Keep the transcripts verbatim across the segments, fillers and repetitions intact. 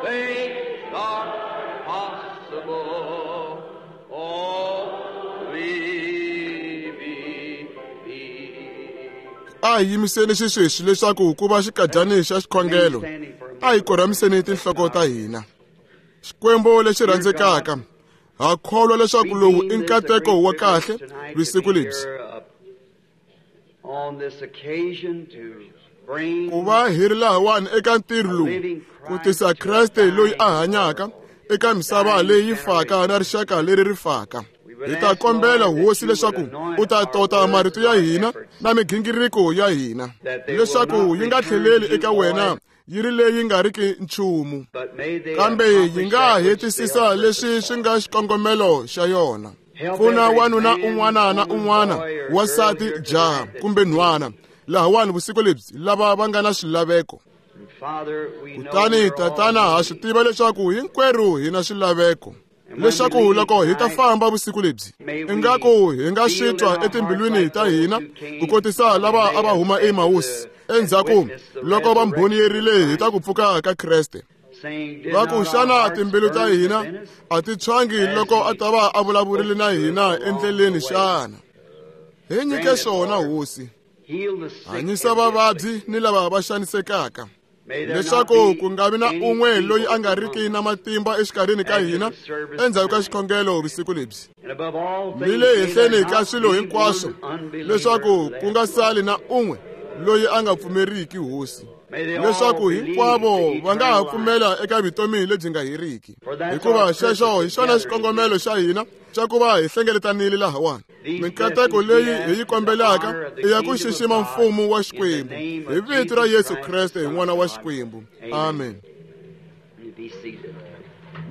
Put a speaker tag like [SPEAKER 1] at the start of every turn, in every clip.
[SPEAKER 1] things are possible. Only believe.
[SPEAKER 2] A hi yimiseni xisweswi leswaku ku va xikadyani xa xikhongelo. A hi korhamiseni tinhloko ta hina. Xikwembu lexi rhandzekaka, ha kholwa leswaku lowu i nkateko wa kahle vusiku lebyi. Ku va hi ri lahawani eka ntirho lowu ku tisa Kreste loyi a hanyaka eka misava leyi faka na rixaka leri ri faka. Hi ta kombela hosi leswaku u ta tota marito ya hina na migingiriko ya hina leswaku yi nga tlheleli eka wena yi ri leyi nga riki nchumu, kambe yi nga hetisisa leswi swi nga xikongomelo xa yona. Pfuna wanuna un'wana na un'wana, wansati, jaha kumbe nhwana lahawani vusiku lebyi lava va nga na swilaveko. Kutani tatana, ha swi tiva leswaku hinkwerhu hi na swilaveko, leswaku loko hi ta famba vusiku lebyi ingaku hi nga swi twa etimbilwini ta hina ku kotisa lava a va huma eMausi endzhaku loko va mbhoniyerile hi ta ku pfuka ka Kreste. Va ku xana timbilu ta hina a ti tshwangi loko a ta va a vulavurile na hina endleleni xana? Hi nyike swona hosi. Hanyisa vavabyi ni lava va xanisekaka, leswaku ku nga vi na un'we loyi a nga riki na matimba exikarhini ka hina endzhaku ka xikhongelo vusiku lebyi. Ni le henhleni ka swilo hinkwaswo, leswaku ku nga sali na un'we loyi a nga pfumeriki hosi, leswaku hinkwavo va nga ha pfumela eka vutomi lebyi nga heriki. Hikuva xexo hi xona xikongomelo xa hina xa ku va hi hlengeletanile lahawani. Minkateko leyi hi yi kombelaka i ya ku xixima mfumo wa Xikwembu hi vito ra Yesu Kreste, hi N'wana wa Xikwembu. Amen.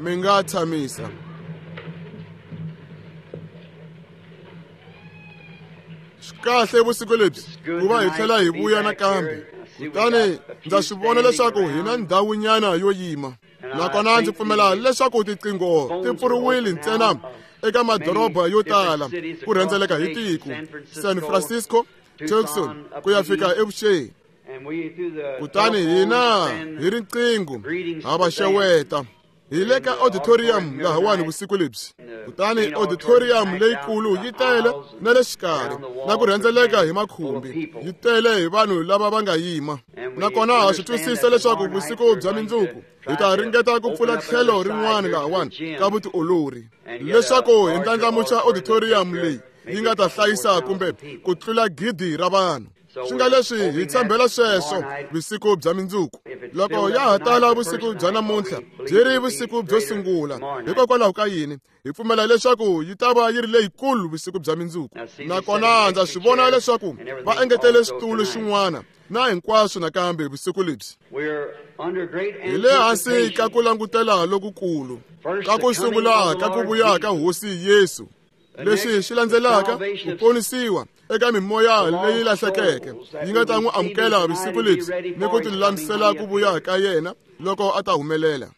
[SPEAKER 2] Mi nga tshamisa. Swi kahle vusiku lebyi ku va hi tlhela hi vuya nakambe. Kutani ndza swi vona leswaku hi na ndhawunyana yo yima, nakona ndzi pfumela leswaku tiqingho ti pfuriwile ntsena eka madoroba yo tala ku rhendzeleka hi tiko, San Francisco, Tucson ku ya fika evuxeni. Kutani hina hi riqingho ha va xeweta. Hi le ka auditorium lahawani vusiku lebyi. Kutani auditorium leyikulu yi tele na le xikarhi na ku rhendzeleka hi makhumbi, yi tele hi vanhu lava va nga yima. Nakona ha swi twisisa leswaku vusiku bya mindzuku hi ta ringeta ku pfula tlhelo rin'wana lahawani ka vutiolori, leswaku hi ndlandlamuxa auditorium leyi yi nga ta hlayisa kumbe ku tlula gidi ra vanhu. Swi nga leswi hi tshembela sweswo vusiku bya mindzuku. Loko ya ha tala vusiku bya namuntlha byi ri vusiku byo sungula, hikokwalaho ka yini hi pfumela leswaku yi ta va yi ri leyikulu vusiku bya mindzuku. Nakona ndza swi vona leswaku va engetele switulu swin'wana na hinkwaswo nakambe vusiku lebyi. Hi le hansi ka ku langutela lokukulu ka ku sungula ka ku vuya ka Hosi Yesu. Leswi xi landzelaka ku ponisiwa eka mimoya leyi lahlekeke yi nga ta n'wi amukela vusiku lebyi ni ku tilulamisela ku vuya ka yena loko a ta humelela.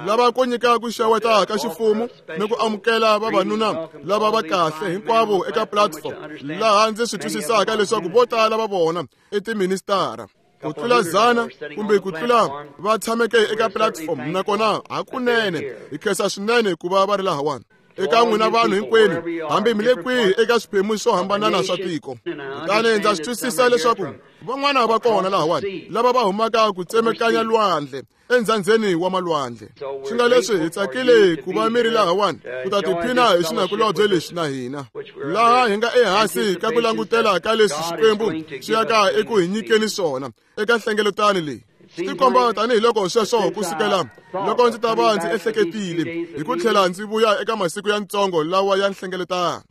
[SPEAKER 2] Lava ku nyika ku xeweta ka xifumu ni ku amukela vavanuna lava va kahle hinkwavo eka platform, laha ndzi swi twisisaka leswaku vo tala va vona i tiministara ku tlula zana kumbe ku tlula va tshameke eka platform. Nakona hakunene hi khensa swinene ku va va ri lahawani. Eka n'wina vanhu hinkwenu, hambi mi le kwihi eka swiphemu swo hambanana swa tiko. Kutani ndza swi twisisa leswaku van'wana va kona lahawani lava va humaka ku tsemekanya lwandle endzhandzeni wa malwandle. Swi nga leswi hi tsakile ku va mi ri lahawani ku ta tiphina hi xinakulobye lexi na hina, laha hi nga ehansi ka ku langutela ka leswi Xikwembu xi yaka eku hi nyikeni swona eka nhlengeletano leyi. Swi tikomba tanihiloko sweswo ku sukela loko ndzi ta va ndzi ehleketile hi ku tlhela ndzi vuya eka masiku ya ntsongo lawa ya nhlengeletano,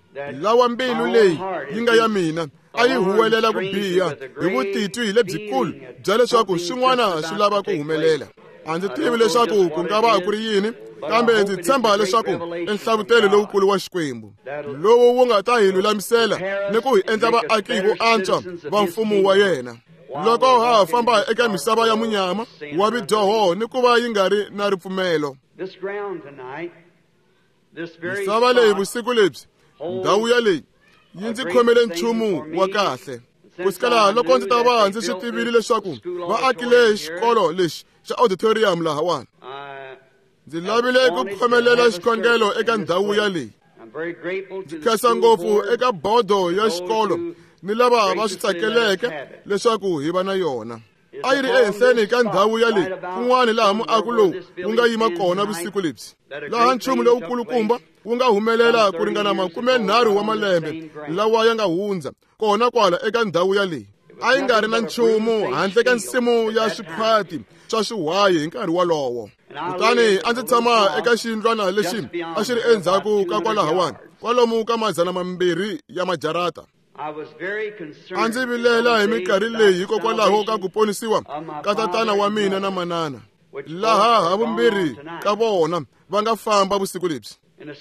[SPEAKER 2] lawa mbilu leyi yi nga ya mina a yi huwelela ku biha hi vutitwi lebyikulu bya leswaku swin'wana swi lava ku humelela. A ndzi tivi leswaku ku nga va ku ri yini, kambe ndzi tshemba leswaku i nhlavutelo lowukulu wa Xikwembu lowu wu nga ta hi lulamisela ni ku hi endla vaaki vo antswa va mfumo wa yena. Loko ha ha famba eka misava ya munyama wa vidyoho ni ku va yi nga ri na ripfumelo. Misava leyi vusiku lebyi, ndhawu ya leyi yi ndzi khomele nchumu wa kahle. Ku sukela loko ndzi ta va ndzi swi tivile leswaku va akile xikolo lexi xa auditorium lahawani, Ndzi lavile ku khomelela xikhongelo eka ndhawu ya leyi. Ndzi khensa ngopfu eka bodo ya xikolo ni lava va swi tsakeleke leswaku hi va na yona. A yi ri ehenhleni ka ndhawu ya leyi kun'wana laha muako lowu wu nga yima kona vusiku lebyi, laha nchumu lowukulukumba wu nga humelela ku ringana makume nharhu wa malembe lawa ya nga hundza kona kwala eka ndhawu ya leyi. A yi nga ri na nchumu handle ka nsimu ya swikhwati swa swiwayi hi nkarhi wolowo. Kutani a ndzi tshama eka xiyindlwana lexi a xi ri endzhaku ka kwalahawani, kwalomu ka madzana mambirhi ya majarata. A ndzi vilela hi minkarhi leyi hikokwalaho ka ku ponisiwa ka tatana wa mina na manana, laha havumbirhi ka vona va nga famba vusiku lebyi.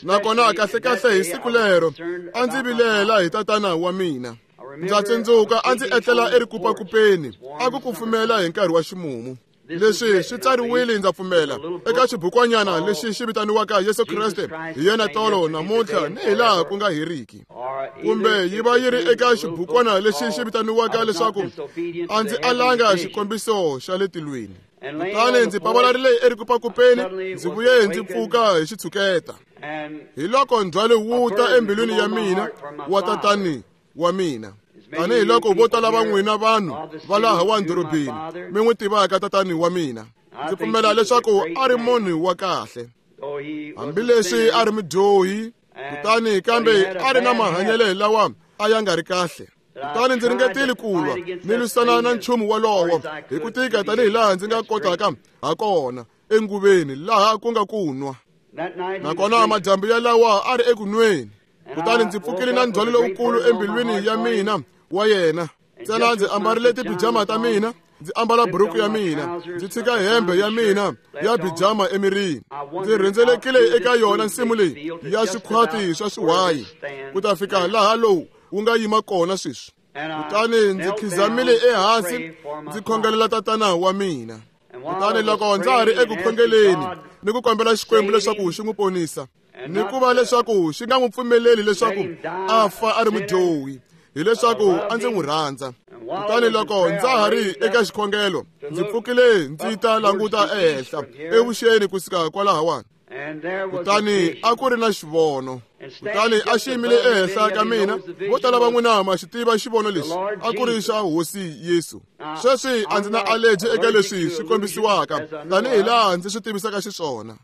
[SPEAKER 2] Nakona kahlekahle hi siku lero a ndzi vilela hi tatana wa mina. Ndza tsundzuka a ndzi etlela erikupakupeni, a ku kufumela hi nkarhi wa ximumu. Leswi swi tsariwile, ndza pfumela, eka xibukwanyana lexi xi vitaniwaka Yesu Kreste hi yena tolo namuntlha ni hilaha ku nga heriki, kumbe yi va yi ri eka xibukwana lexi xi vitaniwaka leswaku a ndzi alanga xikombiso xa le tilweni. Kutani ndzi pavalarile erikupakupeni, ndzi vuye ndzi pfuka hi xitshuketa. Hi loko ndzhwalo wu ta embilwini ya mina wa tatani wa mina, tanihi loko vo tala va n'wina vanhu va laha wa dorobeni mi n'wi tivaka tatani wa mina. Ndzi pfumela leswaku a ri munhu wa kahle, hambileswi a ri mudyohi, kutani kambe a ri na mahanyelo lawa a ya nga ri kahle. Kutani ndzi ringetile ku lwa ni lwisana na nchumu wolowo hi ku tika tanihi laha ndzi nga kotaka ha kona enguveni laha ku nga ku nwa. Nakona madyambu yalawa a ri eku nweni. Kutani ndzi pfukile na ndzhwalo lowukulu embilwini ya mina wa yena. Ntsena ndzi ambarile tipijama ta mina, ndzi ambala buruku ya mina, ndzi tshika hembe ya mina ya pijama emirini. Ndzi rhendzelekile eka yona nsimu leyi ya swikhwati swa swiwayi ku ta fika laha lowu wu nga yima kona sweswi. Kutani ndzi khizamile ehansi ndzi khongelela tatana wa mina. Kutani loko ndza ha ri eku khongeleni ni ku kombela Xikwembu leswaku xi n'wi ponisa, ni ku va leswaku xi nga n'wi pfumeleli leswaku a fa a ri mudyohi, hileswaku a ndzi n'wi rhandza. Kutani loko ndza ha ri eka xikhongelo, ndzi pfukile ndzi ta languta ehenhla evuxeni kusuka kwalahawani. Kutani a ku ri na xivono. Kutani a xi yimile ehenhla ka mina. Vo tala va n'wina ma xi tiva xivono lexi, a ku ri xa Hosi Yesu. Sweswi a ndzi na allergy eka leswi swi kombisiwaka tanihi laha ndzi swi tivisaka xiswona,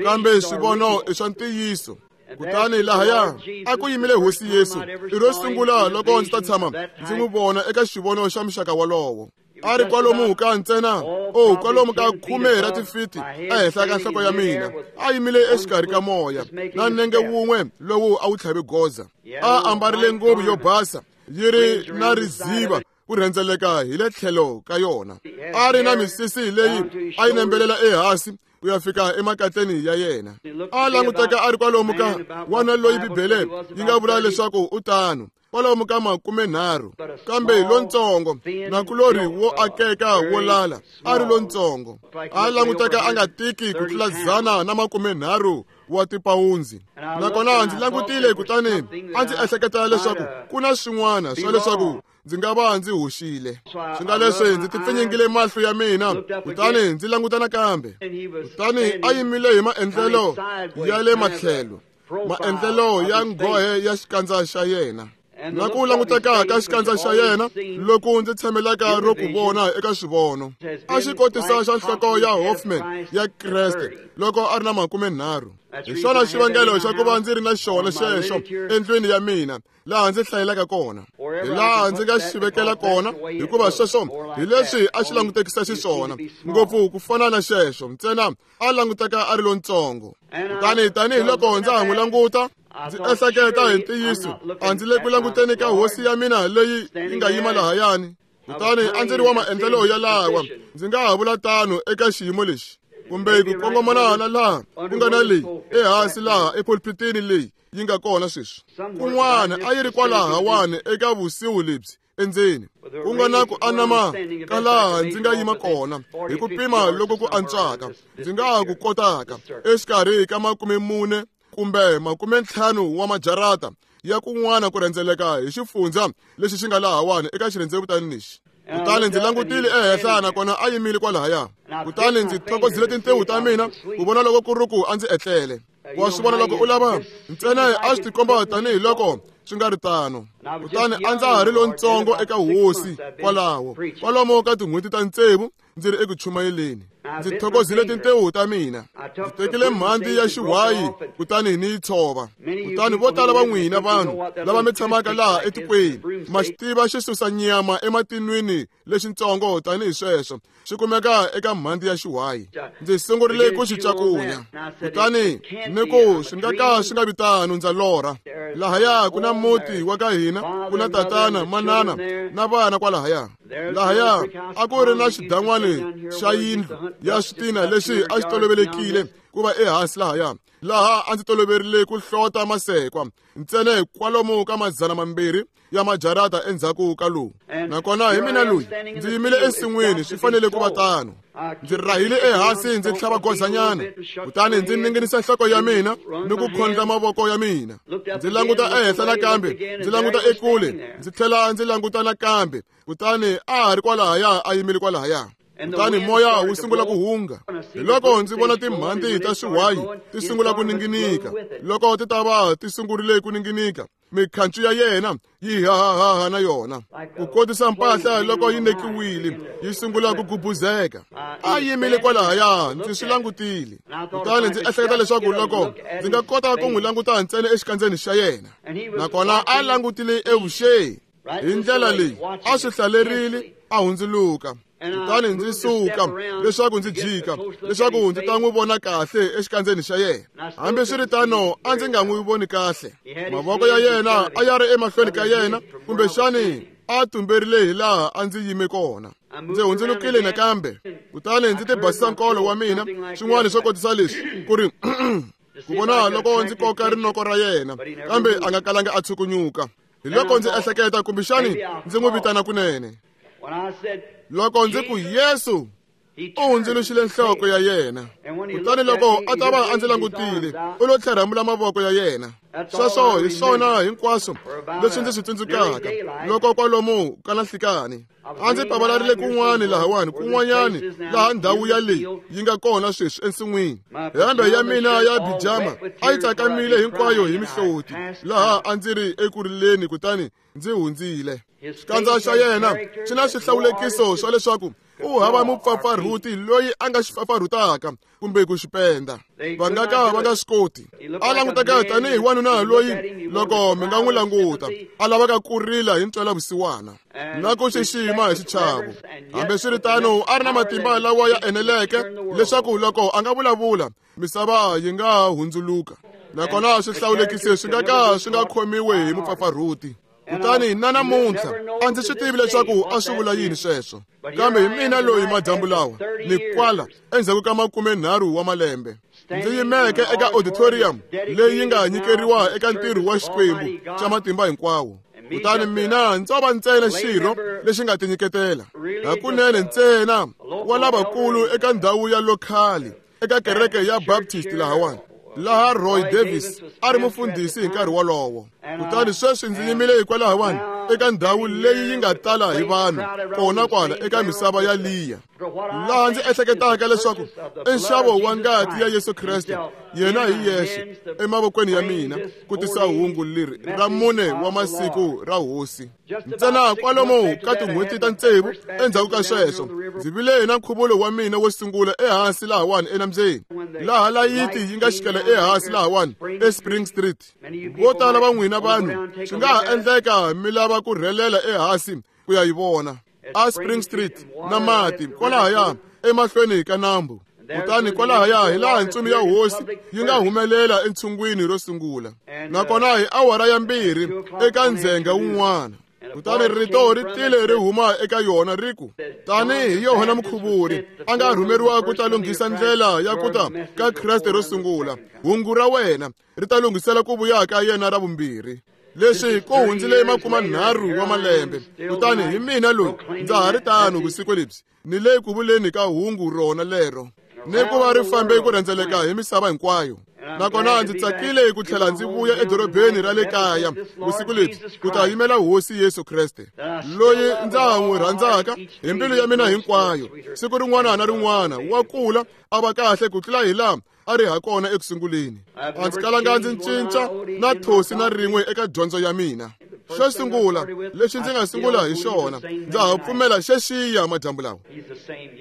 [SPEAKER 2] kambe swivono i swa ntiyiso. Kutani lahaya a ku yimile Hosi Yesu. I ro sungula loko ndzi ta tshama ndzi n'wi vona eka xivono xa muxaka wolowo. A ri kwalomu ka ntsena, o kwalomu ka khume ra tifiti ehenhla ka nhloko ya mina. A yimile exikarhi ka moya na nenge wun'we lowu a wu tlhave goza. A ambarile nguvu yo basa yi ri na riziva ku rhendzeleka hi le tlhelo ka yona. A ri na misisi leyi a yi nembelela ehansi ku ya fika emakatleni ya yena. A languteka a ri kwalomu ka wana loyi Bibele yi nga vula leswaku u tano, kwalomu ka makume nharhu, kambe lontsongo nakulorhi wo akeka wo lala a ri lontsongo. A languteka a nga tiki ku tlula dzana na makume nharhu wa tipawundzi. Nakona ndzi langutile, kutani a ndzi ehleketa leswaku ku na swin'wana swa leswaku ndzi nga va ndzi hoxile. Swi nga leswi ndzi tipfinyingile mahlo ya mina, kutani ndzi languta nakambe. Kutani a yimile hi maendlelo ya le matlhelo, maendlelo ya nghohe ya xikandza xa yena. Na ku languteka ka xikandza xa yena loku ndzi tshamelaka ro ku vona eka xivono, a xi kotisa xa nhloko ya Hoffman ya Kreste loko a ri na makume nharhu. Hi xona xivangelo xa ku va ndzi ri na xona xexo endlwini ya mina laha ndzi hlayelaka kona, hi laha ndzi nga xi vekela kona, hikuva sweswo hi leswi a xi langutekisa xiswona ngopfu ku fana na xexo, ntsena a languteka a ri lontsongo. Kutani tanihiloko ndza ha n'wi languta, ndzi ehleketa hi ntiyiso a ndzi le ku languteni ka hosi ya mina leyi yi nga yima lahayani. Kutani a ndzi ri wa maendlelo yalawa, ndzi nga ha vula tano eka xiyimo lexi, kumbe ku kongomana na laha ku nga na leyi ehansi laha epulpitini leyi yi nga kona sweswi. Kun'wana a yi ri kwalahawani eka vusiku lebyi endzeni, ku nga na ku anama ka laha ndzi nga yima kona hi ku pima loko ku antswaka ndzi nga ha ku kotaka exikarhi ka makume mune kumbe makume ntlhanu wa majarata ya kun'wana ku rhendzeleka hi xifundza lexi xi nga lahawani eka xirhendzevutani lexi. Kutani ndzi langutile ehenhla nakona a yimile kwalahaya. Kutani ndzi thokozile tintewu ta mina ku vona loko ku ri ku a ndzi etlele. Wa swi vona loko u lava ntsena a swi tikomba tanihiloko swi nga ri tano. Kutani a ndza ha ri lontsongo eka hosi kwalaho kwalomo ka tin'hweti ta tsevu ndzi ri eku chumayeleni. Ndzi thokozile tintewu ta mina. Ndzi tekile mhandzi ya xiwayi kutani ni yi tshova. Kutani vo tala va n'wina vanhu lava mi tshamaka laha etikweni ma xi tiva xi susa nyama ematinwini lexitsongo tanihi sweswo xi kumeka eka mhandzi ya xiwayi. Ndzi sungurile ku xi cakunya. Kutani ni ku swi nga ka swi nga vi tano ndza lorha. Lahaya ku na muti wa ka hina, ku na tatana, manana na vana kwalahaya. Lahaya a ku ri na xidan'wani xa yindlu ya switina lexi a xi tolovelekile ku va ehansi lahaya, laha a ndzi toloverile ku hlota masekwa ntsena kwalomu ka madzana mambirhi ya majarata endzhaku ka lowu. Nakona hi mina loyi ndzi yimile ensin'wini, swi fanele ku va tano. Ndzi rahile ehansi ndzi tlhava gozanyana, kutani ndzi ninginisa nhloko ya mina ni ku khondla mavoko ya mina. Ndzi languta ehenhla nakambe, ndzi languta ekule, ndzi tlhela ndzi languta nakambe, kutani a ha ri kwalahaya a yimile kwalahaya. Kutani moya wu sungula ku hunga. Hiloko ndzi vona timhandzi ta swiwayi ti sungula ku ninginika. Loko ti ta va ti sungurile ku ninginika, mikhancu ya yena yi hahahaha na yona. Ku kotisa mpahla loko yi nekiwile yi sungula ku gubuzeka. A yimile kwalahaya, ndzi swi langutile. Kutani ndzi ehleketa leswaku loko ndzi nga kota ku n'wi languta ntsena exikandzeni xa yena. Nakona a langutile evuxeni hi ndlela leyi a swi hlalerile a hundzuluka. Kutani ndzi suka leswaku ndzi jika leswaku ndzi ta n'wi vona kahle exikandzeni xa yena. Hambiswiritano a ndzi nga n'wi voni kahle. Mavoko ya yena a ya ri emahlweni ka yena, kumbexani a tumberile hi laha a ndzi yime kona. Ndzi hundzulukile nakambe, kutani ndzi tibasisa nkolo wa mina swin'wana swo kotisa leswi ku ri ku vona loko ndzi koka rinoko ra yena, kambe a nga kalanga a tshukunyuka. Hiloko ndzi ehleketa kumbexani ndzi n'wi vitana kunene. Loko ndzi ku Yesu, u hundzuluxile nhloko ya yena. Kutani loko a ta va a ndzi langutile, u lo tlherhamula mavoko ya yena. Sweswo hi swona hinkwaswo leswi ndzi swi tsundzukaka loko kwalomu ka nhlikani a ndzi pavalarile kun'wani lahawani, kun'wanyani laha ndhawu ya leyi yi nga kona sweswi ensin'wini. Hembe ya mina ya bijama a yi tsakamile hinkwayo hi mihloti laha a ndzi ri eku rileni, kutani ndzi hundzile. Xikandza xa yena xi na swihlawulekiso swa leswaku u hava mupfapfarhuti loyi a nga xi pfapfarhutaka kumbe ku xi penda. Va nga ka va nga swi koti. A languteka tanihi wanuna loyi loko mi nga n'wi languta a lavaka ku rila hi ntwelavusiwana na ku xixima hi xichavo. Hambiswiritano a ri na matimba lawa ya eneleke leswaku loko a nga vulavula misava yi nga hundzuluka. Nakona swihlawulekisi swi nga ka swi nga khomiwi hi mupfapfarhuti. Kutani na namuntlha a ndzi swi tivi leswaku a swi vula yini sweswo, kambe hi mina loyi madyambu lawa ni kwala endzhaku ka makumenharhu wa malembe ndzi yimeke eka auditorium leyi yi nga nyikeriwa eka ntirho wa Xikwembu xa matimba hinkwawo. Kutani mina ndzo va ntsena xirho lexi nga tinyiketela hakunene ntsena wa lavakulu eka ndhawu ya lokhali eka kereke ya Baptist lahawani, laha Roy Davis a ri mufundhisi hi nkarhi wolowo. Kutani sweswi ndzi yimile hikwalahawani eka ndhawu leyi yi nga tala hi vanhu kona kwala eka misava ya liya, laha ndzi ehleketaka leswaku i nxavo wa ngati ya Yesu Kreste yena hi yexe emavokweni ya mina ku tisa hungu leri ra mune wa masiku ra hosi. Ntsena kwalomu ka tin'hweti ta tsevu endzhaku ka sweswo ndzi vile na nkhuvulo wa mina wo sungula ehansi lahawani enambyeni, laha layiti yi nga xikela ehansi lahawani eSpring Street. Vo tala va n'wina vanhu swi nga ha endleka mi lava ku rhelela ehansi ku ya yi vona a Spring Street na mati kwalahaya emahlweni ka nambu. Kutani kwalahaya hi laha ntsumi ya hosi yi nga humelela entshungwini ro sungula, nakona hi awara ya mbirhi eka ndzhenga wun'wana. Kutani rito ri tile ri huma eka yona ri ku, tanihi Yohana Mukhuvuri a nga rhumeriwa ku ta lunghisa ndlela ya ku ta ka Kreste ro sungula, hungu ra wena ri ta lunghisela ku vuya ka yena ra vumbirhi. Leswi ku hundzile makumanharhu wa malembe, kutani hi mina loyi ndza ha ri tano vusiku lebyi ni le ku vuleni ka hungu rona lero, ni ku va ri fambe ku rhendzeleka hi misava hinkwayo. Nakona ndzi tsakile ku tlhela ndzi vuya edorobeni ra le kaya vusiku lebyi ku ta yimela Hosi Yesu Kreste, loyi ndza n'wi rhandzaka hi mbilu ya mina hinkwayo. Siku rin'wana na rin'wana wa kula a va kahle ku tlula hi laha a ri ha kona eku sunguleni. A ndzi kalanga ndzi cinca na thosi na rin'we eka dyondzo ya mina. Xo sungula lexi ndzi nga sungula hi xona, ndza ha pfumela xexiya madyambu lawa.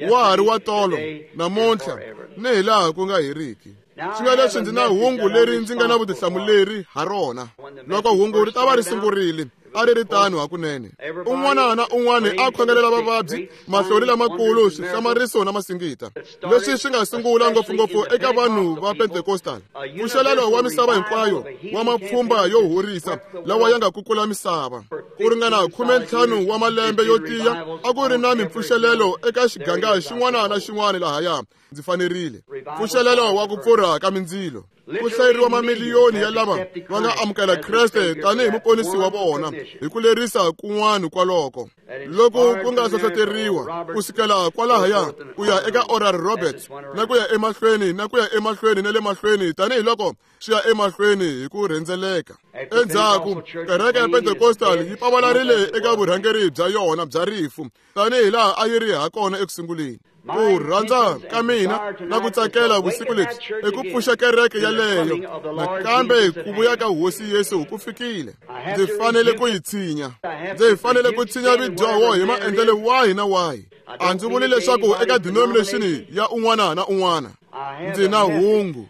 [SPEAKER 2] Wa ha ri wa tolo, namuntlha, ni hi laha ku nga heriki. Swi nga leswi ndzi na hungu leri ndzi nga na vutihlamuleri ha rona. Loko hungu ri ta va ri sungurile, a ri ri tano hakunene. Un'wana na un'wana a khongelela vavabyi, mahlori lamakulu, swihlamariso na masingita. Leswi swi nga sungula ngopfungopfu eka vanhu va Pentecostal. Mpfuxelelo wa misava hinkwayo wa mapfhumba yo horisa lawa ya nga kukula misava. Ku ringana khume ntlhanu wa malembe yo tiya a ku ri na mimpfuxelelo eka xiganga xin'wana na xin'wana lahaya. Ndzi fanerile. Mpfuxelelo wa ku pfurha ka mindzilo. Ku hlayeriwa mamiliyoni ya lava va nga amukela Kreste tanihi muponisi wa vona hi ku lerisa kun'wana kwaloko. Loko ku nga hlohloteriwa ku sukela kwalahaya ku ya eka Oral Roberts na ku ya emahlweni na ku ya emahlweni na le mahlweni tanihiloko swi ya emahlweni hi ku rhendzeleka. Endzhaku kereke ya Pentecostal yi pavalarile eka vurhangeri bya yona bya rifu tanihi laha a yi ri ha kona eku sunguleni. Ku rhandza ka mina na ku tsakela vusiku lebyi i ku pfuxa kereke yaleyo nakambe ku vuya ka Hosi Yesu ku fikile. Ndzi fanele ku yi tshinya. Ndzi fanele ku tshinya vidyoho hi maendlelo wahi na wahi. A ndzi vuli leswaku eka denomination ya un'wana na un'wana ndzi na hungu.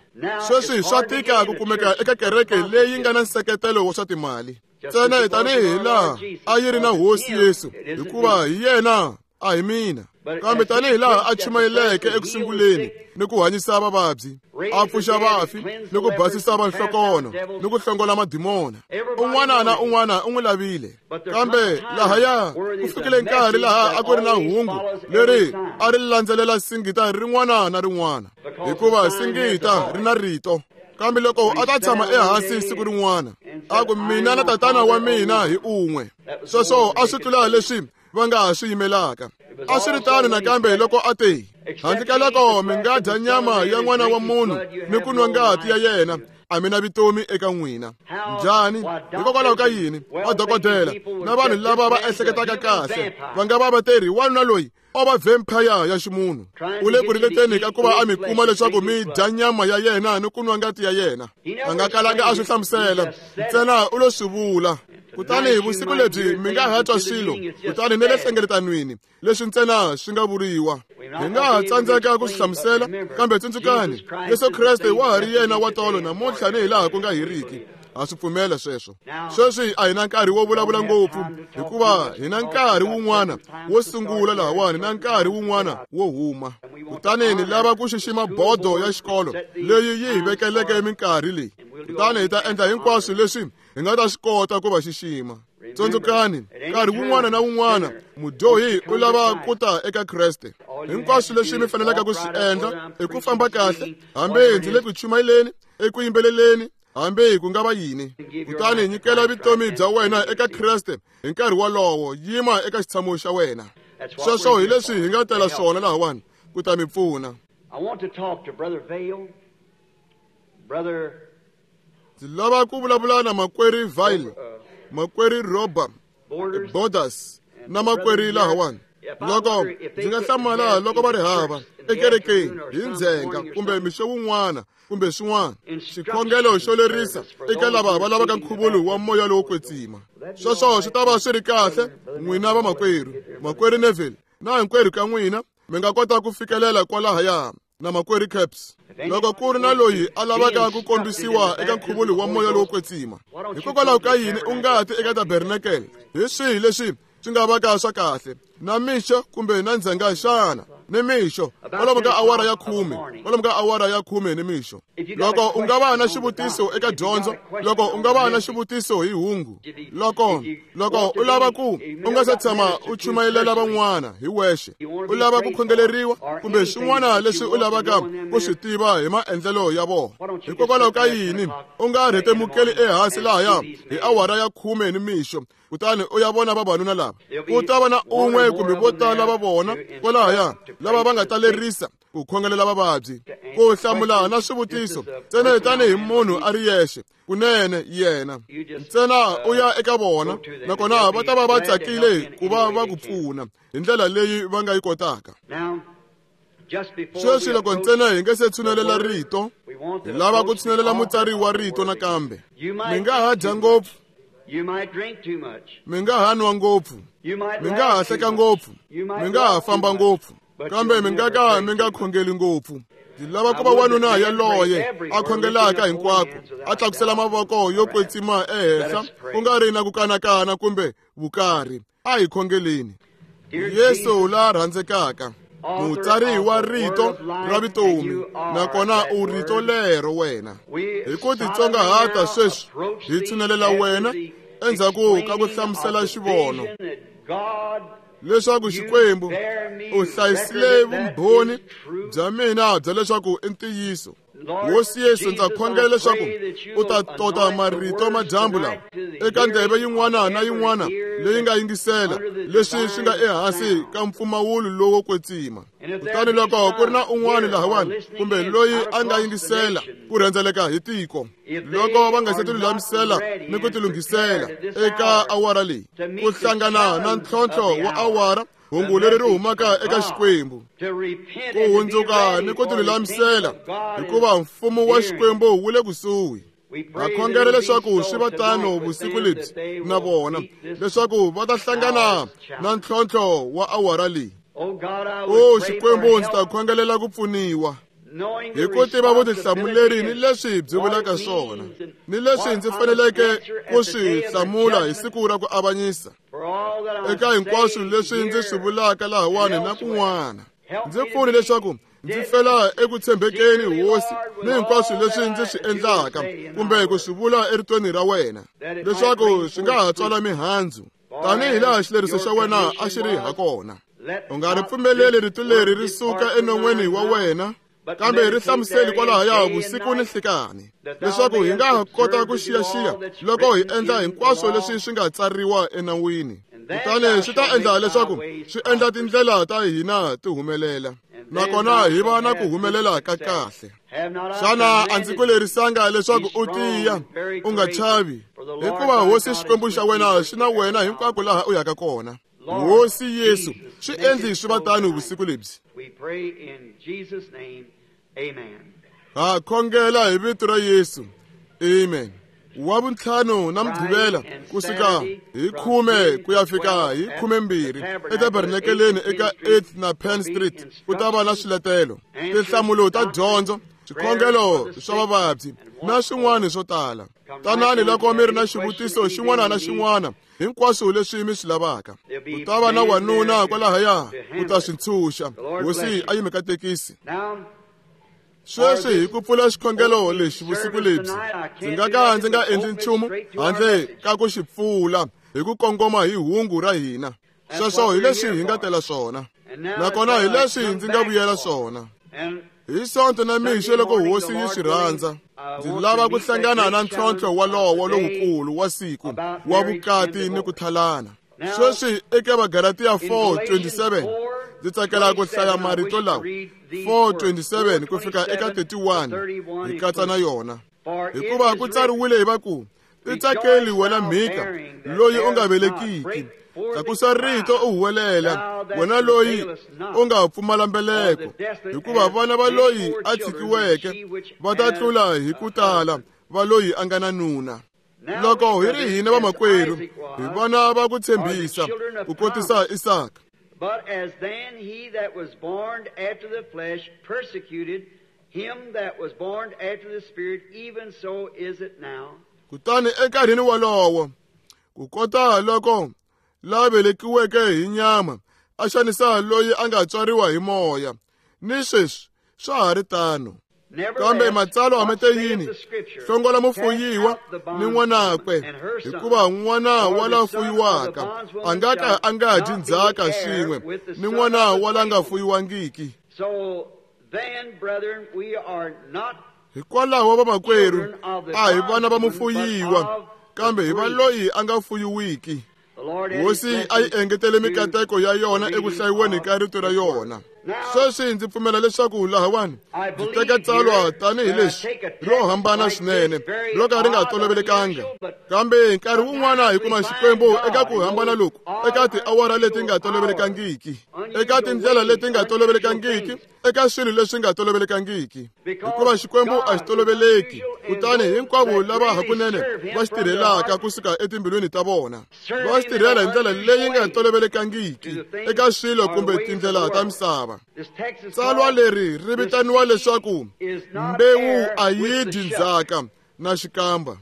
[SPEAKER 2] Sweswi swa tika ku kumeka eka kereke leyi nga na nseketelo wa swa timali ntsena tanihi laha a yi ri na Hosi Yesu, hikuva hi yena a hi mina. Kambe tanihi laha a chumayeleke eku sunguleni ni ku hanyisa vavabyi, a pfuxa vafi ni ku basisa vanhlokono ni ku hlongola madimona. Un'wana na un'wana u n'wi lavile. Kambe lahaya ku fikile nkarhi laha a ku ri na hungu leri a ri landzelela singita rin'wana na rin'wana, hikuva singita ri na rito. Kambe loko a ta tshama ehansi siku rin'wana a ku mina na tatana wa mina hi un'we, sweswo a swi tlula leswi va nga ha swi yimelaka. A swi ri tano nakambe loko a te, handle ka loko mi nga dya nyama ya n'wana wa munhu ni ku nwa ngati ya yena, a mi na vutomi eka n'wina. Njhani? Hikokwalaho ka yini vadokodela na vanhu lava va ehleketaka kahle va nga va va te ri wanuna loyi o va vampire ya ximunhu, u le ku ringeteni ka ku va a mi kuma leswaku mi dya nyama ya yena ni ku nwa ngati ya yena. A nga kalanga a swi hlamusela, ntsena u lo swi vula. Kutani vusiku lebyi mi nga ha twa swilo, kutani ni le hlengeletanweni leswi ntsena swi nga vuriwa. Hi nga ha tsandzeka ku swi hlamusela, kambe tsundzukani, Yesu Kreste wa ha ri yena wa tolo namuntlha ni hi laha ku nga heriki. Ha swi pfumela sweswo. Sweswi a hi na nkarhi wo vulavula ngopfu, hikuva hi na nkarhi wun'wana wo sungula lahawani na nkarhi wun'wana wo huma. Kutani ni lava ku xixima bodo ya xikolo leyi yi hi vekeleke minkarhi leyi. Kutani hi ta endla hinkwaswo leswi hi nga ta swi kota ku va xixima. Tsundzukani, nkarhi wun'wana na wun'wana mudyohi u lava ku ta eka Kreste. Hinkwaswo leswi mi faneleke ku swi endla i ku famba kahle, hambi ndzi le ku chumayeleni, eku yimbeleleni, hambi ku nga va yini. Kutani nyikela vutomi bya wena eka Kreste hi nkarhi wolowo, yima eka xitshamo xa wena. Sweswo hi leswi hi nga tela swona lahawani ku ta mi pfuna. Ndzi lava ku vulavula na makwerhu Vail, makwerhu Roba, Borders na makwerhu lahawani. Loko ndzi nga hlamala loko va ri hava ekerekeni hi ndzhenga kumbe mixo wun'wana kumbe swin'wana, xikhongelo xo lerisa eka lava va lavaka nkhuvulo wa moya lowo kwetsima. Sweswo swi ta va swi ri kahle n'wina vamakwerhu, makwerhu Neville na hinkwerhu ka n'wina mi nga kota ku fikelela kwalahaya na makwerhu Caps. Loko ku ri na loyi a lavaka ku kombisiwa eka nkhuvulo wa moya lowo kwetsima, hikokwalaho ka yini u nga ti eka tabernakele? Hi swihi leswi swi nga vaka swa kahle na mixo kumbe na ndzhenga xana? Ni mixo kwalomu ka awara ya khume, kwalomu ka awara ya khume ni mixo. Loko u nga va na xivutiso eka dyondzo, loko u nga va na xivutiso hi hungu, loko loko u lava ku u nga se tshama u chumayelela van'wana hi wexe, u lava ku khongeleriwa kumbe swin'wana leswi u lavaka ku swi tiva hi maendlelo ya vona, hikokwalaho ka yini u nga rhetemukeli ehansi lahaya hi awara ya khume ni mixo, kutani u ya vona vavanuna lava? Ku ta va na un'we kumbe vo tala va vona kwalahaya lava va nga ta lerisa ku khongelela vavabyi, ku hlamula na swivutiso ntsena tanihi munhu a ri yexe kunene yena ntsena u ya eka vona, nakona va ta va va tsakile ku va va ku pfuna hi ndlela leyi va nga yi kotaka. Sweswi loko ntsena hi nge se tshunelela rito, hi lava ku tshunelela mutsari wa rito nakambe. Mi nga ha dya ngopfu, mi nga ha nwa ngopfu, mi nga ha hleka ngopfu, mi nga ha famba ngopfu, kambe mi nga ka mi nga khongeli ngopfu. Ndzi lava ku va wanuna yaloye a khongelaka hinkwako, a tlakusela mavoko yo kwetsima ehenhla, ku nga ri na ku kanakana kumbe vukarhi. A hi khongeleni. Yesu la rhandzekaka, mutsari wa rito ra vutomi, nakona u rito lero wena. Hi ku titsongahata sweswi hi tshunelela wena endzhaku ka ku hlamusela xivono leswaku Xikwembu u hlayisile vumbhoni bya mina bya leswaku i ntiyiso. Hosi Yesu, ndza khongela leswaku u ta tota marito madyambu lawa eka ndleve yin'wana na yin'wana leyi nga yingisela leswi swi nga ehansi ka mpfumawulo lowo kwetsima. Kutani loko ku ri na un'wana lahawani kumbe loyi a nga yingisela ku rhendzeleka hi tiko, loko va nga se tilulamisela ni ku tilunghisela eka awara leyi ku hlangana na ntlhontlho wa awara, hungu leri ri humaka eka Xikwembu, ku hundzuka ni ku tilulamisela, hikuva mfumo wa Xikwembu wu le kusuhi. Ha khongela leswaku swi va tano vusiku lebyi na vona, leswaku va ta hlangana na ntlhontlho wa awara leyi. O Xikwembu, ndzi ta khongelela ku pfuniwa hi ku tiva vutihlamuleri ni leswi byi vulaka swona, ni leswi ndzi faneleke ku swi hlamula hi siku ra ku avanyisa eka hinkwaswo leswi ndzi swi vulaka lahawani na kun'wana. Ndzi pfuni leswaku ndzi fela eku tshembekeni, Hosi, ni hinkwaswo leswi ndzi swi endlaka kumbe ku swi vula eritweni ra wena, leswaku swi nga ha tswala mihandzu tanihi laha xileriso xa wena a xi ri hakona. U nga ri pfumeleli rito leri ri suka enon'weni wa wena, kambe ri hlamuseli kwalahaya vusiku ni nhlikani, leswaku hi nga kota ku xiyaxiya loko hi endla hinkwaswo leswi swi nga tsariwa enawini. Kutani swi ta endla leswaku swi endla tindlela ta hina ti humelela, nakona hi va na ku humelela ka kahle. Xana a ndzi ku lerisanga leswaku u tiya, u nga chavi, hikuva Hosi Xikwembu xa wena xi na wena hinkwako laha u yaka kona. Hosi Yesu, swi endli swi va tano vusiku lebyi. Ha khongela hi vito ra Yesu. Amen. Wa vuntlhanu na Mugqivela kusuka hi khume ku ya fika hi khumembirhi etabernakeleni eka eighth na Penn Street ku ta va na swiletelo, tinhlamulo ta dyondzo, swikhongelo swa vavabyi na swin'wana swo tala. Tanani loko mi ri na xivutiso xin'wana na xin'wana, hinkwaswo leswi mi swi lavaka. Ku ta va na wanuna kwalahaya ku ta swi ntshunxa. Hosi a yi mi katekisi. Sweswi hi ku pfula xikhongelo lexi vusiku lebyi, ndzi nga ka ndzi nga endli nchumu handle ka ku xi pfula hi ku kongoma hi hungu ra hina. Sweswo hi leswi hi nga tela swona, nakona hi leswi ndzi nga vuyela swona. Hi Sonto na mixo loko Hosi yi swi rhandza, ndzi lava ku hlangana na ntlhontlho walowo lowukulu wa siku wa vukati ni ku thalana. Sweswi eka Vagalatiya four twenty-seven, ndzi tsakela ku hlaya marito lawa four twenty-seven ku fika eka thirty-one hi katsa na yona. Hikuva ku tsariwile hi va ku, titsakeli wena mhika loyi u nga velekiki, tlakusa rito u huwelela wena loyi u nga pfumala mbeleko, hikuva vana va loyi a tshikiweke va ta tlula hi ku tala va loyi a nga na nuna. Loko hi ri hina vamakwerhu, hi vana va ku tshembisa ku kotisa Isaka.
[SPEAKER 1] But as then he that was born after the flesh persecuted him that was born after the Spirit, even so is it now.
[SPEAKER 2] Kutani enkarhini wolowo, ku kota loko la velekiweke hi nyama a xanisa loyi a nga tswariwa hi moya, ni sweswi swa ha ri tano. Kambe matsalwa ma te yini? Hlongola mufuyiwa ni n'wanakwe, hikuva n'wana wa la fuyiwaka a nga ka a nga dyi ndzhaka swin'we ni n'wana wa la nga fuyiwangiki. Hikwalaho vamakwerhu, a hi vana va mufuyiwa, kambe hi va loyi a nga fuyiwiki. Hosi a yi engetele mikateko ya yona eku hlayiweni ka rito ra yona. Sweswi ndzi pfumela leswaku lahawani ndzi teka tsalwa tanihi leswi ro hambana swinene ro ka ri nga tolovelekanga, kambe nkarhi wun'wana hi kuma Xikwembu eka ku hambana loku, eka tiawara leti nga tolovelekangiki, eka tindlela leti nga tolovelekangiki, eka swilo leswi nga tolovelekangiki, hikuva Xikwembu a xi toloveleki. Kutani hinkwavo lava hakunene va xi tirhelaka kusuka etimbilwini ta vona va xi tirhela hi ndlela leyi nga tolovelekangiki eka swilo kumbe tindlela ta misava. Tsalwa leri ri vitaniwa leswaku mbewu a yi dyi ndzhaka na xikamba.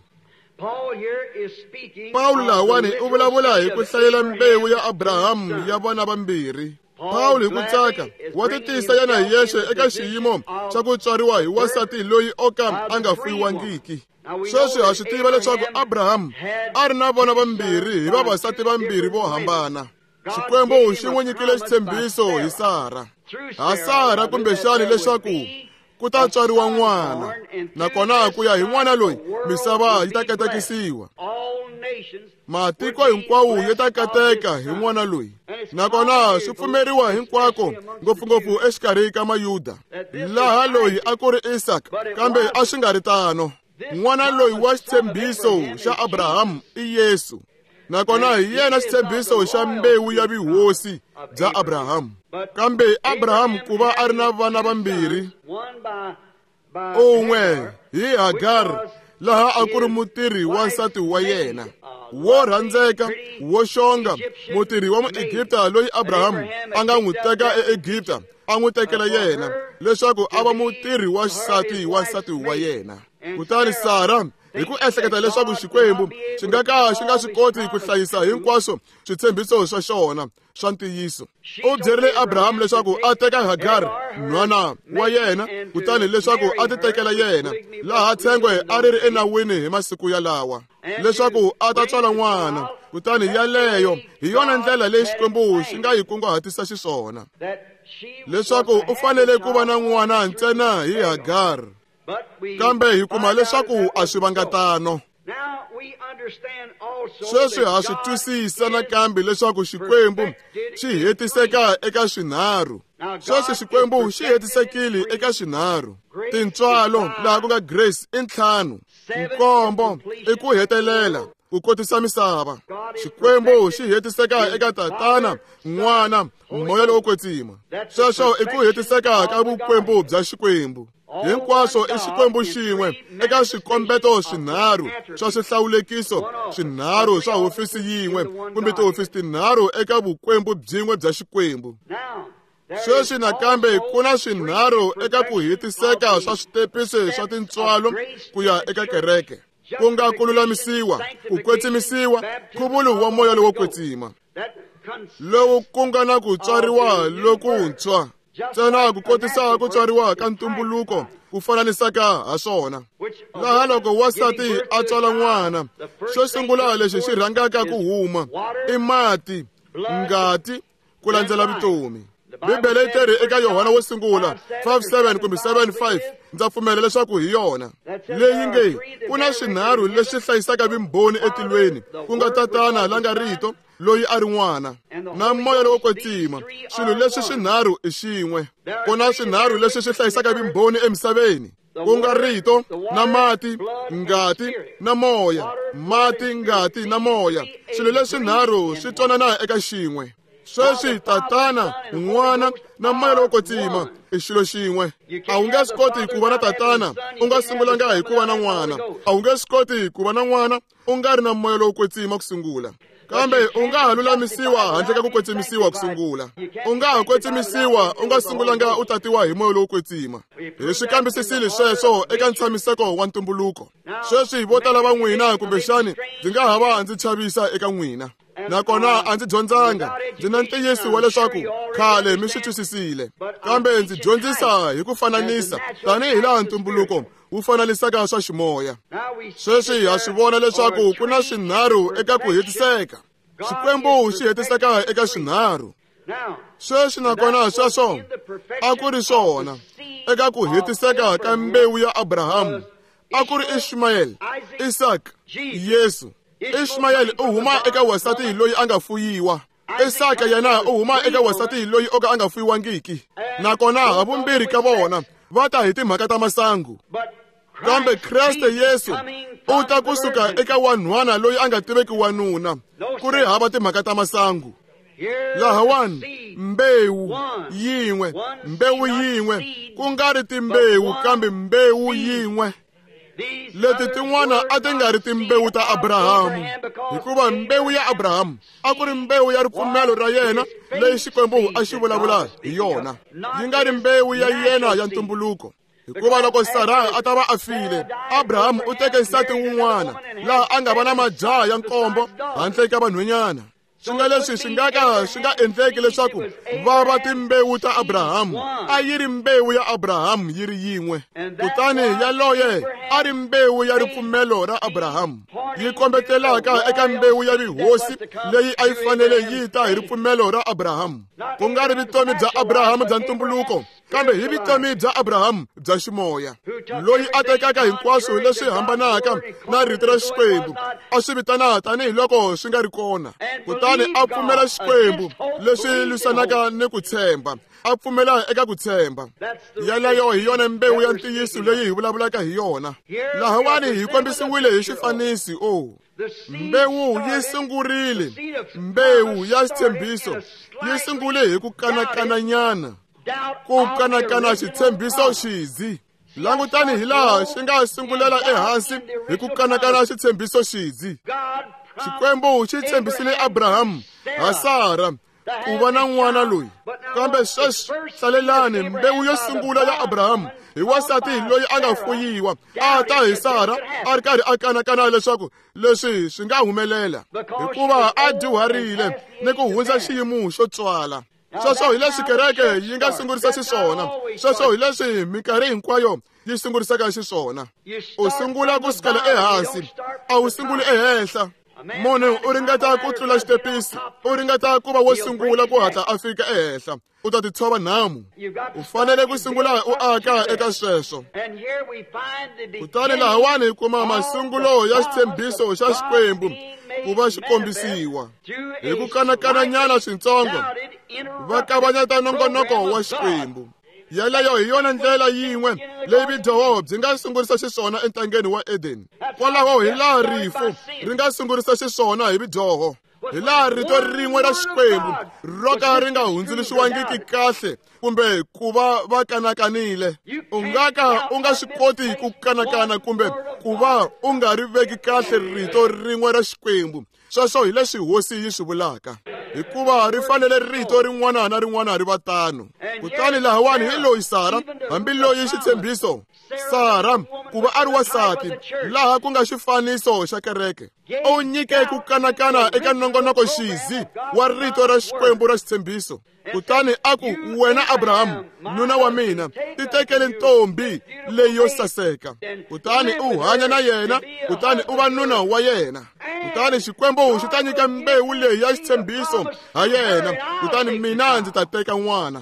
[SPEAKER 2] Pawulo lahawani u vulavula hi ku hlayela mbewu ya Abrahamu ya vana vambirhi. Pawulo hi ku tsaka wa titisa yena hi yexe eka xiyimo xa ku tswariwa hi wansati loyi o ka a nga fuyiwangiki. Sweswi ha swi tiva leswaku Abrahamu a ri na vana vambirhi hi vavasati vambirhi vo hambana. Xikwembu xi n'wi nyikile xitshembiso hi Sara, ha Sara kumbexani leswaku ku ta tswariwa n'wana, nakona ku ya hi n'wana loyi misava yi ta katekisiwa. Matiko hinkwawo ya ta kateka hi n'wana loyi, nakona swi pfumeriwa hinkwako, ngopfungopfu exikarhi ka Mayuda. Laha loyi a ku ri Isaka, kambe a swi nga ri tano. N'wana loyi wa xitshembiso xa Abrahamu i Yesu, nakona hi yena xitshembiso xa mbewu ya vuhosi bya Abrahamu. Kambe Abrahamu ku va a ri na vana vambirhi, un'we hi Hagar, laha a ku ri mutirhi wa nsati wa yena wo rhandzeka, wo xonga, mutirhi wa Muegipta loyi Abrahamu a nga n'wi teka eEgipta a n'wi tekela yena leswaku a va mutirhi wa xisati wa nsati wa yena. Kutani Sara, hi ku ehleketa leswaku Xikwembu xi nga ka xi nga swi koti ku hlayisa hinkwaswo switshembiso swa xona swa ntiyiso, u byerile Abrahamu leswaku a teka Hagar nhwana wa yena, kutani leswaku a ti tekela yena, laha tshengwe a ri ri enawini hi masiku yalawa, leswaku a ta tswala n'wana. Kutani yaleyo hi yona ndlela leyi Xikwembu xi nga yi kunguhatisa xiswona, leswaku u fanele ku va na n'wana ntsena hi Hagar. Kambe hi kuma leswaku a swi vanga tano. Sweswi ha swi twisisa nakambe leswaku Xikwembu xi hetiseka eka swinharhu. Sweswi Xikwembu xi hetisekile eka swinharhu. Tintswalo, laha ku nga grace, i ntlhanu, nkombo i ku hetelela, ku kotisa misava. Xikwembu xi hetiseka eka Tatana, N'wana, Moya lowo Kwetsima. Sweswo i ku hetiseka ka vukwembu bya Xikwembu. Hinkwaswo i Xikwembu xin'we eka swikombeto swinharhu swa swihlawulekiso swinharhu swa hofisi yin'we kumbe tihofisi tinharhu eka vukwembu byin'we bya Xikwembu. Sweswi nakambe ku na swinharhu eka ku hetiseka swa switepisi swa tintswalo ku ya eka kereke, ku nga ku lulamisiwa, ku kwetsimisiwa, nkhuvulo wa Moya lowo Kwetsima, lowu ku nga na ku tswariwa lokuntshwa, ntsena ku kotisa ku tswariwa ka ntumbuluko ku fananisaka ha swona. Laha loko wansati a tswala n'wana, xo sungula lexi xi rhangaka ku huma i mati, ngati, ku landzela vutomi. Bibele yi teri eka Yohana wo sungula five seven kumbe seven five, ndza pfumela leswaku hi yona leyi nge ku na swinharhu leswi hlayisaka vumbhoni etilweni, ku nga Tatana la nga Rito, loyi a ri N'wana, na Moya lowo Kwetsima. Swilo leswi swinharhu i xin'we. Ku na swinharhu leswi swi hlayisaka vumbhoni emisaveni, ku nga Rito, na mati, ngati, na moya. Mati, ngati, na moya, swilo leswinharhu swi twanana eka xin'we. Sweswi Tatana, N'wana, na Moya lowo Kwetsima i xilo xin'we. A wu nge swi koti ku va na Tatana u nga sungulanga hi ku va na N'wana. A wu nge swi koti ku va na N'wana u nga ri na Moya lowo Kwetsima ku sungula. Kambe u nga ha lulamisiwa handle ka ku kwetsimisiwa ku sungula. U nga ha kwetsimisiwa u nga sungulanga u tatiwa hi Moya lowo Kwetsima. Hi swi kambisisile sweswo eka ntshamiseko wa ntumbuluko. Sweswi vo tala va n'wina kumbexani ndzi nga ha va ndzi chavisa eka n'wina, nakona a ndzi dyondzanga. Ndzi na ntiyiso wa leswaku khale mi swi twisisile, kambe ndzi dyondzisa hi ku fananisa tanihi laha ntumbuluko wu fananisaka swa ximoya. Sweswi ha swi vona leswaku ku na swinharhu eka ku hetiseka. Xikwembu xi hetiseka eka swinharhu. Sweswi nakona sweswo a ku ri swona eka ku hetiseka ka mbewu ya Abrahamu. A ku ri Ishmael, Isaka, Yesu. Ishmael u huma eka wansati loyi a nga fuyiwa. Isaka yena u huma eka wansati loyi o ka a nga fuyiwangiki. Nakona havumbirhi ka vona va ta hi timhaka ta masangu. Kambe Kreste Yesu u ta kusuka eka wanhwana loyi a nga tiveki wanuna, ku ri hava timhaka ta masangu. Lahawani mbewu yin'we, mbewu yin'we, ku nga ri timbewu kambe mbewu yin'we. Leti tin'wana a ti nga ri timbewu ta Abrahamu, hikuva mbewu ya Abrahamu a ku ri mbewu ya ripfumelo ra yena leyi Xikwembu a xi vulavula hi yona, yi nga ri mbewu ya yena ya ntumbuluko. Hikuva loko Sara a ta va a file, Abrahamu u teke nsati wun'wana laha a nga va na majaha ya nkombo handle ka vanhwanyana. Swi nga leswi swi nga ka swi nga endleki leswaku va va timbewu ta Abrahamu. A yi ri mbewu ya Abrahamu yi ri yin'we, kutani yaloye a ri mbewu ya ripfumelo ra Abrahamu, yi kombetelaka eka mbewu ya rihosi leyi a yi fanele yi ta hi ripfumelo ra Abrahamu, ku nga ri vutomi bya Abrahamu bya ntumbuluko, kambe hi vutomi bya Abrahamu bya ximoya, loyi a tekaka hinkwaswo leswi hambanaka na rito ra Xikwembu a swi vitana tanihiloko swi nga ri kona, kutani a pfumela Xikwembu leswi lwisanaka ni ku tshemba, a pfumela eka ku tshemba. Yaleyo hi yona mbewu ya ntiyiso leyi hi vulavulaka hi yona. Lahawani hi kombisiwile hi xifanisi. O mbewu yi sungurile, mbewu ya xitshembiso yi sungule hi ku kanakananyana, ku kanakana xitshembiso xizi. Langutani hi laha xi nga sungulela ehansi hi ku kanakana xitshembiso xizi. Xikwembu xi tshembisile Abrahamu ha Sara ku va na n'wana loyi, kambe sweswi hlalelani mbewu yo sungula ya Abrahamu hi wansati loyi a nga fuyiwa a ta hi Sara a ri karhi a kanakana leswaku leswi swi nga humelela, hikuva a dyuharile ni ku hundza xiyimo xo tswala. Sweswo hi leswi kereke yi nga sungurisa xiswona, sweswo hi leswi minkarhi hinkwayo yi sungurisaka xiswona. U sungula ku sukela ehansi, a wu sunguli ehenhla. Munhu u ringeta ku tlula xitepisi, u ringeta ku va wo sungula ku hatla a fika ehenhla, u ta titshova nhamu. U fanele ku sungula u aka eka sweswo. Kutani lahawani hi kuma masungulo ya xitshembiso xa Xikwembu ku va xi kombisiwa hi ku kanakananyana swintsongo, va kavanyeta nongonoko wa Xikwembu. Yaleyo hi yona ndlela yin'we leyi vudyoho byi nga sungurisa xiswona entangeni wa Edeni. Kwalaho hi laha rifu ri nga sungurisa xiswona hi vudyoho, hi laha rito rin'we ra Xikwembu ro ka ri nga hundzuluxiwangiki kahle kumbe ku va va kanakanile. U nga ka u nga swi koti ku kanakana kumbe ku va u nga ri veki kahle rito rin'we ra Xikwembu. Sweswo hi leswi hosi yi swi vulaka, hikuva ri fanele rito rin'wana na rin'wana ri va tano. Kutani lahawani hi loyi Sara, hambi loyi xitshembiso Sara ku va a ri wansati, laha ku nga xifaniso xa kereke, u nyike ku kanakana eka nongonoko xizi wa rito ra Xikwembu ra xitshembiso. Kutani a ku, wena Abrahamu nuna wa mina, titekele ntombi leyi yo saseka, kutani u hanya na yena, kutani u va nuna wa yena. Kutani Xikwembu xi ta nyika mbewu leyi ya xitshembiso ha yena, kutani mina ndzi ta teka n'wana.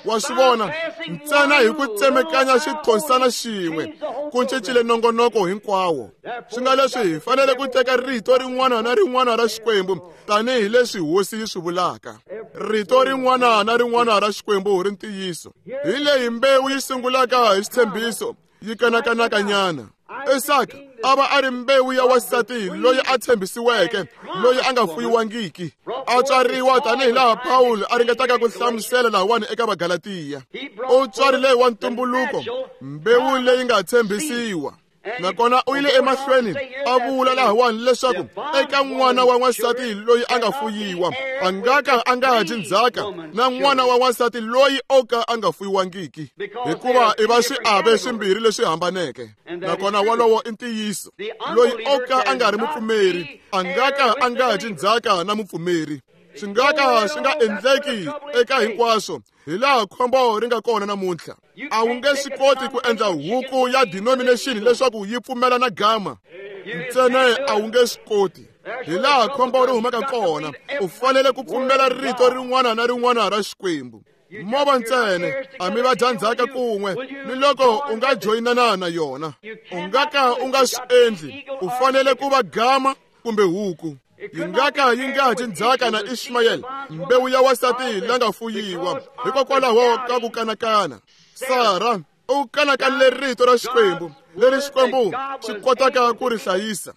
[SPEAKER 2] Wa swi vona, ntsena hi ku tsemekanya xithonsana xin'we ku cincile nongonoko hinkwawo. Swi nga leswi hi fanele ku teka rito rin'wana na rin'wana ra Xikwembu tanihi leswi hosi yi swi vulaka. Rito rin'wana na rin'wana ra Xikwembu ri ntiyiso. Hi leyi mbewu yi sungulaka hi xitshembiso yi kanakanakanyana. Isaka a va a ri mbewu ya wansati loyi a tshembisiweke, loyi a nga fuyiwangiki, a tswariwa tanihi laha Pawulo a ringetaka ku hlamusela lahawani eka Vagalatiya. U tswarile wa ntumbuluko, mbewu leyi nga tshembisiwa. Nakona u yile emahlweni a vula lahawani leswaku eka n'wana wa n'wansati loyi a nga fuyiwa a nga ka a nga dyi ndzhaka na n'wana wa n'wansati loyi o ka a nga fuyiwangiki, hikuva i va swiave swimbirhi leswi hambaneke. Nakona wolowo i ntiyiso. Loyi o ka a nga ri mupfumeri a nga ka a nga dyi ndzhaka na mupfumeri. Swi nga ka swi nga endleki eka hinkwaswo, hi laha khombo ri nga kona namuntlha. A wu nge swi koti ku endla huku ya denomination leswaku yi pfumela na gama ntsena, a wu nge swi koti. Hi laha khombo ri humaka kona, u fanele ku pfumela rito rin'wana na rin'wana ra Xikwembu. Mova ntsena a mi va dya ndzhaka kun'we ni loko u nga joyinana na yona, u nga ka u nga swi endli. U fanele ku va gama kumbe huku. Yi nga ka yi nga dyi ndzhaka na Ishmayeli, mbewu ya wansati la nga fuyiwa, hikokwalaho ka ku kanakana. Sara u kanakanile rito ra Xikwembu, leri Xikwembu xi kotaka ku ri hlayisa.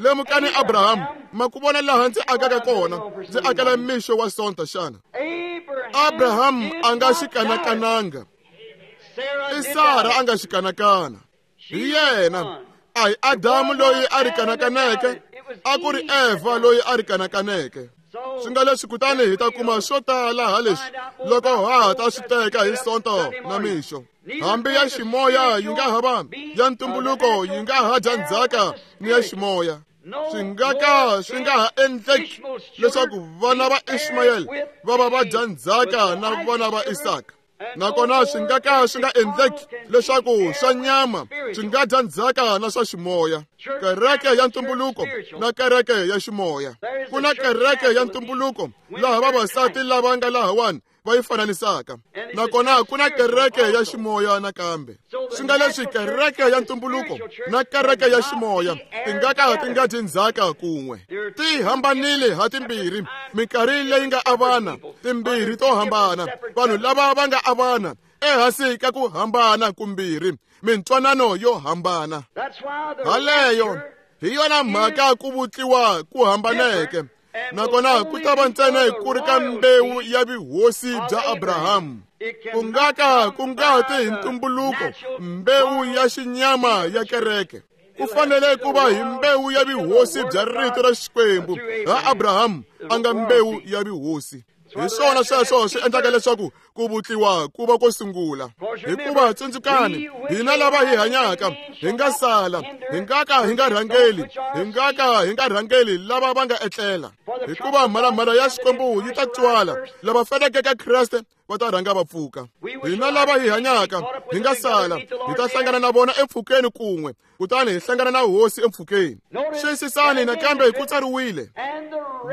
[SPEAKER 2] Lemukani Abrahamu, ma ku vona laha ndzi akaka kona, ndzi akela mixo wa Sonta xana? Abrahamu a nga xi kanakananga. I Sara a nga xi kanakana. Hi yena, a hi Adamu loyi a ri kanakaneke, a ku ri Eva loyi a ri kanakaneke. Swi nga leswi kutani hi ta kuma swo tala ha leswi loko ha ha ta swi teka hi Sonto na mixo. Hambi ya ximoya yi nga ha va ya ntumbuluko, yi nga ha dya ndzhaka ni ya ximoya. Swi nga ka swi nga ha endleki leswaku vana va Ishmayeli va va va dya ndzhaka na vana va Isaka. Nakona swi nga ka swi nga endleki leswaku swa nyama swi nga dya ndzhaka na swa ximoya. Kereke ya ntumbuluko na kereke ya ximoya. Ku na kereke ya ntumbuluko laha vavasati lava nga lahawani va yi fananisaka. Nakona ku na kereke ya ximoya nakambe. Swi nga leswi kereke ya ntumbuluko na kereke ya ximoya ti nga ka ti nga dyi ndzhaka kun'we. Ti hambanile ha timbirhi, minkarhi leyi nga avana, timbirhi to hambana. Vanhu lava va nga avana ehansi ka ku hambana kumbirhi, mintwanano yo hambana. Haleyo hi yona mhaka ku vutliwa ku hambaneke. Nakona ku ta va ntsena ku ri ka mbewu ya vuhosi bya Abrahamu. Ku nga ka ku nga ti hi ntumbuluko mbewu ya xinyama ya kereke. Ku fanele ku va hi mbewu ya vuhosi bya rito ra Xikwembu ha Abrahamu a nga mbewu ya vuhosi. Hi swona sweswo swi endlaka leswaku ku vutliwa ku va ko sungula. Hikuva tsundzukani, hina lava hi hanyaka hi nga sala, hi nga ka hi nga rhangeli, hi nga ka hi nga rhangeli lava va nga etlela. Hikuva mhalamhala ya Xikwembu yi ta twala, lava faneleke ka Kreste va ta rhanga va pfuka. Hina lava hi hanyaka hi nga sala, hi ta hlangana na vona empfhukeni kun'we, kutani hi hlangana na Hosi empfhukeni. Xiyisisani nakambe ku tsariwile,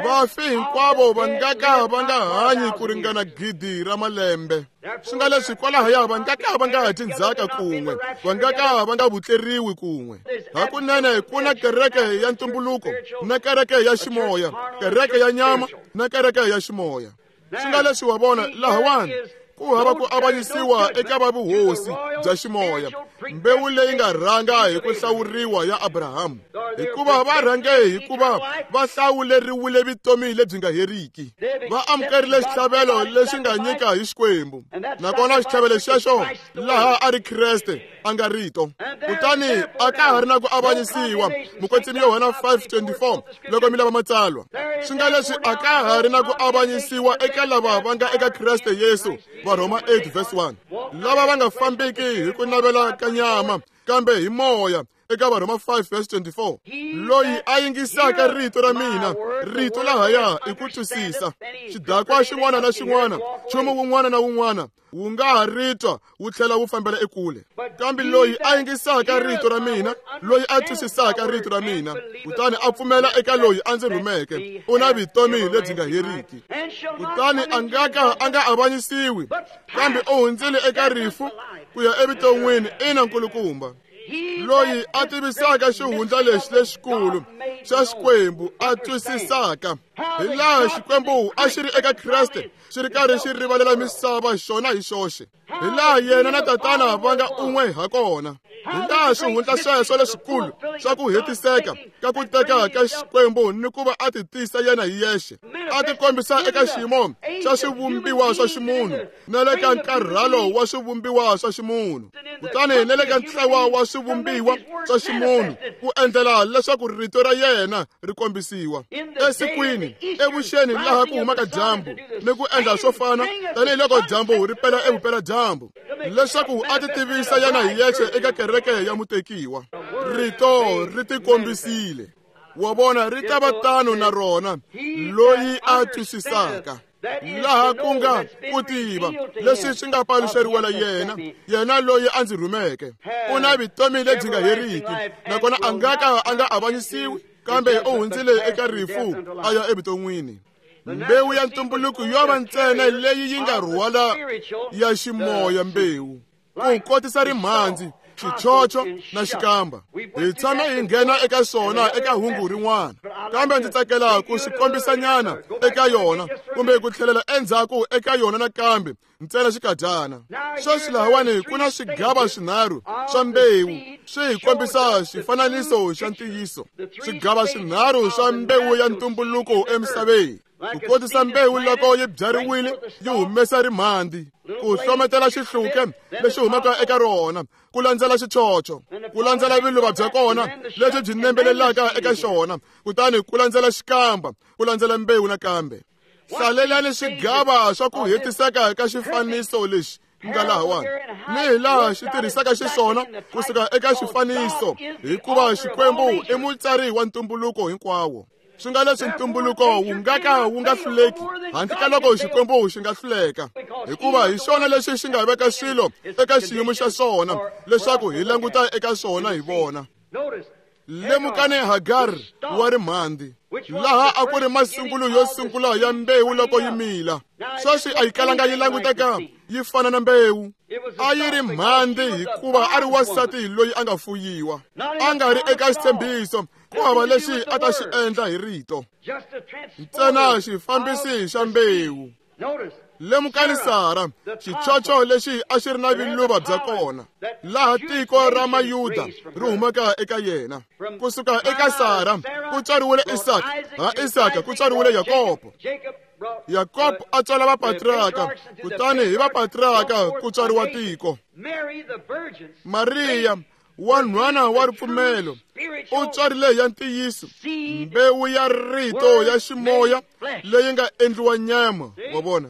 [SPEAKER 2] vafi hinkwavo va nga ka va nga hanyi ku ringana gidi ra malembe. Swi nga leswi kwalahaya va nga ka va nga dyi ndzhaka kun'we, va nga ka va nga vutleriwi kun'we. Hakunene ku na kereke ya ntumbuluko na kereke ya ximoya, kereke ya nyama na kereke ya ximoya. Swi nga leswi wa vona lahawani ku hava ku avanyisiwa eka va vuhosi bya ximoya, mbewu leyi nga rhanga hi ku hlawuriwa ya Abrahamu. Hikuva va rhange hikuva va hlawuleriwile vutomi lebyi nga heriki. Va amukerile xitlhavelo lexi nga nyika hi Xikwembu. Nakona xitlhavelo xexo laha a ri Kreste a nga rito. Kutani a ka ha ri na ku avanyisiwa, Mukwetsimi Yohana five twenty-four, loko mi lava matsalwa. Swi nga leswi a ka ha ri na ku avanyisiwa eka lava va nga eka Kreste Yesu, Varhoma eight verse one. Lava va nga fambiki hi ku navela ka nyama, kambe hi moya, eka Varhoma five verse twenty-four. Loyi a yingisaka rito ra mina, rito lahaya i ku twisisa. Xidakwa xin'wana na xin'wana, nchumu wun'wana na wun'wana wu nga ha ri twa wu tlhela wu fambela ekule. Kambe loyi a yingisaka rito ra mina, loyi a twisisaka rito ra mina, kutani a pfumela eka loyi a ndzi rhumeke, u na vutomi lebyi nga heriki. Kutani a nga ka a nga avanyisiwi, kambe u hundzile eka rifu ku ya evuton'wini. Ina nkulukumba. Loyi a tivisaka xihundla lexi lexikulu xa Xikwembu a twisisaka hi laha Xikwembu a xi ri eka Kreste xi ri karhi xi rivalela misava xona hi xoxe, hi laha yena na Tatana va nga un'we ha kona, hi laha xihundla sweswo lexikulu xa ku hetiseka ka ku teka ka Xikwembu ni ku va a ti tisa yena hi yexe, a ti kombisa eka xiyimo xa swivumbiwa swa ximunhu na le ka nkarhalo wa swivumbiwa swa ximunhu, kutani na le ka ntlawa wa swivumbiwa swa ximunhu, ku endlela leswaku rito ra yena ri kombisiwa esikwini evuxeni laha ku humaka dyambu, ni ku endla swo fana tanihiloko dyambu ri pela evupeladyambu, leswaku a ti tivisa yena hi yexe eka kereke ya mutekiwa. Rito ri tikombisile. Wa vona, ri ta va tano na rona loyi a twisisaka laha ku nga ku tiva leswi swi nga paluxeriwela yena, yena loyi a ndzi rhumeke. U na vutomi lebyi nga heriki, nakona a nga ka a nga avanyisiwi, kambe u hundzile eka rifu a ya evuton'wini. Mbewu ya ntumbuluko yo va ntsena leyi yi nga rhwala ya ximoya mbewu, ku kotisa rimhandzi xichocho na xikamba. Hi tshame hi nghena eka swona eka hungu rin'wana, kambe ndzi tsakela ku swi kombisanyana eka yona kumbe ku tlhelela endzhaku eka yona nakambe ntsena xikadyana. Sweswi lahawani ku na swigava swinharhu swa mbewu swi hi kombisa xifananiso xa ntiyiso. Swigava swinharhu swa mbewu ya ntumbuluko emisaveni. Ku kotisa mbewu loko yi byariwile yi humesa rimhandi, ku hlometela xihluke lexi humaka eka rona, ku landzela xichocho, ku landzela viluva bya kona lebyi byi nembelelaka eka xona, kutani ku landzela xikamba, ku landzela mbewu nakambe. Hlalelani swigava swa ku hetiseka ka xifaniso lexi nga lahawani ni hi laha xi tirhisaka xiswona kusuka eka xifaniso, hikuva Xikwembu i mutsari wa ntumbuluko hinkwawo. Swi nga leswi ntumbuluko wu nga ka wu nga hluleki handle ka loko Xikwembu xi nga hluleka, hikuva hi xona lexi xi nga veka swilo eka xiyimo xa swona leswaku hi languta eka swona hi vona. Lemukani Hagar wa rimhandi, laha a ku ri masungulo yo sungula ya mbewu loko yi mila. Sweswi a yi kalanga yi languteka yi fana na mbewu. A yi ri mhandi hikuva a ri wansati loyi a nga fuyiwa, a nga ri eka xitshembiso, ku hava lexi a ta xi endla hi rito, ntsena xifambisi xa mbewu. Lemukani Sara, xichocho lexi a xi ri na viluva bya kona, laha tiko ra Mayuda ri humaka eka yena. Kusuka eka Sara ku tswariwile Isaka, ha Isaka ku tswariwile Yakobo. Yakobo a tswala vapatriarka, kutani hi vapatriarka ku tswariwa tiko. Mariya wanhwana wa ripfumelo u tswarile ya ntiyiso mbewu ya rito ya ximoya leyi nga endliwa nyama. Wa vona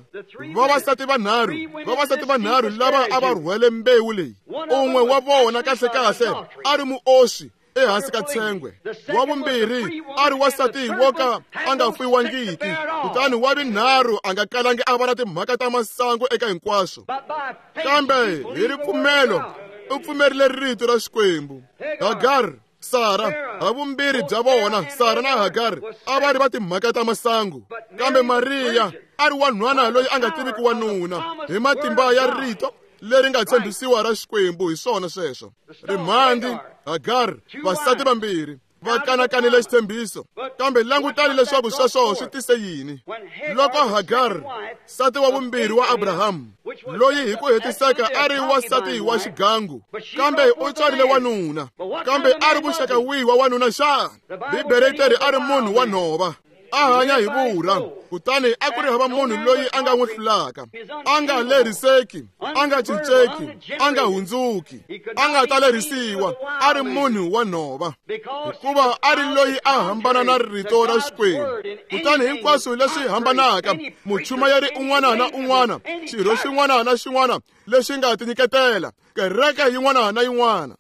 [SPEAKER 2] vavasati vanharhu, vavasati vanharhu lava a va rhwele mbewu leyi. Un'we wa vona kahlekahle a ri muoswi ehansi ka tshengwe, wa vumbirhi a ri wansati wo ka a nga fuyiwangiki, kutani wa vunharhu a nga kalangi a va na timhaka ta masangu eka hinkwaswo. Kambe hi ripfumelo u pfumerile rito ra Xikwembu. Hagar, Sara, havumbirhi bya vona, Sara na Hagar, a va ri va timhaka ta masangu, kambe Mariya a ri wanhwana loyi a nga tiviki wanuna hi matimba ya rito leri nga tshembisiwa ra Xikwembu. Hi swona sweswo. Rimhandi, Hagar, vasati vambirhi va kanakanile xitshembiso, kambe langutani leswaku sweswo swi tise yini. Loko Hagar, nsati wa vumbirhi wa Abrahamu, loyi hi ku hetiseka a ri wansati wa xigangu, kambe u tswarile wanuna, kambe a ri muxaka wihi wa wanuna xana? Bibele yi teri a ri munhu wa nhova, a hanya hi vurha, kutani a ku ri hava munhu loyi a nga n'wi hlulaka, a nga leriseki, a nga cinceki, a nga hundzuki, a nga ta lerisiwa, a ri munhu wa nhova, hikuva a ri loyi a hambana na rito ra Xikwembu. Kutani hinkwaswo leswi hambanaka, muchumayeri un'wana na un'wana, xirho xin'wana na xin'wana lexi nga tinyiketela, kereke yin'wana na yin'wana,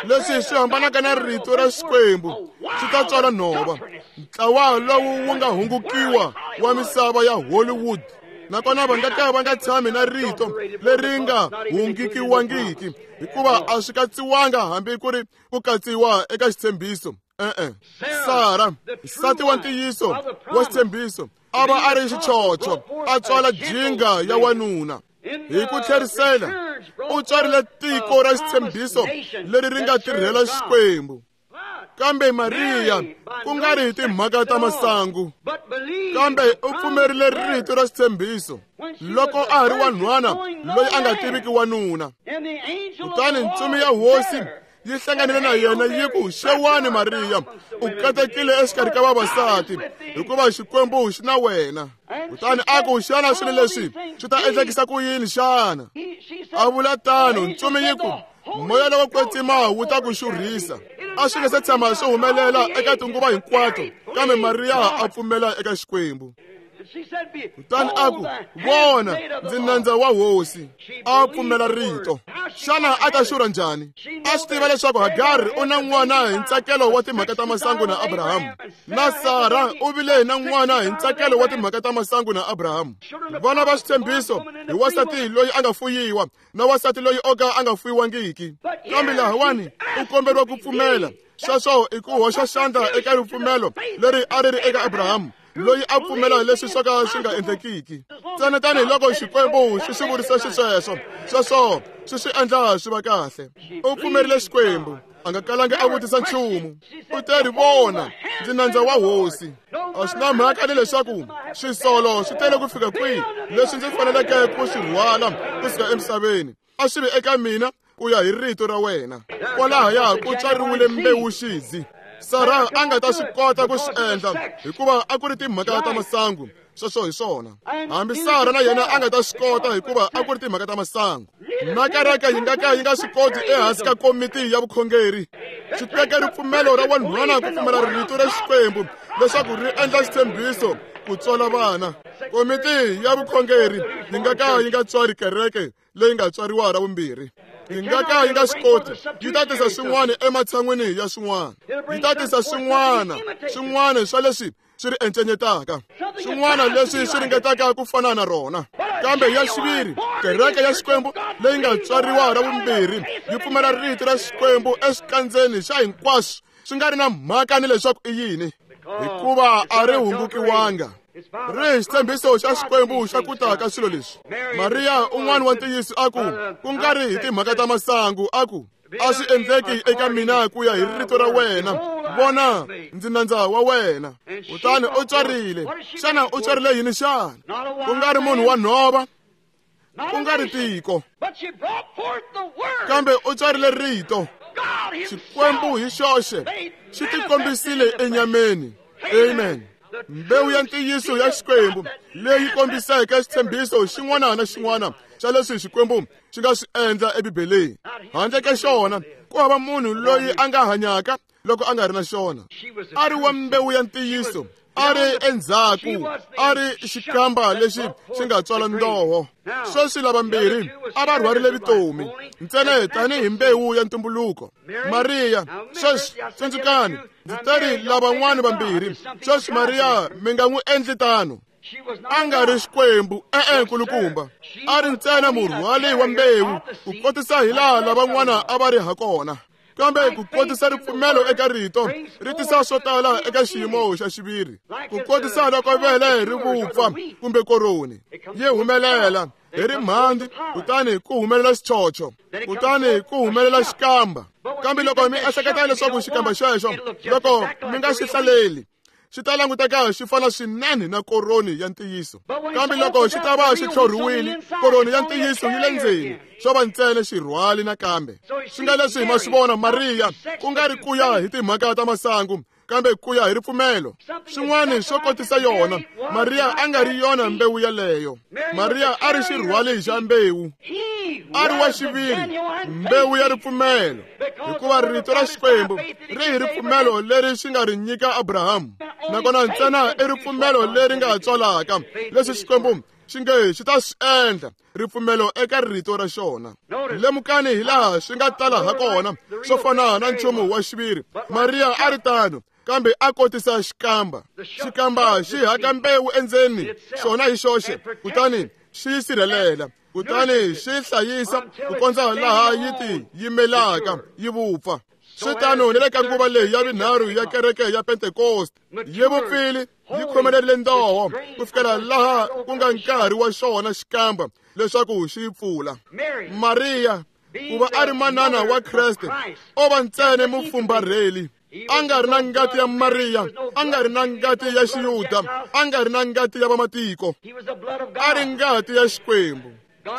[SPEAKER 2] leswi swi hambanaka na rito ra Xikwembu swi ta tswala nhova. Ntlawa lowu wu nga hungukiwa wa misava ya Hollywood, nakona va nga ka va nga tshami na rito leri nga hungikiwangiki, hikuva a swi katsiwanga hambi ku ri ku katsiwa eka xitshembiso. E-e. Sara, nsati wa ntiyiso wa xitshembiso, a va a ri xichocho, a tswala jinga ya wanuna. Hi ku tlherisela u tswarile tiko ra xitshembiso leri ri nga tirhela Xikwembu. Kambe Mariya, ku nga ri hi timhaka ta masangu, kambe u pfumerile rito ra xitshembiso loko a ha ri wanhwana loyi a nga tiviki wanuna. Kutani ntsumi ya hosi yi hlanganile na yena yi ku, "Xewani Mariya, u katekile exikarhi ka vavasati, hikuva Xikwembu xi na wena." Kutani a ku, "Xana swilo leswi swi ta endlekisa ku yini xana?" A vula tano, ntsumi yi ku, "Moya lowo kwetsima wu ta ku xurhisa." A swi nga se tshama swi humelela eka tinguva hinkwato, kambe Mariya a pfumela eka Xikwembu. Kutani a ku, "Vona, ndzi nandza wa hosi." A pfumela rito. Xana a ta xurha njhani? A swi tiva leswaku Hagar u na n'wana hi ntsakelo wa timhaka ta masangu na Abrahamu, na Sara u vile na n'wana hi ntsakelo wa timhaka ta masangu na Abrahamu. Vana va xitshembiso hi wansati loyi a nga fuyiwa na wansati loyi o ka a nga fuyiwangiki. Kambe lahawani u komberiwa ku pfumela. Sweswo i ku hoxa xandla eka ripfumelo leri a ri ri eka Abrahamu, loyi a pfumela leswi swo ka swi nga endlekiki. Ntsena tanihiloko Xikwembu xi swi vurisa xisweswo, sweswo swi swi endla swi va kahle. U pfumerile Xikwembu, a nga kalangi a vutisa nchumu. U te ri vona, ndzi nandza wa hosi. A swi na mhaka ni leswaku swisolo swi tele ku fika kwihi leswi ndzi faneleke ku swi rhwala kusuka emisaveni, a swi vi eka mina ku ya hi rito ra wena. Kwalahaya ku tswariwile mbewu xidzi. Sara a nga ta swi kota ku swi endla hikuva a ku ri timhaka ta masangu. Sweswo hi swona. Hambi Sara na yena a nga ta swi kota hikuva a ku ri timhaka ta masangu. Na kereke yi nga ka yi nga swi koti ehansi ka komiti ya vukhongeri. Swi teke ripfumelo ra wanhwana ku pfumela rito ra Xikwembu leswaku ri endla xitshembiso ku tswala vana. Komiti ya vukhongeri yi nga ka yi nga tswari kereke leyi nga tswariwa ra vumbirhi. Yi nga ka yi nga swi koti. Yi ta tisa swin'wana ematshan'wini ya swin'wana. Yi ta tisa swin'wana, swin'wana swa leswi swi ri encenyetaka, swin'wana leswi swi ringetaka ku fana na rona. Kambe ya xiviri, kereke ya Xikwembu leyi nga tswariwa ra vumbirhi yi pfumela rito ra Xikwembu exikandzeni xa hinkwaswo, swi nga ri na mhaka ni leswaku i yini, hikuva a ri hungukiwanga. Ri xitshembiso xa Xikwembu xa ku ta ka swilo leswi. Mariya un'wana wa ntiyiso a ku, ku nga ri hi timhaka ta masangu, a ku, a swi endleki eka mina ku ya hi rito ra wena. Vona, ndzi nandza wa wena. Kutani u tswarile. Xana u tswarile yini xana? Ku nga ri munhu wa nhova, ku nga ri tiko, kambe u tswarile rito. Xikwembu hi xoxe xi tikombisile enyameni. Amen. Mbewu ya ntiyiso ya Xikwembu leyi kombiseke xitshembiso xin'wana na xin'wana xa leswi Xikwembu xi nga swi endla eBibeleni. Handle ka xona, ku hava munhu loyi a nga hanyaka loko a nga ri na xona. A ri wa mbewu ya ntiyiso, a ri endzhaku, a ri xikamba lexi xi nga tswala ndoho. Sweswi lavambirhi a va rhwarile vutomi ntsena tanihi mbewu ya ntumbuluko. Mariya, sweswi tsundzukani, ndzi teri lavan'wana vambirhi. Sweswi Mariya mi nga n'wi endli tano. A nga ri Xikwembu, e-e nkulukumba. A ri ntsena murhwali wa mbewu ku kotisa hilaha lavan'wana a va ri hakona. Kambe ku kotisa ripfumelo eka rito ri tisa swo tala eka xiyimo xa xiviri. Ku kotisa loko vele ri vupfa kumbe koroni yi humelela hi rimhandzi, kutani ku humelela xichocho, kutani ku humelela xikamba. Kambe loko mi ehleketa leswaku xikamba xexo, loko mi nga xi hlaleli, xi ta languteka xi fana swinene na koroni ya ntiyiso. Kambe loko xi ta va xi tlhorhiwile, koroni ya ntiyiso yi le ndzeni, xo va ntsena xirhwali nakambe. Swi nga leswi hi ma swi vona Mariya, ku nga ri ku ya hi timhaka ta masangu, kambe ku ya hi ripfumelo. Swin'wana swo kotisa yona, Mariya a nga ri yona mbewu yaleyo. Mariya a ri xirhwali xa mbewu, a ri wa xiviri, mbewu ya ripfumelo, hikuva rito ra Xikwembu ri hi ripfumelo leri xi nga ri nyika Abrahamu. Nakona ntsena i ripfumelo leri nga tswalaka leswi Xikwembu xi nge xi ta swi endla, ripfumelo eka rito ra xona. Lemukani hilaha swi nga tala hakona swo fana na nchumu wa xiviri. Mariya a ri tano, kambe a kotisa xikamba. Xikamba xi haka mbewu endzeni xona hi xoxe, kutani xi yi sirhelela, kutani xi hlayisa ku kondza laha yi ti yimelaka yi vupfa. Swi tano ni le ka nguva leyi ya vunharhu ya kereke ya Pentekoste. Yi vupfile, yi khomelerile ndoho ku fikela laha ku nga nkarhi wa xona xikamba leswaku xi yi pfula. Mariya, ku va a ri manana wa Kreste, o va ntsena mufumbarheli. A nga ri na ngati ya Mariya, a nga ri na ngati ya Xiyuda, a nga ri na ngati ya vamatiko. A ri ngati ya Xikwembu.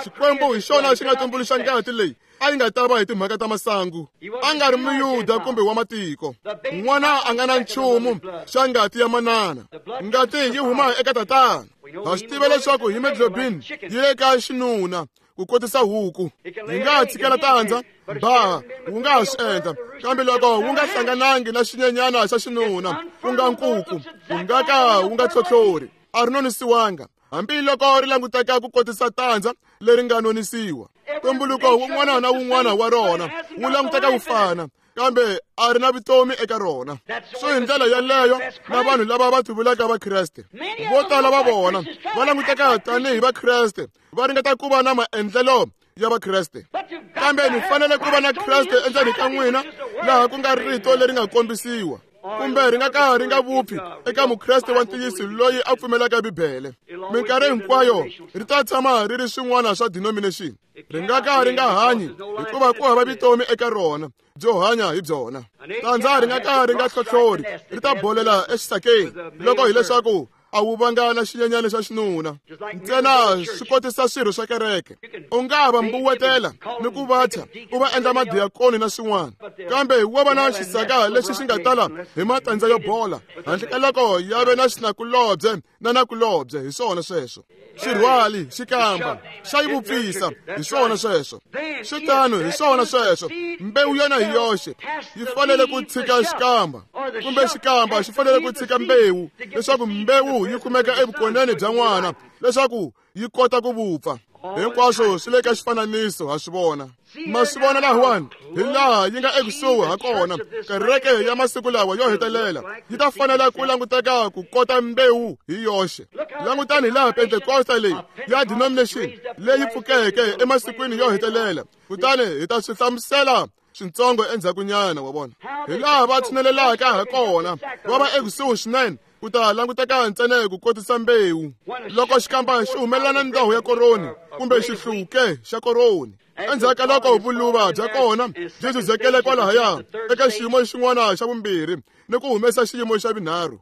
[SPEAKER 2] Xikwembu hi xona xi nga tumbuluxa ngati leyi a yi nga ta va hi timhaka ta masangu. A nga ri Muyuda kumbe wa matiko. N'wana a nga na nchumu xa ngati ya manana. Ngati yi huma eka tatana. Ha swi tiva leswaku hemoglobin yi le ka xinuna ku kotisa huku. Yi nga tshikela tandza, ba wu nga ha swi endla, kambe loko wu nga hlanganangi na xinyenyana xa xinuna, ku nga nkuku, wu nga ka wu nga tlhotlhori. A ri nonisiwanga, hambi loko ri languteka ku kotisa tandza leri nga nonisiwa. Ntumbuluko wun'wana na wun'wana wa rona wu languteka wu fana, kambe a ri na vutomi eka rona. So hi ndlela yaleyo na vanhu lava va tivulaka Vakreste, vo tala va vona va languteka tanihi Vakreste, va ringeta ku va na maendlelo ya Vakreste. Kambe mi fanele ku va na Kreste endzeni ka n'wina, laha ku nga rito leri nga kombisiwa. kumbe ri nga ka ri nga vupfi eka mukreste wa ntiyiso loyi a pfumelaka Bibele. Minkarhi hinkwayo ri ta tshama ri ri swin'wana swa denomination. Ri nga ka ri nga hanyi hikuva ku hava vutomi eka rona byo hanya hi byona. Tandza ri nga ka ri nga hlohlori, ri ta bolela exisakeni loko hileswaku a wu vanga na xinyenyana xa xinuna. Ntsena swi kotisa swirho swa kereke. U nga va mbuwetela ni ku va thya u va endla madiyakoni na swin'wana, kambe wo va na xisaka lexi xi nga tala hi matandza yo bola handle ka loko ya ve na xinakulobye na nakulobye. Hi swona sweswo. Xirhwali xikamba xa yi vupfisa. Hi swona sweswo. Swi tano, hi swona sweswo. Mbewu yona hi yoxe yi fanele ku tshika xikamba, kumbe xikamba xi fanele ku tshika mbewu leswaku mbewu yi kumeka evukoneni bya n'wana leswaku yi kota ku vupfa. Hinkwaswo swi le ka xifananiso, ha swi vona. Ma swi vona lahawani hi laha yi nga ekusuhi ha kona. Kereke ya masiku lawa yo hetelela yi ta fanela ku languteka ku kota mbewu hi yoxe. Langutani hi laha Pentekosta leyi ya denomination leyi pfukeke emasikwini yo hetelela, kutani hi ta swi hlamusela swintsongo endzhakunyana. Wa vona hi laha va tshinelelaka ha kona, va va ekusuhi swinene ku ta languteka ntsena ku kotisa mbewu. Loko xikamba xi humelela na ndhawu ya koroni kumbe xihluke xa koroni, endzhaku ka loko vuluva bya kona byi zuzekele kwalahaya eka xiyimo xin'wana xa vumbirhi ni ku humesa xiyimo xa vunharhu,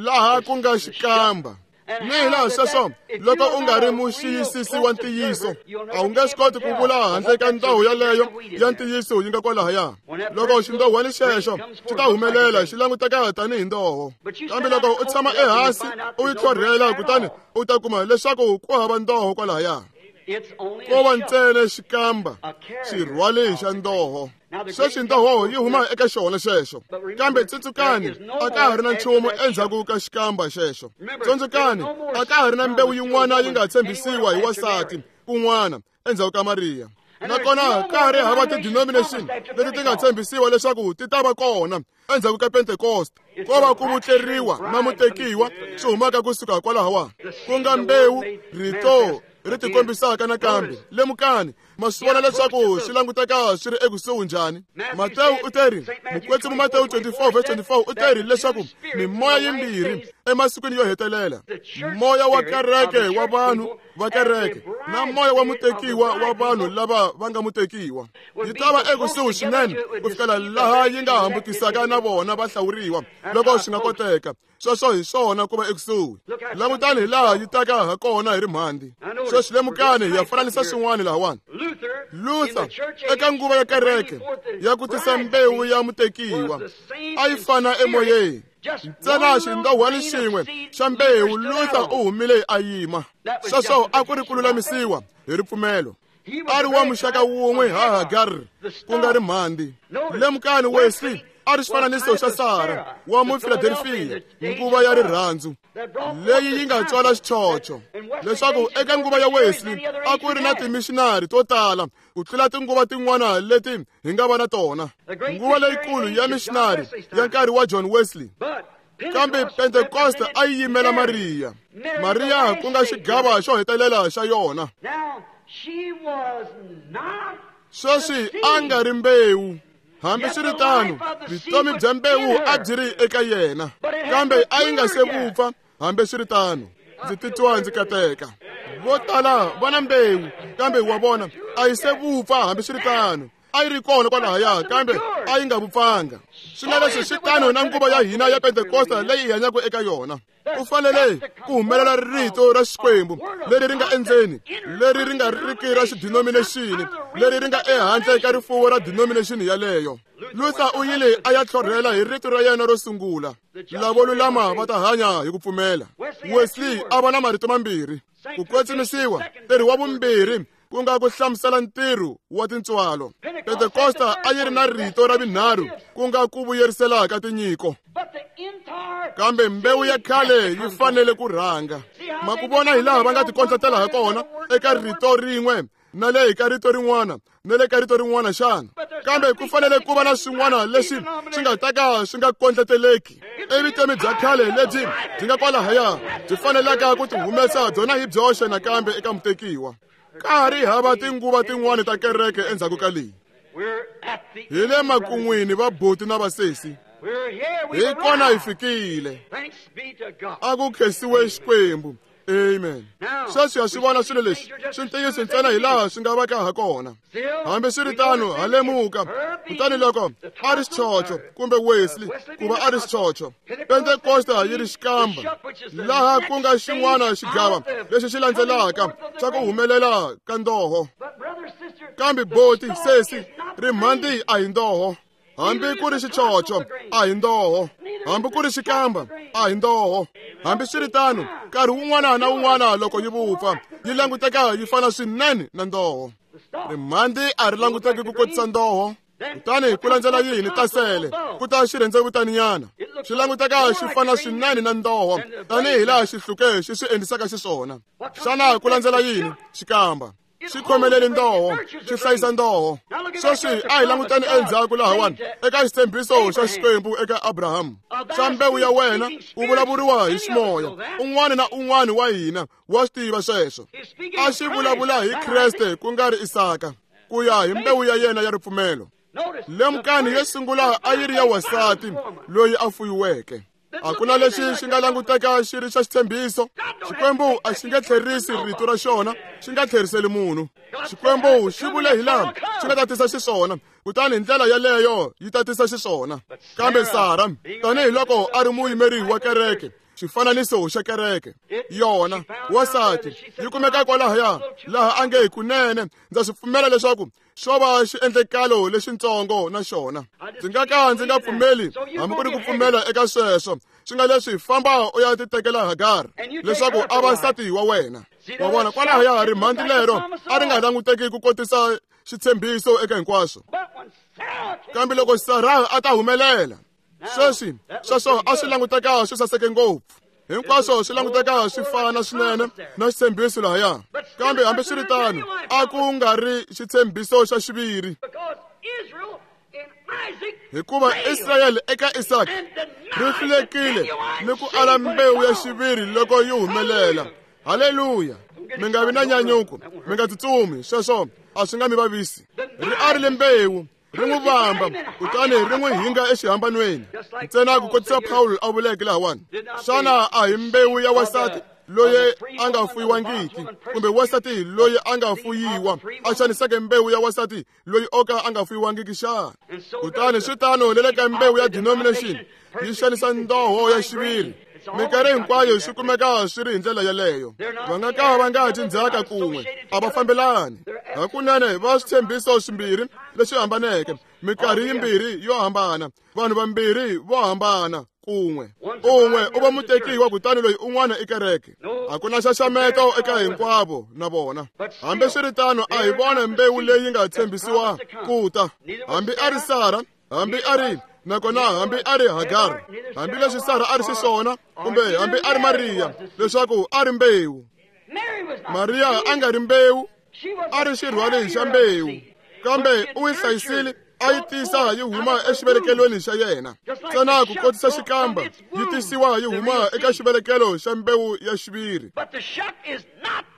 [SPEAKER 2] laha ku nga xikamba. Ni hi laha sweswo, loko u nga ri muxiyisisi wa ntiyiso, a wu nge swi koti ku vula handle ka ndhawu yaleyo ya ntiyiso yi nga kwalahaya. Loko xindohwani xexo xi ta humelela xi languteka tanihi ndoho, kambe loko u tshama ehansi u yi tlhorhela, kutani u ta kuma leswaku ku hava ndoho kwalahaya. Ko va ntsena xikamba, xirhwali xa ndoho. Sweswi ndoho yi huma eka xona xexo, kambe tsundzukani a ka ha ri na nchumu endzhaku ka xikamba xexo. Tsundzukani a ka ha ri na mbewu yin'wana yi nga tshembisiwa hi wansati kun'wana endzhaku ka Mariya. Nakona ka ha ri hava ti-denomination leti ti nga tshembisiwa leswaku ti ta va kona endzhaku ka Pentekoste. Ko va ku vutleriwa na mutekiwa swi humaka kusuka kwalahawa, ku nga mbewu rito ri tikombisaka nakambe. Lemukani, ma swi vona leswaku swi languteka swi ri ekusuhi njhani. Matewu u teri, mukwetsimi Matewu twenty-four verse twenty-four u teri leswaku mimoya yimbirhi emasikwini yo hetelela, moya wa kereke wa vanhu va kereke na moya wa mutekiwa wa vanhu lava va nga mutekiwa, yi ta va ekusuhi swinene ku fikela laha yi nga hambukisaka na vona va hlawuriwa loko swi nga koteka. Sweswo hi swona ku va ekusuhi. Langutani hi laha yi taka ha kona hi rimhandi. Sweswi lemukani, hi ya fananisa swin'wana lahawani. Luther eka nguva ya kereke ya ku tisa mbewu ya mutekiwa a yi fana emoyeni. Ntsena xindohwani xin'we xa mbewu, Luther u humile a yima. Sweswo a ku ri ku lulamisiwa hi ripfumelo. A ri wa muxaka wun'we ha Hagar, ku nga ri mhandi. Lemukani, Wesley a ri xifananiso xa Sara wa Mufiladelfiya, nguva ya rirhandzu leyi yi nga tswala xichocho. Leswaku eka nguva ya Wesley a ku ri na timishinari to tala ku tlula tinguva tin'wana leti hi nga va na tona, nguva leyikulu ya mishinari ya nkarhi wa John Wesley. Kambe Pentekoste a yi yimela Mariya, Mariya ku nga xigava xo hetelela xa yona. Sweswi a nga ri mbewu. Hambiswiritano, vutomi bya mbewu a byi ri eka yena, kambe a yi nga se vupfa. Hambiswiritano, ndzi titwa ndzi kateka. Vo tala va na mbewu, kambe wa vona a yi se vupfa. Hambiswiritano, a yi ri kona kwalahaya, kambe a yi nga vupfanga. Swi nga leswi swi tano na nguva ya hina ya Pentekosta leyi hi hanyaka eka yona. Ku fanele ku humelela rito ra Xikwembu leri ri nga endzeni, leri ri nga riki ra xidenomination, leri ri nga ehandle ka rifuwo ra denomination yaleyo. Luther u yile a ya tlhorhela hi rito ra yena ro sungula, lavo lulama va ta hanya hi ku pfumela. Wesley a va na marito mambirhi, ku kwetsimisiwa, ntirho wa vumbirhi ku nga ku hlamusela ntirho wa tintswalo. Pentekosta a yi ri na rito ra vunharhu, ku nga ku vuyerisela ka tinyiko. Kambe mbewu ya khale yi fanele ku rhanga. Ma ku vona hi laha va nga tikondletela ha kona eka rito rin'we na le ka rito rin'wana na le ka rito rin'wana xana? Kambe ku fanele ku va na swin'wana leswi swi nga ta ka swi nga kondleteleki evutomi bya khale lebyi byi nga kwalahaya byi fanelaka ku tihumesa byona hi byoxe nakambe eka mutekiwa. Ka ha ri hava tinguva tin'wana ta kereke endzhaku ka leyi. Hi le makun'wini va buti na vasesi. Hi kona hi fikile. A ku khensiwe Xikwembu. Amen. Sweswi ha swi vona swilo leswi swi ntiyiso ntsena hi laha swi nga va ka ha kona. Hambiswiritano ha lemuka. Kutani loko a ri xichocho kumbe Wesley ku va a ri xichocho, Pentekosta yi ri xikamba, laha ku nga xin'wana xigava lexi xi landzelaka xa ku humelela ka ndoho. Kambe boti sesi rimhandi a hi ndoho. Hambi ku ri xichocho a hi ndoho, hambi ku ri xikamba a hi ndoho. Hambiswiritano nkarhi wun'wana na wun'wana loko yi vupfa yi languteka yi fana swinene na ndoho. Rimhandi a ri languteki ku kotisa ndoho. Kutani ku landzela yini tasele ku ta xirhendzevutaninyana xi languteka xi fana swinene na ndoho tanihi laha xihluke xi swi endlisaka xiswona. Xana ku landzela yini xikamba? Xi khomelele ndoho, xi hlayisa ndoho. Sweswi a hi languteni endzhaku lahawani eka xitshembiso xa Xikwembu eka Abraham. Xa mbewu ya wena u vulavuriwa hi ximoya. Un'wana na un'wana wa hina wa swi tiva sweswo. A xi vulavula hi Kreste ku nga ri Isaka, ku ya hi mbewu ya yena ya ripfumelo. Lemukani yo sungula a yi ri ya wansati loyi a fuyiweke. A ku na lexi xi nga languteka xi ri xa xitshembiso. Xikwembu a xi nge tlherisi rito ra xona, xi nga tlheriseli munhu. Xikwembu xi vule hi laha xi nga ta tisa xiswona, kutani hi ndlela yaleyo yi ta tisa xiswona. Kambe Sara, tanihiloko a ri muyimeri wa kereke, xifananiso xa kereke, yona wansati yi kumeka kwalahaya laha a nge hi kunene ndza swi pfumela leswaku xo va xiendlekalo lexintsongo na xona. Ndzi nga ka ndzi nga pfumeli hambi ku ri ku pfumela eka sweswo. Swi nga leswi famba u ya titekela Hagar leswaku a va nsati wa wena. Wa vona kwalahaya rimhandi lero a ri nga languteki ku kotisa xitshembiso eka hinkwaswo. Kambe loko Sara a ta humelela, sweswi sweswo a swi languteka swi saseke ngopfu. Hinkwaswo swi languteka swi fana swinene na xitshembiso lahaya. Kambe hambiswiritano a ku nga ri xitshembiso xa xiviri, hikuva Israyele eka Isaka ri hlulekile ni ku ala mbewu ya xiviri loko yi humelela. Haleluya! Mi nga vi na nyanyuko, mi nga tsutsumi, sweswo a swi nga mi vavisi. Ri arile mbewu, ri n'wi vamba, kutani ri n'wi hinga exihambanweni. Ntsena ku kotisa Pawulo a vuleke lahawani. Xana a hi mbewu ya wansati loyi a nga fuyiwangiki, kumbe wansati loyi a nga fuyiwa a xaniseke mbewu ya wansati loyi o ka a nga fuyiwangiki xana? Kutani swi tano le le ka mbewu ya denomination yi xanisa ndoho ya xiviri. Minkarhi hinkwayo swi kumeka swi ri hi ndlela yaleyo. Va nga ka va nga dyi ndzhaka kun'we, a va fambelani. Hakunene va switshembiso swimbirhi leswi hambaneke, minkarhi yimbirhi yo hambana, vanhu vambirhi vo hambana kun'we. Un'we u va mutekiwa kutani loyi un'wana i kereke. A ku na xaxameto eka hinkwavo na vona. Hambiswiritano a hi vona mbewu leyi nga tshembisiwa ku ta. Hambi a ri Sara, hambi a ri nakona hambi a ri Hagar, hambileswi Sara a ri xiswona, kumbe hambi a ri Mariya, leswaku a ri mbewu. Mariya a nga ri mbewu, a ri xirhwali xa mbewu, kambe u yi hlayisile a yi tisa yi huma exivelekelweni xa yena. Ntsena ku kotisa xikamba yi tisiwa yi huma eka xivelekelo xa mbewu ya xiviri.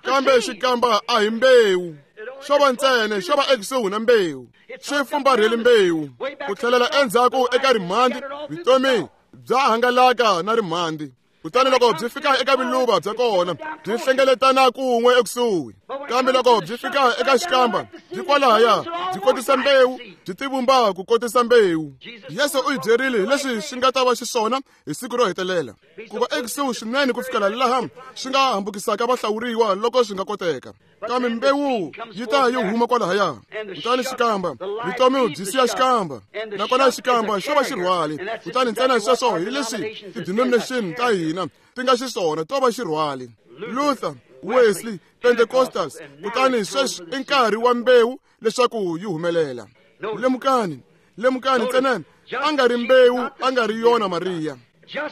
[SPEAKER 2] Kambe xikamba a hi mbewu, xo va ntsena xo va ekusuhi na mbewu, xi fumbarhele mbewu. Ku tlhelela endzhaku eka rimhandi, vutomi bya hangalaka na rimhandi. Kutani loko byi fika eka viluva bya kona, byi hlengeletana kun'we ekusuhi. Kambe loko byi fika eka xikamba, byi kwalahaya, byi kotisa mbewu, byi tivumba ku kotisa mbewu. Yesu u hi byerile hi leswi swi nga ta va xiswona hi siku ro hetelela, ku va ekusuhi swinene ku fikela laha swi nga hambukisaka vahlawuriwa loko swi nga koteka. Kambe mbewu yi ta yi huma kwalahaya. Kutani xikamba, vutomi byi siya xikamba, nakona xikamba xo va xirhwali. Kutani ntsena sweswo hi leswi ti-denomination ta hina ti nga xiswona, to va xirhwali. Luther, Wesley, Pentecostals, kutani sweswi i nkarhi wa mbewu leswaku yi humelela. Lemukani, lemukani ntsena a nga ri mbewu, a nga ri yona Mariya.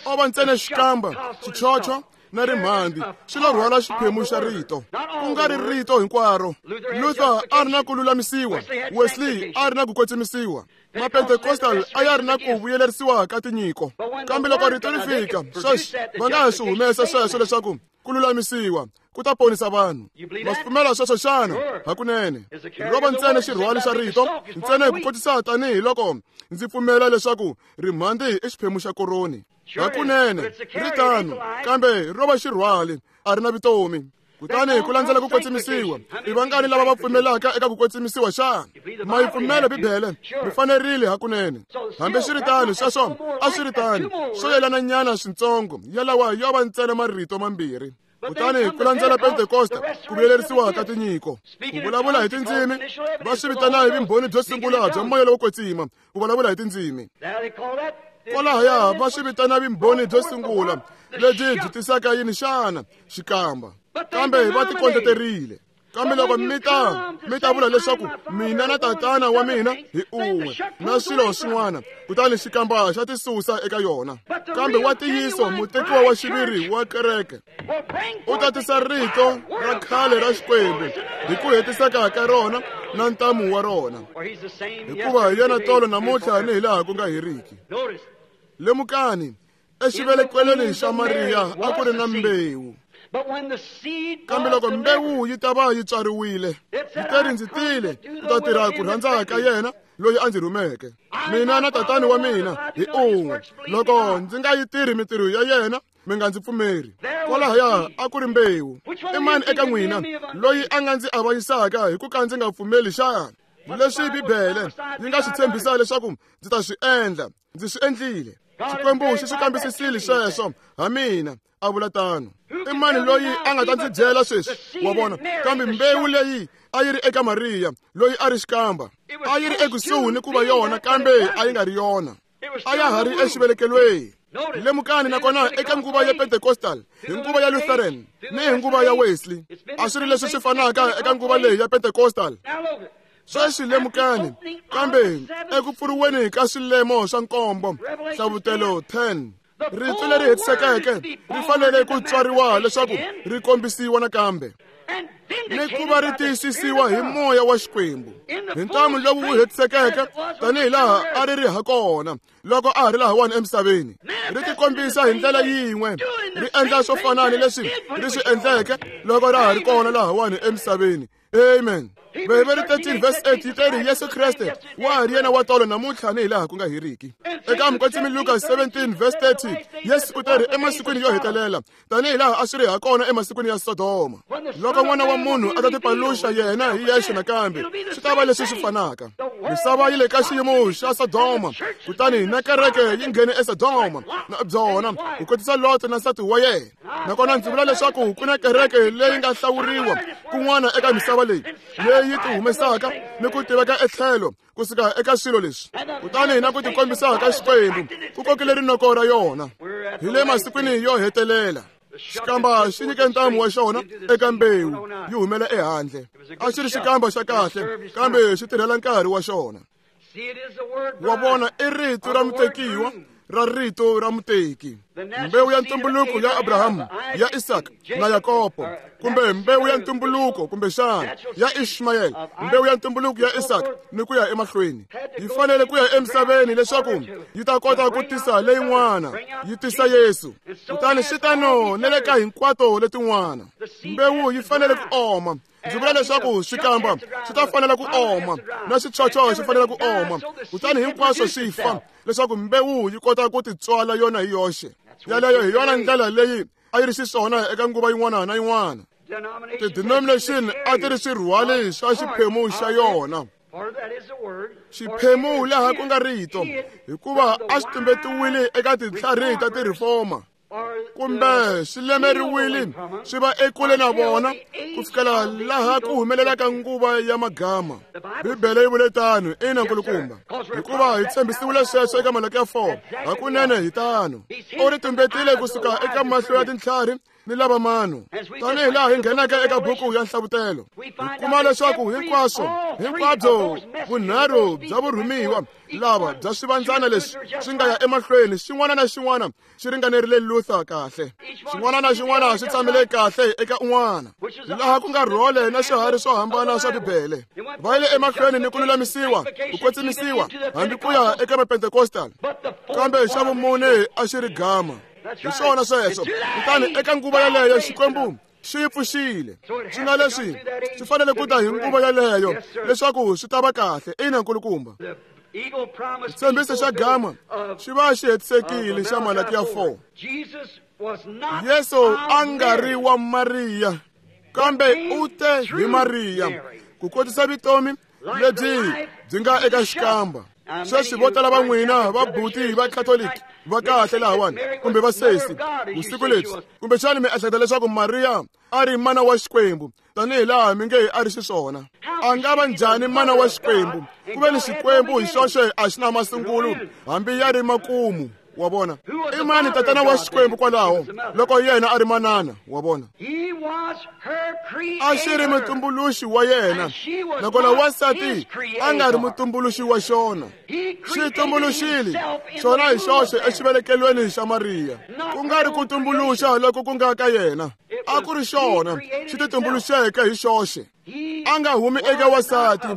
[SPEAKER 2] O va ntsena xikamba, xichocho na rimhandi swi lo rhwala xiphemu xa rito, ku nga ri rito hinkwaro. Luther a ri na ku lulamisiwa, Wesley a ri na ku kwetsimisiwa, Mapentecostal a ya ri na ku vuyelerisiwa ka tinyiko. Kambe loko rito ri fika, sweswi va nga ha swi humesa sweswo leswaku Ku lulamisiwa ku ta ponisa vanhu. Ma swi pfumela sweswo xana? Hakunene. Ro va ntsena xirhwali xa rito, ntsena hi ku kotisa tanihi loko ndzi pfumela leswaku rimhandzi i xiphemu xa koroni. Hakunene, ri tano, kambe ro va xirhwali, a ri na vutomi. Kutani ku landzela ku kwetsimisiwa, i vangani lava va pfumelaka eka ku kwetsimisiwa xana? Ma yi pfumela Bibele, mi fanerile hakunene. Hambi swi ri tano, sweswo a swi ri tano, swo yelana nyana swintsongo, yalawa yo va ntsena marito mambirhi. Kutani ku landzela Pentekosta, ku vuyelerisiwa ka tinyiko, ku vulavula hi tindzimi, va swi vitana hi vumbhoni byo sungula bya moya lowo kwetsima, ku vulavula hi tindzimi. Kwalahaya va swi vitana vumbhoni byo sungula lebyi byi tisaka yini xana? Xikamba. Kambe va tikondleterile. Kambe loko mi ta mi ta vula leswaku mina na tatana wa mina hi un'we na swilo swin'wana, kutani xikamba xa tisusa eka yona. Kambe wa ntiyiso mutekiwa wa xiviri wa kereke u ta tisa rito ra khale ra Xikwembu hi ku hetiseka ka rona na ntamu wa rona, hikuva hi yena tolo namuntlha ni hi laha ku nga heriki. Lemukani, exivelekelweni xa Mariya a ku ri na mbewu. Kambe loko mbewu yi ta va yi tswariwile, yi teri ndzi tile ku ta tirha ku rhandza ka yena loyi a ndzi rhumeke. Mina na tatani wa mina hi un'we. Loko ndzi nga yi tirhi mintirho ya yena, mi nga ndzi pfumeri. Kwalahaya a ku ri mbewu. I mani eka n'wina loyi a nga ndzi avanyisaka hi ku ka ndzi nga pfumeli xana? Leswi Bibele yi nga swi tshembisa leswaku ndzi ta swi endla, ndzi swi endlile. Xikwembu xi swi kambisisile sweswo ha mina, a vula tano. I mani loyi a nga ta ndzi byela sweswi? Wa vona? Kambe mbewu leyi a yi ri eka Mariya, loyi a ri xikamba, a yi ri ekusuhi ni ku va yona, kambe a yi nga ri yona. A ya ha ri exivelekelweni. Lemukani nakona eka nguva ya Pentecostal, hi nguva ya Lutheran, ni hi nguva ya Wesley, a swi ri leswi swi fanaka eka nguva leyi ya Pentecostal. Sweswi lemukani, kambe eku pfuriweni ka swilemo swa nkombo, Hlavutelo ten, rito leri hetisekeke ri fanele ku tswariwa leswaku ri kombisiwa nakambe, ni ku va ri tiyisisiwa hi moya wa Xikwembu, hi ntamu lowu wu hetisekeke tanihi laha a ri ri ha kona loko a ha ri lahawani emisaveni. Ri tikombisa hi ndlela yin'we, ri endla swo fana ni leswi ri swi endleke loko ra ha ri kona lahawani emisaveni. Amen. Bibele thirteen verse eight yi teri Yesu Kreste wa ha ri yena wa tolo namuntlha ni hi laha ku nga heriki. Eka Mukwetsimi Luka seventeen verse thirty, Yesu u teri emasikwini yo hetelela tanihi laha a swi ri ha kona emasikwini ya Sodoma, loko n'wana wa munhu a ta tipaluxa yena hi yexe nakambe, swi ta va leswi swi fanaka. Misava yi le ka xiyimo xa Sodoma, kutani na kereke yi nghene eSodoma na byona ku kotisa Lot na nsati wa yena. Nakona ndzi vula leswaku ku na kereke leyi nga hlawuriwa kun'wana eka misava leyi, leyi ti humesaka ni ku tiveka etlhelo kusuka eka swilo leswi, kutani na ku tikombisa ka Xikwembu ku kokile rinoko ra yona. Hi le masikwini yo hetelela, xikamba xi nyike ntamu wa xona eka mbewu yi humela ehandle. A xi ri xikamba xa kahle, kambe xi tirhela nkarhi wa xona. Wa vona, i rito ra mutekiwa ra rito ra muteki. Mbewu ya ntumbuluko ya Abrahamu, ya Isaka na Yakobo, kumbe mbewu ya ntumbuluko kumbexana ya Ishmael, mbewu ya ntumbuluko ya Isaka ni ku ya emahlweni, yi fanele ku ya emisaveni leswaku yi ta kota ku tisa leyin'wana, yi tisa Yesu. Kutani swi tano na le ka hinkwato letin'wana. Mbewu yi fanele ku oma. Ndzi vula leswaku swikamba swi ta fanela ku oma, na swichocho swi fanele ku oma, kutani hinkwaswo swi fa leswaku mbewu yi kota ku titswala yona hi yoxe. Yaleyo hi yona ndlela leyi a yi ri xiswona eka nguva yin'wana na yin'wana. Ti-denomination a ti ri swirhwali swa xiphemu xa yona, xiphemu laha ku nga rito, hikuva a swi tumbetiwile eka tintlhari ta ti-reformer, kumbe swi lemeriwile swi va ekule na vona ku fikela laha ku humelelaka nguva ya magama. Bibele yi vule tano, ina nkulukumba, hikuva hi tshembisiwile sweswo eka Malaki ya four. Hakunene hi tano. U ri tumbetile kusuka eka mahlo ya tintlhari ni lava mano. Tanihi laha hi nghenaka eka buku ya Nhlavutelo, hi kuma leswaku hinkwaswo hinkwabyo vunharhu bya vurhumiwa lava bya swivandzana leswi swi nga ya emahlweni, xin'wana na xin'wana xi ringanerile Luther kahle, xin'wana na xin'wana xi tshamile kahle eka un'wana, laha ku nga rhole na swiharhi swo hambana swa Bibele. Va yile emahlweni ni ku lulamisiwa, ku kwetsimisiwa, hambi ku ya eka Mapentecostal. Kambe xa vumune a xi ri gama. Hi swona sweswo. Kutani eka nguva yaleyo Xikwembu xi pfuxile. Swi nga leswi swi fanele ku ta hi nguva yaleyo leswaku swi ta va kahle. Ina nkulukumba. Xitshembiso xa gama xi va xi hetisekile xa Malakiya four. Yesu a nga ri wa Mariya, kambe u te hi Mariya ku kotisa vutomi lebyi byi nga eka xikamba. Sweswi vo tala va n'wina va buti va Catholic va kahle lahawani kumbe va sesi vusiku lebyi, kumbexani mi ehleketa leswaku Mariya a ri mana wa Xikwembu tanihi laha mi nge a ri xiswona. A nga va njhani mana wa Xikwembu ku ve ni Xikwembu hi xoxe a xi na masungulo hambi ya ri makumu? Wa vona, i mani tatana wa Xikwembu kwalaho loko yena a ri manana? Wa vona, a xi ri mutumbuluxi wa yena, nakona wansati a nga ri mutumbuluxi wa xona. Xi tumbuluxile xona hi xoxe exivelekelweni xa Mariya, ku nga ri ku tumbuluxa loko ku nga ka yena. A ku ri xona xi titumbuluxeke hi xoxe. A nga humi eka wansati,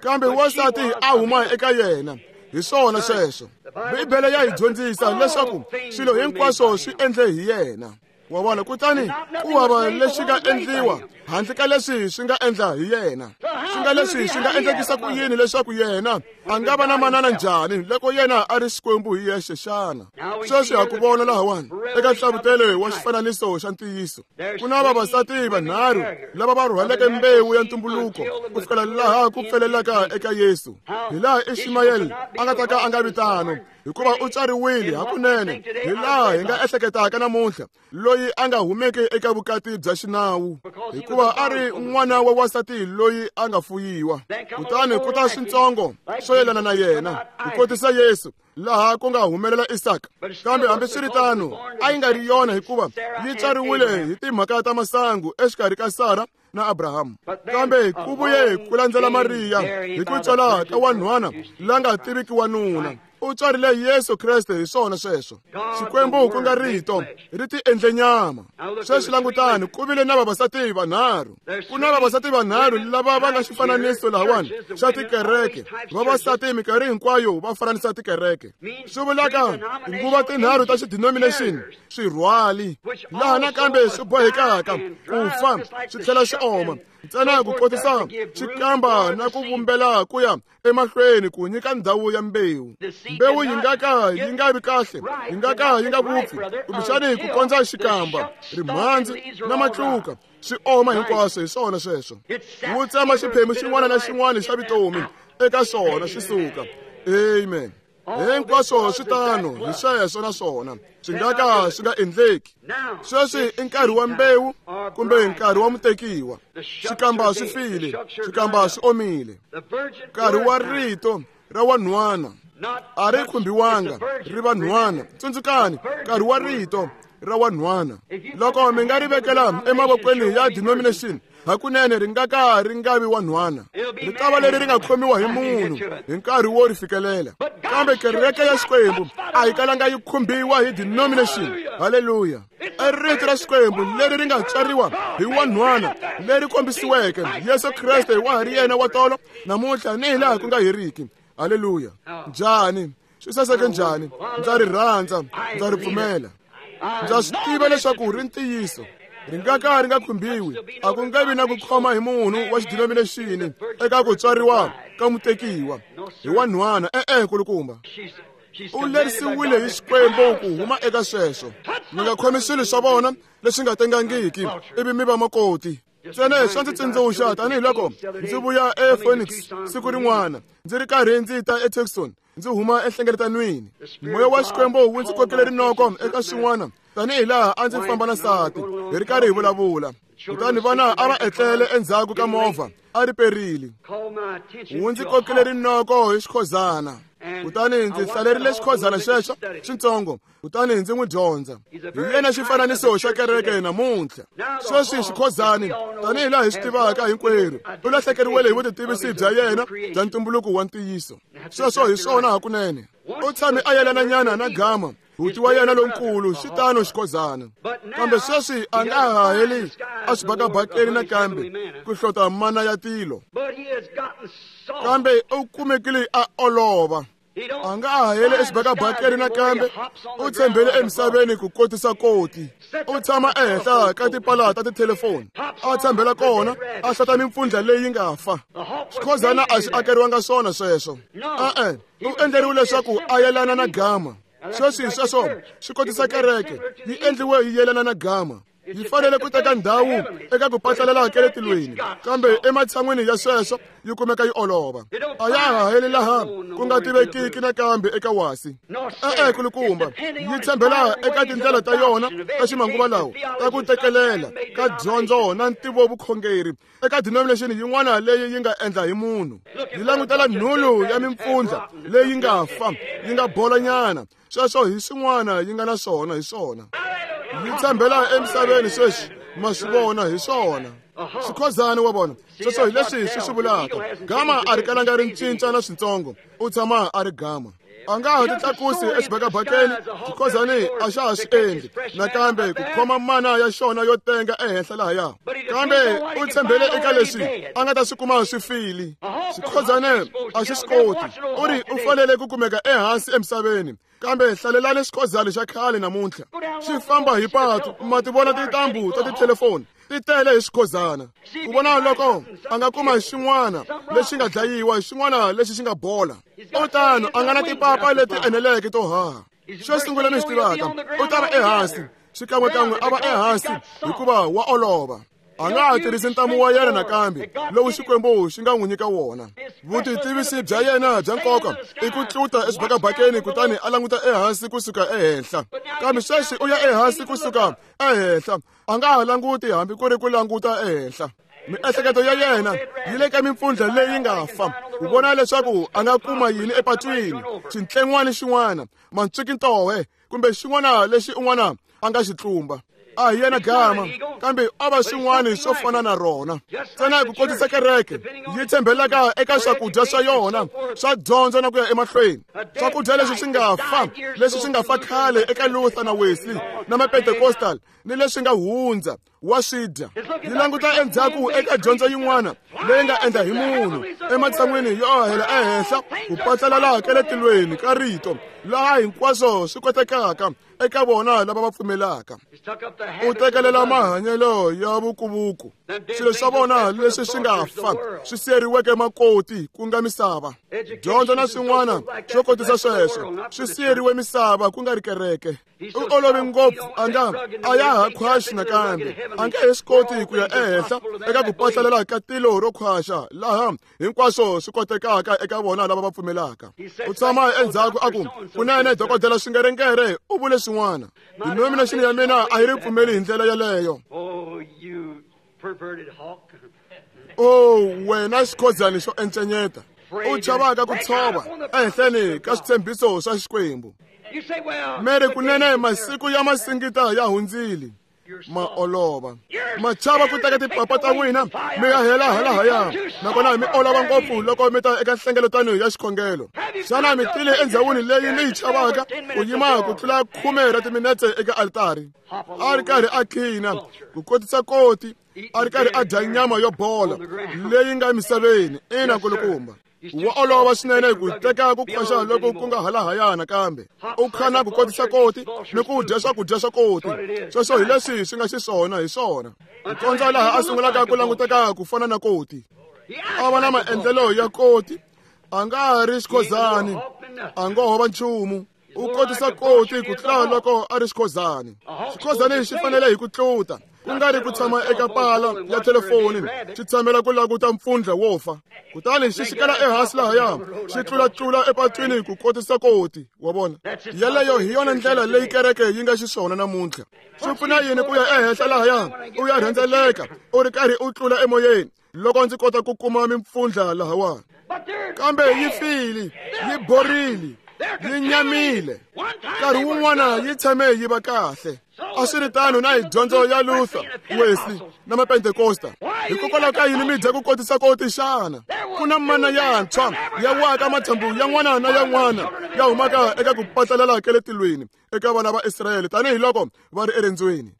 [SPEAKER 2] kambe wansati a huma eka yena. Hi swona sweswo. Bibele ya hi dyondzisa leswaku swilo hinkwaswo swi endle hi yena. Wa vona, kutani ku hava lexi nga endliwa handle ka leswi swi nga endla hi yena. Swi nga leswi swi nga endlekisa ku yini leswaku yena a nga va na manana njhani loko yena a ri Xikwembu hi yexe xana? Sweswi ha ku vona lahawani eka nhlavutelo wa xifananiso xa ntiyiso. Ku na vavasati vanharhu lava va rhwaleke mbewu ya ntumbuluko ku fikela laha ku pfelelaka eka Yesu. Hi laha Ishimayeli a nga ta ka a nga vi tano, hikuva u tswariwile hakunene hi laha hi nga ehleketaka namuntlha, loyi a nga humeki eka vukati bya xinawu, hikuva a ri n'wana wa wansati loyi a nga fuyiwa. Kutani ku ta swintsongo swo yelana na yena ku kotisa Yesu laha ku nga humelela Isaka. Kambe hambiswiritano a yi nga ri yona, hikuva yi tswariwile hi timhaka ta masangu exikarhi ka Sara na Abrahamu. Kambe ku vuye ku landzela Mariya hi ku tswala ka wanhwana la nga tiviki wanuna. U tswarile Yesu Kreste. Hi swona sweswo. Xikwembu ku nga rito ri ti endle nyama. Sweswi langutani, ku vile na vavasati vanharhu. Ku na vavasati vanharhu lava va nga xifananiso lahawani xa tikereke. Vavasati minkarhi hinkwayo va fananisa tikereke. Swi vulaka tinguva tinharhu ta xidenomination swirhwali, laha nakambe swi bohekaka ku fa swi tlhela swi oma ntsena ku kotisa xikamba na ku vumbela ku ya emahlweni ku nyika ndhawu ya mbewu. Mbewu yi nga ka yi nga vi kahle, yi nga ka yi nga vupfi, kumbexani ku kondza xikamba, rimhandzu na matluka swi oma hinkwaswo. Hi swona sweswo. Wu tsema xiphemu xin'wana na xin'wana xa vutomi eka swona swi suka. Amen. Hinkwaswo swi tano hi sweswo, naswona swi nga ka swi nga endleki. Sweswi i nkarhi wa mbewu kumbe nkarhi wa mutekiwa. Xikamba swi file, xikamba swi omile. Nkarhi wa rito ra wanhwana a ri khumbiwanga, ri va nhwana. Tsundzukani, nkarhi wa rito ra wanhwana. Loko mi nga ri vekela emavokweni ya denomination, hakunene ri nga ka ri nga vi wanhwana. Ri ta va leri ri nga khomiwa hi munhu hi nkarhi wo ri fikelela. Kambe kereke ya Xikwembu a yi kalanga yi khumbiwa hi denomination. Haleluya. I rito ra Xikwembu leri ri nga tswariwa hi wanhwana, leri kombisiweke Yesu Kreste wa ha ri yena wa tolo namuntlha ni hi laha ku nga heriki. Haleluya. Njhani? Swi saseke njhani? Ndza ri rhandza, ndza ri pfumela. Ndza swi tiva leswaku ri ntiyiso. Ri nga ka ri nga khumbiwi. A ku nga vi na ku khoma hi munhu wa xidenomination eka ku tswariwa ka mutekiwa hi wanhwana. E-e, nkulukumba. U lerisiwile hi Xikwembu ku huma eka sweswo. Mi nga khomi swilo swa vona leswi nga tengangiki ivi mi va makoti. Ntsena swa ndzi tsundzuxa tanihiloko ndzi vuya ePhoenix siku rin'wana ndzi ri karhi ndzi ta eTucson, ndzi huma enhlengeletanweni. Moya wa Xikwembu wu ndzi kokele rinoko eka swin'wana tanihi laha a ndzi famba na nsati hi ri karhi hi vulavula. Kutani vana a va etlele endzhaku ka movha a ri perile. Wu ndzi kokele rinoko hi xikhozana. Kutani ndzi hlalerile xikhozana xexo xintsongo, kutani ndzi n'wi dyondza. Hi yena xifananiso xa kereke namuntlha. Sweswi xikhozani, tanihi laha hi swi tivaka hinkwerhu, u lahlekeriwile hi vutitivisi bya yena bya ntumbuluko wa ntiyiso. Sweswo hi swona hakunene. U tshame a yelananyana na gama, buti wa yena lonkulu, xitano xikhozana. Kambe sweswi a nga ha heli exibakabakeni nakambe ku hlota mana ya tilo. Kambe u kumekile a olova. A nga ha heli exibakabakeni nakambe, u tshembele emisaveni ku kotisa koti. U tshama ehenhla ka tipala ta tithelefoni, a tshembela kona, a hlota mimpfundla leyi nga fa. Xikhozana a xi akeriwanga swona sweswo. E-e, u endleriwe leswaku a yelana na gama. Sweswi sweswo swi kotisa kereke, yi endliwe yi yelana na gama. Yi fanele ku teka ndhawu eka ku patlalela ka le tilweni, kambe ematshan'wini ya sweswo yi kumeka yi olova. A ya ha heli laha ku nga tivekiki nakambe eka wasi. E-e, kulukumba, yi tshembela eka tindlela ta yona ta ximanguva lawa ta ku tekelela ka dyondzo na ntivovukhongeri eka denomination yin'wana leyi yi nga endla hi munhu. Yi langutela nhulu ya mimpfundla leyi nga fa, yi nga bolanyana. Sweswo hi swin'wana yi nga na swona hi swona. Yi tshembela emisaveni sweswi, ma swi vona hi swona. Xikhozana wa vona, sweswo hi leswi swi swi vulaka. Gama a ri kalanga ri cinca na swintsongo, u tshama a ri gama. A nga ha titlakusi exibakabakeni, xikhozani a xa ha swi endli nakambe ku khoma mana ya xona yo tenga ehenhla lahaya. Kambe u tshembele eka leswi a nga ta swi kuma swi file. Xikhozane a xi swi koti. U ri u fanele ku kumeka ehansi emisaveni. Kambe hlalelani xikhozana xa khale namuntlha. Xi famba hi patu, ma ti vona tintambu ta tithelefoni ti tele hi xikhozana. Ku vona loko a nga kuma xin'wana lexi nga dlayiwa, xin'wana lexi xi nga bola. U tano a nga na tipapa leti eneleke to haha. Xo sungula mi xi tivaka, u ta va ehansi, xikan'wekan'we a va ehansi hikuva wa olova. A nga ha tirhisi ntamu wa yena nakambe lowu Xikwembu xi nga n'wi nyika wona. Vutitivisi bya yena bya nkoka i ku tluta exibakabakeni kutani a languta ehansi kusuka ehenhla. Kambe sweswi u ya ehansi kusuka ehenhla, a nga ha languti hambi ku ri ku languta ehenhla. Miehleketo ya yena yi le ka mimpfundla leyi nga fa, ku vona leswaku a nga kuma yini epatwini, xintlen'wana xin'wana, mantswikintohe kumbe xin'wana lexi un'wana a nga xi tlumba. A hi yena gama, kambe a va swin'wana swo fana na rona. Ntsena ku kotisa kereke yi tshembelaka eka swakudya swa yona swa dyondzo na ku ya emahlweni. Swakudya leswi swi nga fa, leswi swi nga fa khale eka Luther na Wesley na Mapentecostal ni leswi nga hundza wa swi dya. Yi languta endzhaku eka dyondzo yin'wana leyi nga endla hi munhu ematshan'wini yo hela ehenhla ku patlalela ka le tilweni ka rito laha hinkwaswo swi kotekaka eka vona lava va pfumelaka. U tekelela mahanyelo ya vukuvuku, swilo swa vona leswi swi nga fa swi siyeriweke makoti ku nga misava. Dyondzo na swin'wana swo kotisa sweswo swi siyeriwe misava ku nga ri kereke. U olove ngopfu, a nga a ya ha khwaxi nakambe, a nge he swi koti ku ya ehenhla eka ku patlalela ka tilo ro khwaxa laha hinkwaswo swi kotekaka eka vona lava va pfumelaka. U tshama endzhaku a ku, kunene dokodela Swingerengere u vule swin'wana. Denomination ya mina a yi ri pfumeli hi ndlela yeleyo. O wena xikhozana xo encenyeta, u chavaka ku tshova ehenhleni ka switshembiso swa Xikwembu. Mere kunene masiku ya masingita ya hundzile, ma olova. Ma chava ku teka tipapa ta n'wina mi ya hela halahaya, nakona mi olova ngopfu loko mi ta eka nhlengeletano ya xikhongelo. Xana mi tile endzhawini leyi mi yi chavaka ku yima ku tlula khume ra timinetse eka altari? A ri karhi a khina ku kotisa koti, a ri karhi a dya nyama yo bola leyi nga emisaveni. Ina kulukumba, wa olova swinene ku teka ku khwaxa loko ku nga halahaya nakambe. U khana ku kotisa koti ni ku dya swakudya swa koti. Sweswo hi leswi swi nga xiswona hi swona. Ku kondza laha a sungulaka ku languteka ku fana na koti. A va na maendlelo ya koti, a nga ha ri xikhozani, a ngo ho va nchumu. U kotisa koti ku tlula loko a ri xikhozani. Xikhozani xi fanele hi ku tluta, ku nga ri ku tshama eka pala ya thelefoni xi tshamela ku languta mpfundla wo fa. Kutani xi xikela ehansi lahaya, xi tlulatlula epatwini ku kotisa koti. Wa vona, yeleyo hi yona ndlela leyi kereke yi nga xiswona namuntlha. Swi pfuna yini ku ya ehenhla lahaya u ya rhendzeleka u ri karhi u tlula emoyeni loko ndzi kota ku kuma mimpfundla lahawani? Kambe yi file, yi borile, yi nyamile. Nkarhi wun'wana yi tshame yi va kahle. A swi ri tano na hi dyondzo ya Luther, Wesley na Mapentekosta. Hikokwalaho ka yini mi dya ku kotisa koti xana? Ku na mana yantshwa ya waka mathambu yan'wana na yan'wana ya humaka eka ku patlalela ka le tilweni eka vana va Israyele tanihiloko va ri erendzweni.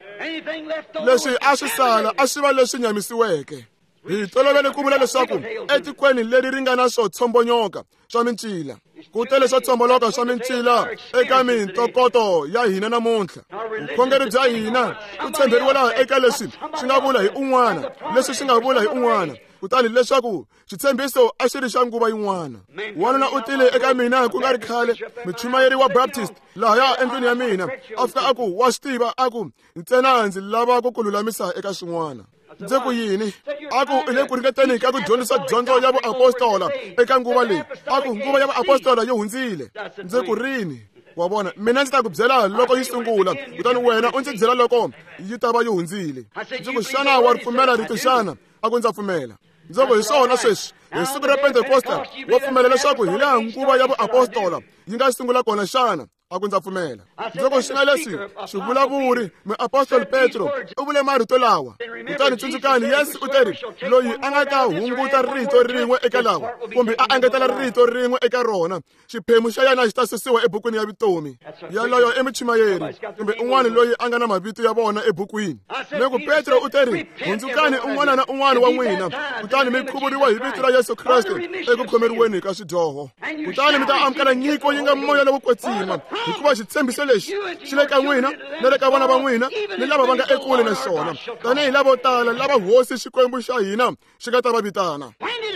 [SPEAKER 2] Leswi a swi sala a swi va leswi nyamisiweke. Hi tolovele ku vula leswaku etikweni leri ri nga na swo tshombonyoka swa mincila, ku tele swo tsomboloka swa mincila eka mintokoto ya hina namuntlha. Vukhongeri bya hina ku tshemberiwa laha eka leswi swi nga vula hi un'wana, leswi swi nga vula hi un'wana, kutani leswaku xitshembiso a xi ri xa nguva yin'wana. Wanuna u tile eka mina ku nga ri khale, muchumayeri wa Baptist lahaya endlwini ya mina, a fika a ku, wa swi tiva, a ku ntsena ndzi lava ku ku lulamisa eka swin'wana. Ndzi ku yini? A ku i le ku ringeteni ka ku dyondzisa dyondzo ya vuapostola eka nguva leyi. A ku nguva ya vuapostola yi hundzile. Ndzi ku rini? Wa vona, mina ndzi ta ku byela loko yi sungula, kutani wena u ndzi byela loko yi ta va yi hundzile. Ndzi ku xana wa ri pfumela rito xana? A ku ndza pfumela. Ndzi ku hi swona sweswi, hi siku ra Pentekosta wa pfumela leswaku hi laha nguva ya vuapostola yi nga sungula kona xana? A ku ndza pfumela. Ndzi ku xi nga leswi xivulavuri muapostoli Petro u vule marito lawa. Kutani tsundzukani, Yesu u teri loyi a nga ta hunguta rito rin'we eka lawa kumbe a engetela rito rin'we eka rona, xiphemu xa yena xi ta susiwa ebukwini ya vutomi. Yaloyo i muchumayeri kumbe un'wana loyi a nga na mavito ya vona ebukwini. Ni ku Petro u teri hundzukani un'wana na un'wana wa n'wina, kutani mi khuvuriwa hi vito ra Yesu Kreste eku khomeriweni ka swidyoho, kutani mi ta amukela nyiko yi nga moya lowo kwetsima, hikuva xitshembiso lexi xi le ka n'wina na le ka vana va n'wina ni lava va nga ekule na xona, tanihi lavo tala lava Hosi Xikwembu xa hina xi nga ta va vitana.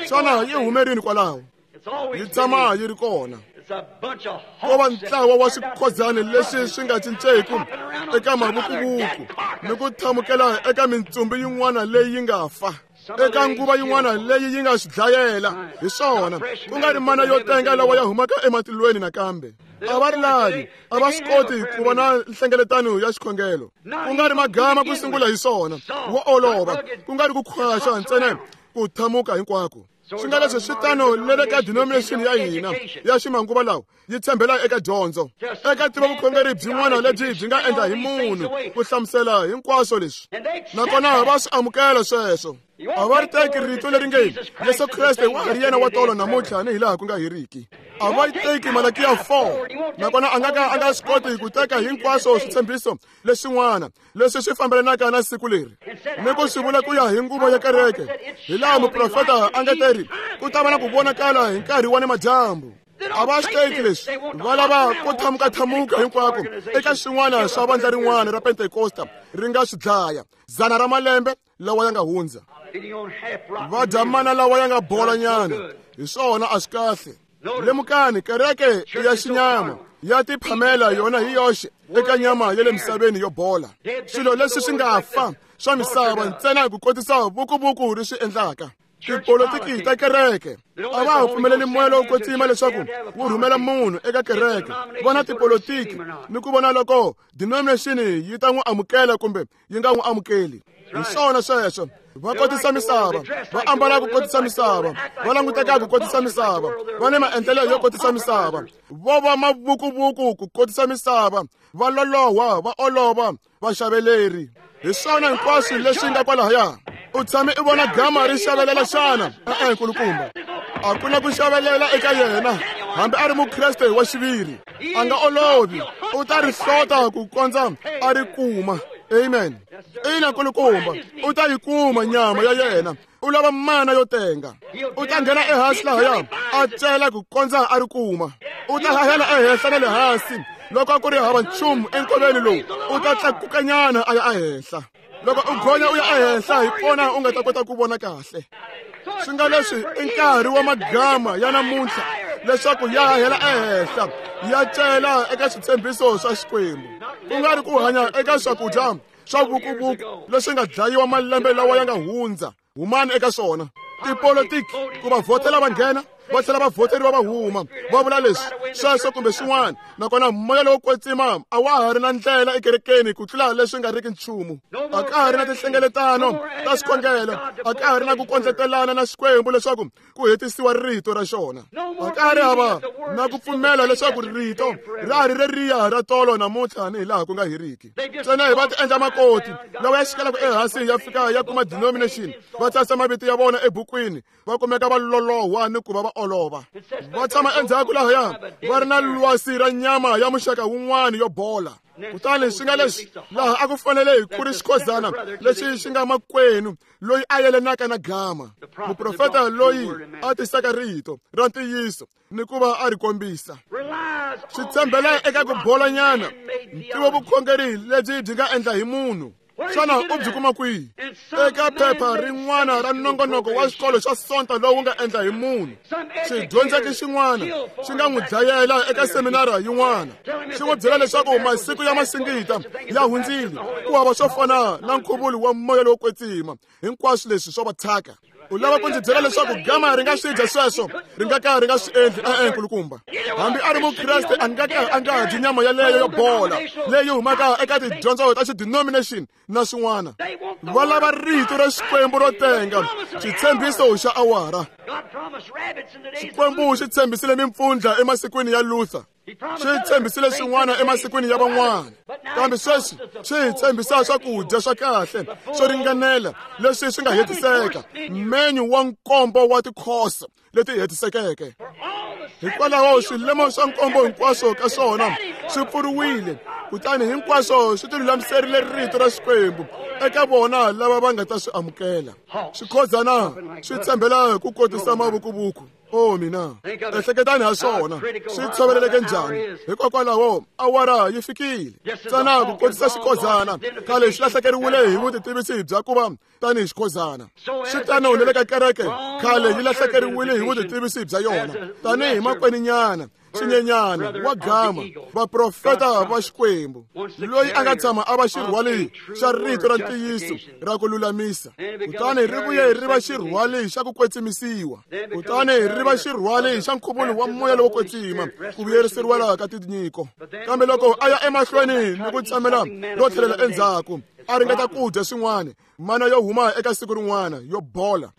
[SPEAKER 2] Xana yi hume rini kwalaho? Yi tshama yi ri kona. Ko va ntlawa wa swikhodzani leswi swi nga cinceku eka mavukuvuku ni ku thamukela eka mintsumbu yin'wana leyi yi nga fa, eka nguva yin'wana leyi yi nga swi dlayela. Hi swona, ku nga ri mana yo tenga lawa ya humaka ematilweni nakambe. A va ri lavi, a va swi koti ku va na nhlengeletano ya xikhongelo. Ku nga ri magama ku sungula hi swona, wo olova, ku nga ri ku khwaxa ntsena ku thamuka hinkwako. Swi nga leswi swi tano le le ka denomination ya hina ya ximanguva lawa yi tshembela eka dyondzo, eka tiva vukhongeri byin'wana lebyi byi nga endla hi munhu ku hlamusela hinkwaswo leswi, nakona va swi amukela sweswo. A va ri teki rito leri nge Yesu Kreste wa ha ri yena wa tolo namuntlha ni hi laha ku nga heriki. A va yi teki Malakiya four, nakona a nga ka a nga swi koti ku teka hinkwaswo switshembiso leswin'wana leswi swi fambelanaka na siku leri ni ku swi vula ku ya hi nguva ya kereke, hi laha muprofeta a nga teri ku ta va na ku vonakala hi nkarhi wa nimadyambu. A va swi teki leswi, va lava ku thamuka-thamuka hinkwako eka swin'wana swa vandla rin'wana ra Pentekosta ri nga swi dlaya dzana ra malembe lawa ya nga hundza. Va dya mana lawa ya nga bolanyana, hi swona a swi kahle. Lemukani, kereke ya xinyama ya tiphamela yona hi yoxe eka nyama ya le misaveni yo bola, swilo leswi swi nga fa swa misava ntsena ku kotisa vukuvuku ri swi endlaka. Tipolitiki ta kereke a va ha pfumeleli moya lowo kwetsima leswaku wu rhumela munhu eka kereke. Vona tipolitiki ni ku vona loko denomination yi ta n'wi amukela kumbe yi nga n'wi amukeli. Hi swona sweswo, va kotisa misava, va ambala ku kotisa misava, va languteka ku kotisa misava, va ni maendlelo yo kotisa misava, vo va mavukuvuku ku kotisa misava, va loloha, va olova, va xaveleri. Hi swona hinkwaswo leswi nga kwalahaya. U tshame i vona gama ri xavelela xana? E-e, nkulukumba, a ku na ku xavelela eka yena, hambi a ri mukreste wa xiviri. A nga olovi, u ta ri hlota ku kondza a ri kuma. Amen. Ina, nkulukumba, u ta yi kuma nyama ya yena. U lava mana yo tenga. U ta nghena ehansi lahaya a cela ku kondza a ri kuma. U ta hahela ehenhla na le hansi loko ku ri hava nchumu enkoveni lowu, u ta tlakukanyana a ya ehenhla. Loko u gonya u ya ehenhla hi kona u nga ta kota ku vona kahle. Swi nga leswi i nkarhi wa magama ya namuntlha leswaku ya hahela ehenhla ya cela eka switshembiso swa Xikwembu, ku nga ri ku hanya eka swakudya swa vukuvuku leswi nga dlayiwa malembe lawa ya nga hundza. Humani eka swona. Tipolitiki ku va vhotela va nghena, va tlhela va vhoteriwa va huma, va vula leswi sweswo kumbe swin'wana, nakona moya lowo kwetsima a wa ha ri na ndlela ekerekeni ku tlula leswi nga riki nchumu. A ka ha ri na tinhlengeletano ta xikhongelo, a ka ha ri na ku kondletelana na Xikwembu leswaku ku hetisiwa rito ra xona. A ka ha ri hava na ku pfumela leswaku rito ra ha ri reriya ra tolo namuntlha ni hi laha ku nga heriki. Ntsena hi va ti endla makoti lawa ya xikelaka ehansi ya fika ya kuma denomination, va tsarisa mavito ya vona ebukwini, va kumeka va lolohwa ni ku va va olova. Va tshama endzhaku lahaya va ri na lwasi ra nyama ya muxaka wun'wana yo bola. Kutani swi nga leswi laha a ku fanele hi ku ri xikhozana lexi xi nga makwenu loyi a yelanaka na gama, muprofeta loyi a tisaka rito ra ntiyiso ni ku va a ri kombisa. Swi tshembele eka ku bolanyana ntivo vukhongeri lebyi byi nga endla hi munhu. Xana u byi kuma kwihi? Eka phepha rin'wana ra nongonoko wa xikolo xa Sonto lowu nga endla hi munhu. Xidyondzeki xin'wana xi nga n'wi dlayela eka seminara yin'wana, xi n'wi byela leswaku masiku ya masingita ya hundzile, ku hava swo fana na nkhuvulo wa moya lowo kwetsima, hinkwaswo leswi swo va thyaka. U lava ku ndzi byela leswaku gama ri nga swi dya sweswo, ri nga ka ri nga swi endli? E-e, nkulukumba. Hambi a ri mukreste a nga ka a nga dyi nyama yaleyo yo bola leyi humaka eka tidyondzo ta xidenomination na swin'wana. Va lava rito ra Xikwembu ro tenga, xitshembiso xa awara. Xikwembu xi tshembisile mimpfundla emasikwini ya Luther, xi tshembisile swin'wana emasikwini ya van'wana, kambe sweswi xi hi tshembisa swakudya swa kahle swo ringanela leswi swi nga hetiseka, menyu wa nkombo wa tikhoso leti hetisekeke. Hikwalaho swilemo swa nkombo hinkwaswo ka swona swi pfuriwile, kutani hinkwaswo swi tilulamiserile rito ra Xikwembu eka vona lava va nga ta swi amukela. Swikhozana swi tshembela ku kotisa mavukuvuku. Oh mina, ehleketani ha swona swi tshoveleleke njhani. Hikokwalaho awara yi fikile ntsena ku kotisa xikhozana khale xi lahlekeriwile hi vutitivisi bya ku va tanihi xikhozana. Swi tano na le ka kereke, khale yi lahlekeriwile hi vutitivisi bya yona tanihi makweninyana, xinyenyana wa gama, vaprofeta va Xikwembu, loyi a nga tshama a va xirhwali xa rito ra ntiyiso ra ku lulamisa, kutani ri vuye ri va xirhwali xa ku kwetsimisiwa, kutani ri va xirhwali xa nkhuvulo wa moya lowo kwetsima, ku vuyeriseriwa ka tinyiko. Kambe loko a ya emahlweni ni ku tshamela ro tlhelela endzhaku, a ringeta ku dya swin'wana, mana yo huma eka siku rin'wana yo bola,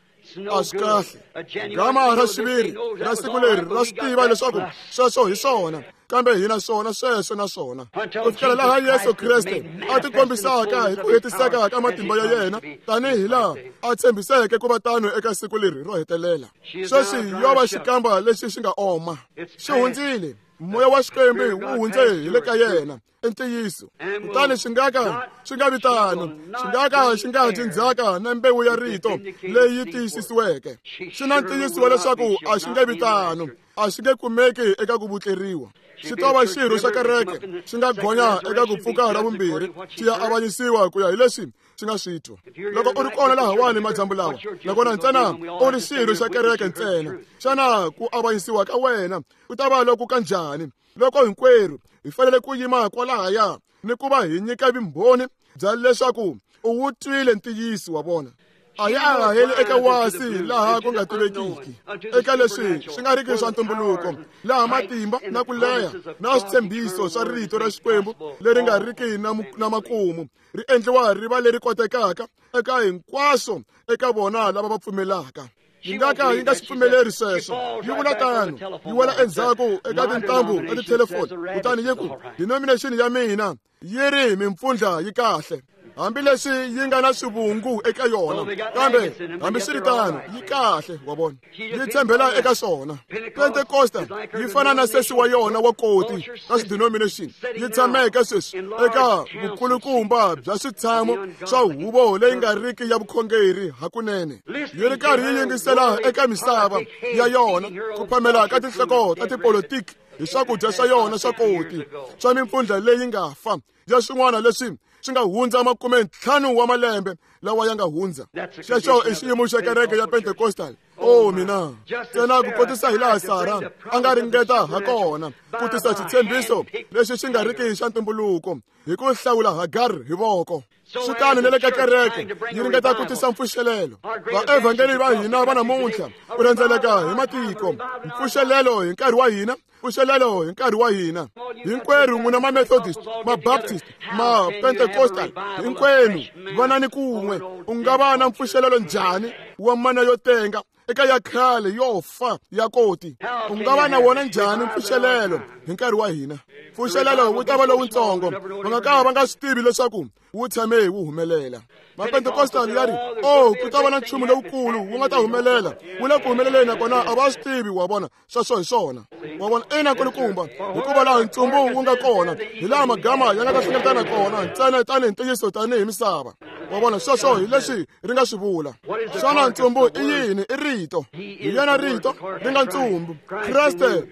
[SPEAKER 2] a swi kahle. Gama ra xiviri ra siku leri ra swi tiva leswaku sweswo hi swona, kambe hina swona sweswo na swona, ku fikela laha Yesu Kreste a tikombisaka hi ku hetiseka ka matimba ya yena tanihi laha a tshembiseke ku va tano eka siku leri ro hetelela. Sweswi yo va xikamba lexi xi nga oma, xi hundzile. Moya wa Xikwembu wu hundze hi le ka yena, i ntiyiso. Kutani xi nga ka xi nga vi tano, xi nga ka xi nga dyi ndzhaka na mbewu ya rito leyi tiyisisiweke. Xi na ntiyiso wa leswaku a xi nge vi tano, a xi nge kumeki eka ku vutleriwa. Xi ta va xirho xa kereke, xi nga gonya eka ku pfuka ra vumbirhi, xi ya avanyisiwa ku ya hi leswi xi nga swi twa. Loko u ri kona lahawani madyambu lawa, nakona ntsena u ri xirho xa kereke ntsena, xana ku avanyisiwa ka wena ku ta va loku kanjhani loko hinkwerhu hi fanele ku yima kwalahaya ni ku va hi nyika vumbhoni bya leswaku u wu twile ntiyiso wa vona? A ya haheli eka wasi laha ku nga tivekiki, eka leswi swi nga riki swa ntumbuluko, laha matimba na ku leha na switshembiso swa rito ra Xikwembu leri nga riki na, na makumu ri endliwa ri va leri kotekaka eka hinkwaswo eka vona lava va pfumelaka. Yi nga ka yi nga swi pfumeleri sweswo. Yi vula tano, yi wela endzhaku eka tintambu ta tithelefoni, kutani yi ku, denomination ya mina yi ri mimpfundla yi kahle, hambileswi yi nga na swivungu eka yona, kambe hambiswiritano yi kahle. Wa vona, yi tshembela eka swona. Pentekosta yi fana na sesi wa yona wa koti ka xidenomination, yi tshameke sweswi eka vukulukumba bya switshamo swa huvo leyi nga riki ya vukhongeri hakunene, yi ri karhi yi yingisela eka misava ya yona ku phamela ka tinhloko ta tipolitiki hi swakudya swa yona swa koti swa mimpfundla leyi nga fa ya swin'wana leswi swi nga hundza makume ntlhanu wa malembe lawa ya nga hundza. Xexo i xiyimo xa kereke ya Pentecostal. Oh mina, ntsena ku kotisa hi laha Sara a nga ringeta ha kona ku tisa xitshembiso lexi xi nga riki xa ntumbuluko hi ku hlawula Hagar hi voko. Swi tano na le ka kereke yi ringeta ku tisa mpfuxelelo. Vaevhangeli va hina va namuntlha ku rhendzeleka hi matiko, mpfuxelelo hi nkarhi wa hina, mpfuxelelo hi nkarhi wa hina. Hinkwerhu n'wina ma-Methodist, ma-Baptist, ma-Pentecostal, hinkwenu vanani kun'we. U nga va na mpfuxelelo njhani wa mana yo tenga eka ya khale yo fa ya koti. U nga va na wona njhani mpfuxelelo hi nkarhi wa hina? Mpfuxelelo wu ta va lowutsongo, va nga ka va nga swi tivi leswaku wu tshame wu humelela. Mapentekostal ya ri, oh, ku ta va na nchumu lowukulu wu nga ta humelela, wu le ku humeleleni nakona a va swi tivi. Wa vona, sweswo hi swona. Wa vona, ina nkulukumba, hikuva laha ntsumbu wu nga kona hi laha magama ya nga ta hlengeletana kona ntsena tanihi ntiyiso tanihi misava. Wa vona, sweswo hi leswi ri nga swi vula. Xana ntsumbu i yini? I rito. Hi yena rito ri nga ntsumbu. Kreste,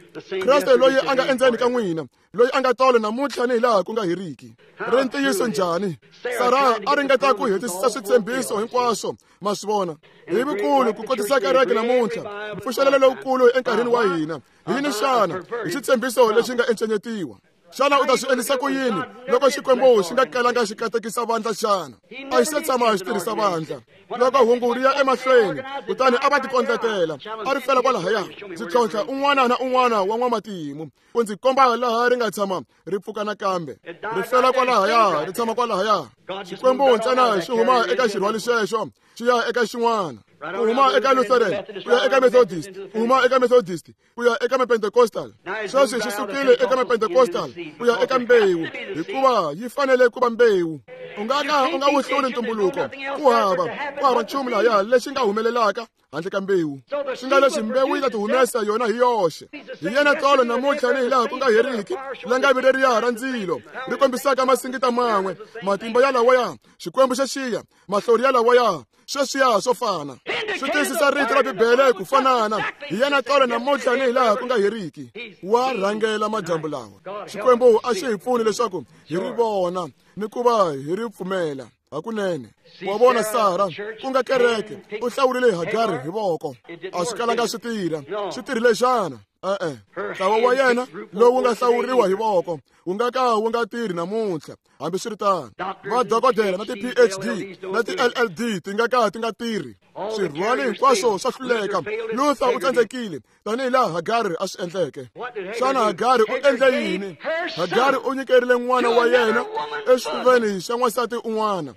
[SPEAKER 2] Kreste loyi a nga endzeni ka n'wina, loyi a nga tolo namuntlha ni hi laha ku nga heriki. Ri ntiyiso njhani? Sara a ringeta ku hetisisa switshembiso hinkwaswo, ma swi vona, hi vukulu ku kotisa kereke namuntlha, mpfuxelelo lowukulu enkarhini wa hina. Hi yini xana? Hi xitshembiso lexi nga encenyetiwa. Xana u ta swi endlisa ku yini loko Xikwembu xi nga kalanga xi katekisa vandla xana? A xi se tshama xi tirhisa vandla. Loko hungu ri ya emahlweni, kutani a va tikondletela, a ri fela kwalahaya. Ndzi tlhontlha un'wana na un'wana wa n'wamatimu ku ndzi komba laha ri nga tshama ri pfuka nakambe. Ri fela kwalahaya, ri tshama kwalahaya. Xikwembu ntsena xi huma eka xirhwali xexo xi ya eka xin'wana. Ku huma eka Lutheran ku ya eka Methodist, ku huma eka Methodist ku ya eka Pentecostal. Sweswi xi sukile eka Pentecostal ku ya eka mbewu, hikuva yi fanele ku va mbewu. U nga ka u nga wu hluli ntumbuluko. Ku hava ku hava nchumu lahaya lexi nga humelelaka handle ka mbewu. Swi nga leswi mbewu yi ta ti humesa yona hi yoxe. Hi yena tolo namuntlha ni hi laha ku nga heriki, langavi leriya ra ndzilo ri kombisaka masingita man'we, matimba ya lawaya, Xikwembu xa xiya, mahlori ya lawaya, sweswiya swo fana. Swi tiyisisa rito ra Bibele ku fanana. Hi yena tolo namuntlha ni hi laha ku nga heriki. Wa rhangela madyambu lawa. Xikwembu a xi hi pfuni leswaku hi ri vona ni ku va hi ri pfumela. Hakunene. Wa vona Sara, ku nga kereke, u hlawurile Hagari hi voko. A swi kalanga swi tirha. Swi tirhile xana? E-e. Ntlawa wa yena lowu nga hlawuriwa hi voko wu nga ka wu nga tirhi namuntlha. Hambiswiritano, vadokodela na ti-P H D na ti-L L D ti nga ka ti nga tirhi. Swirhwali hinkwaswo swa hluleka. Luther u tsandzekile tanihi laha Hagari a swi endleke. Xana Hagari u endle yini? Hagari u nyikerile n'wana wa yena exifuveni xa n'wansati un'wana.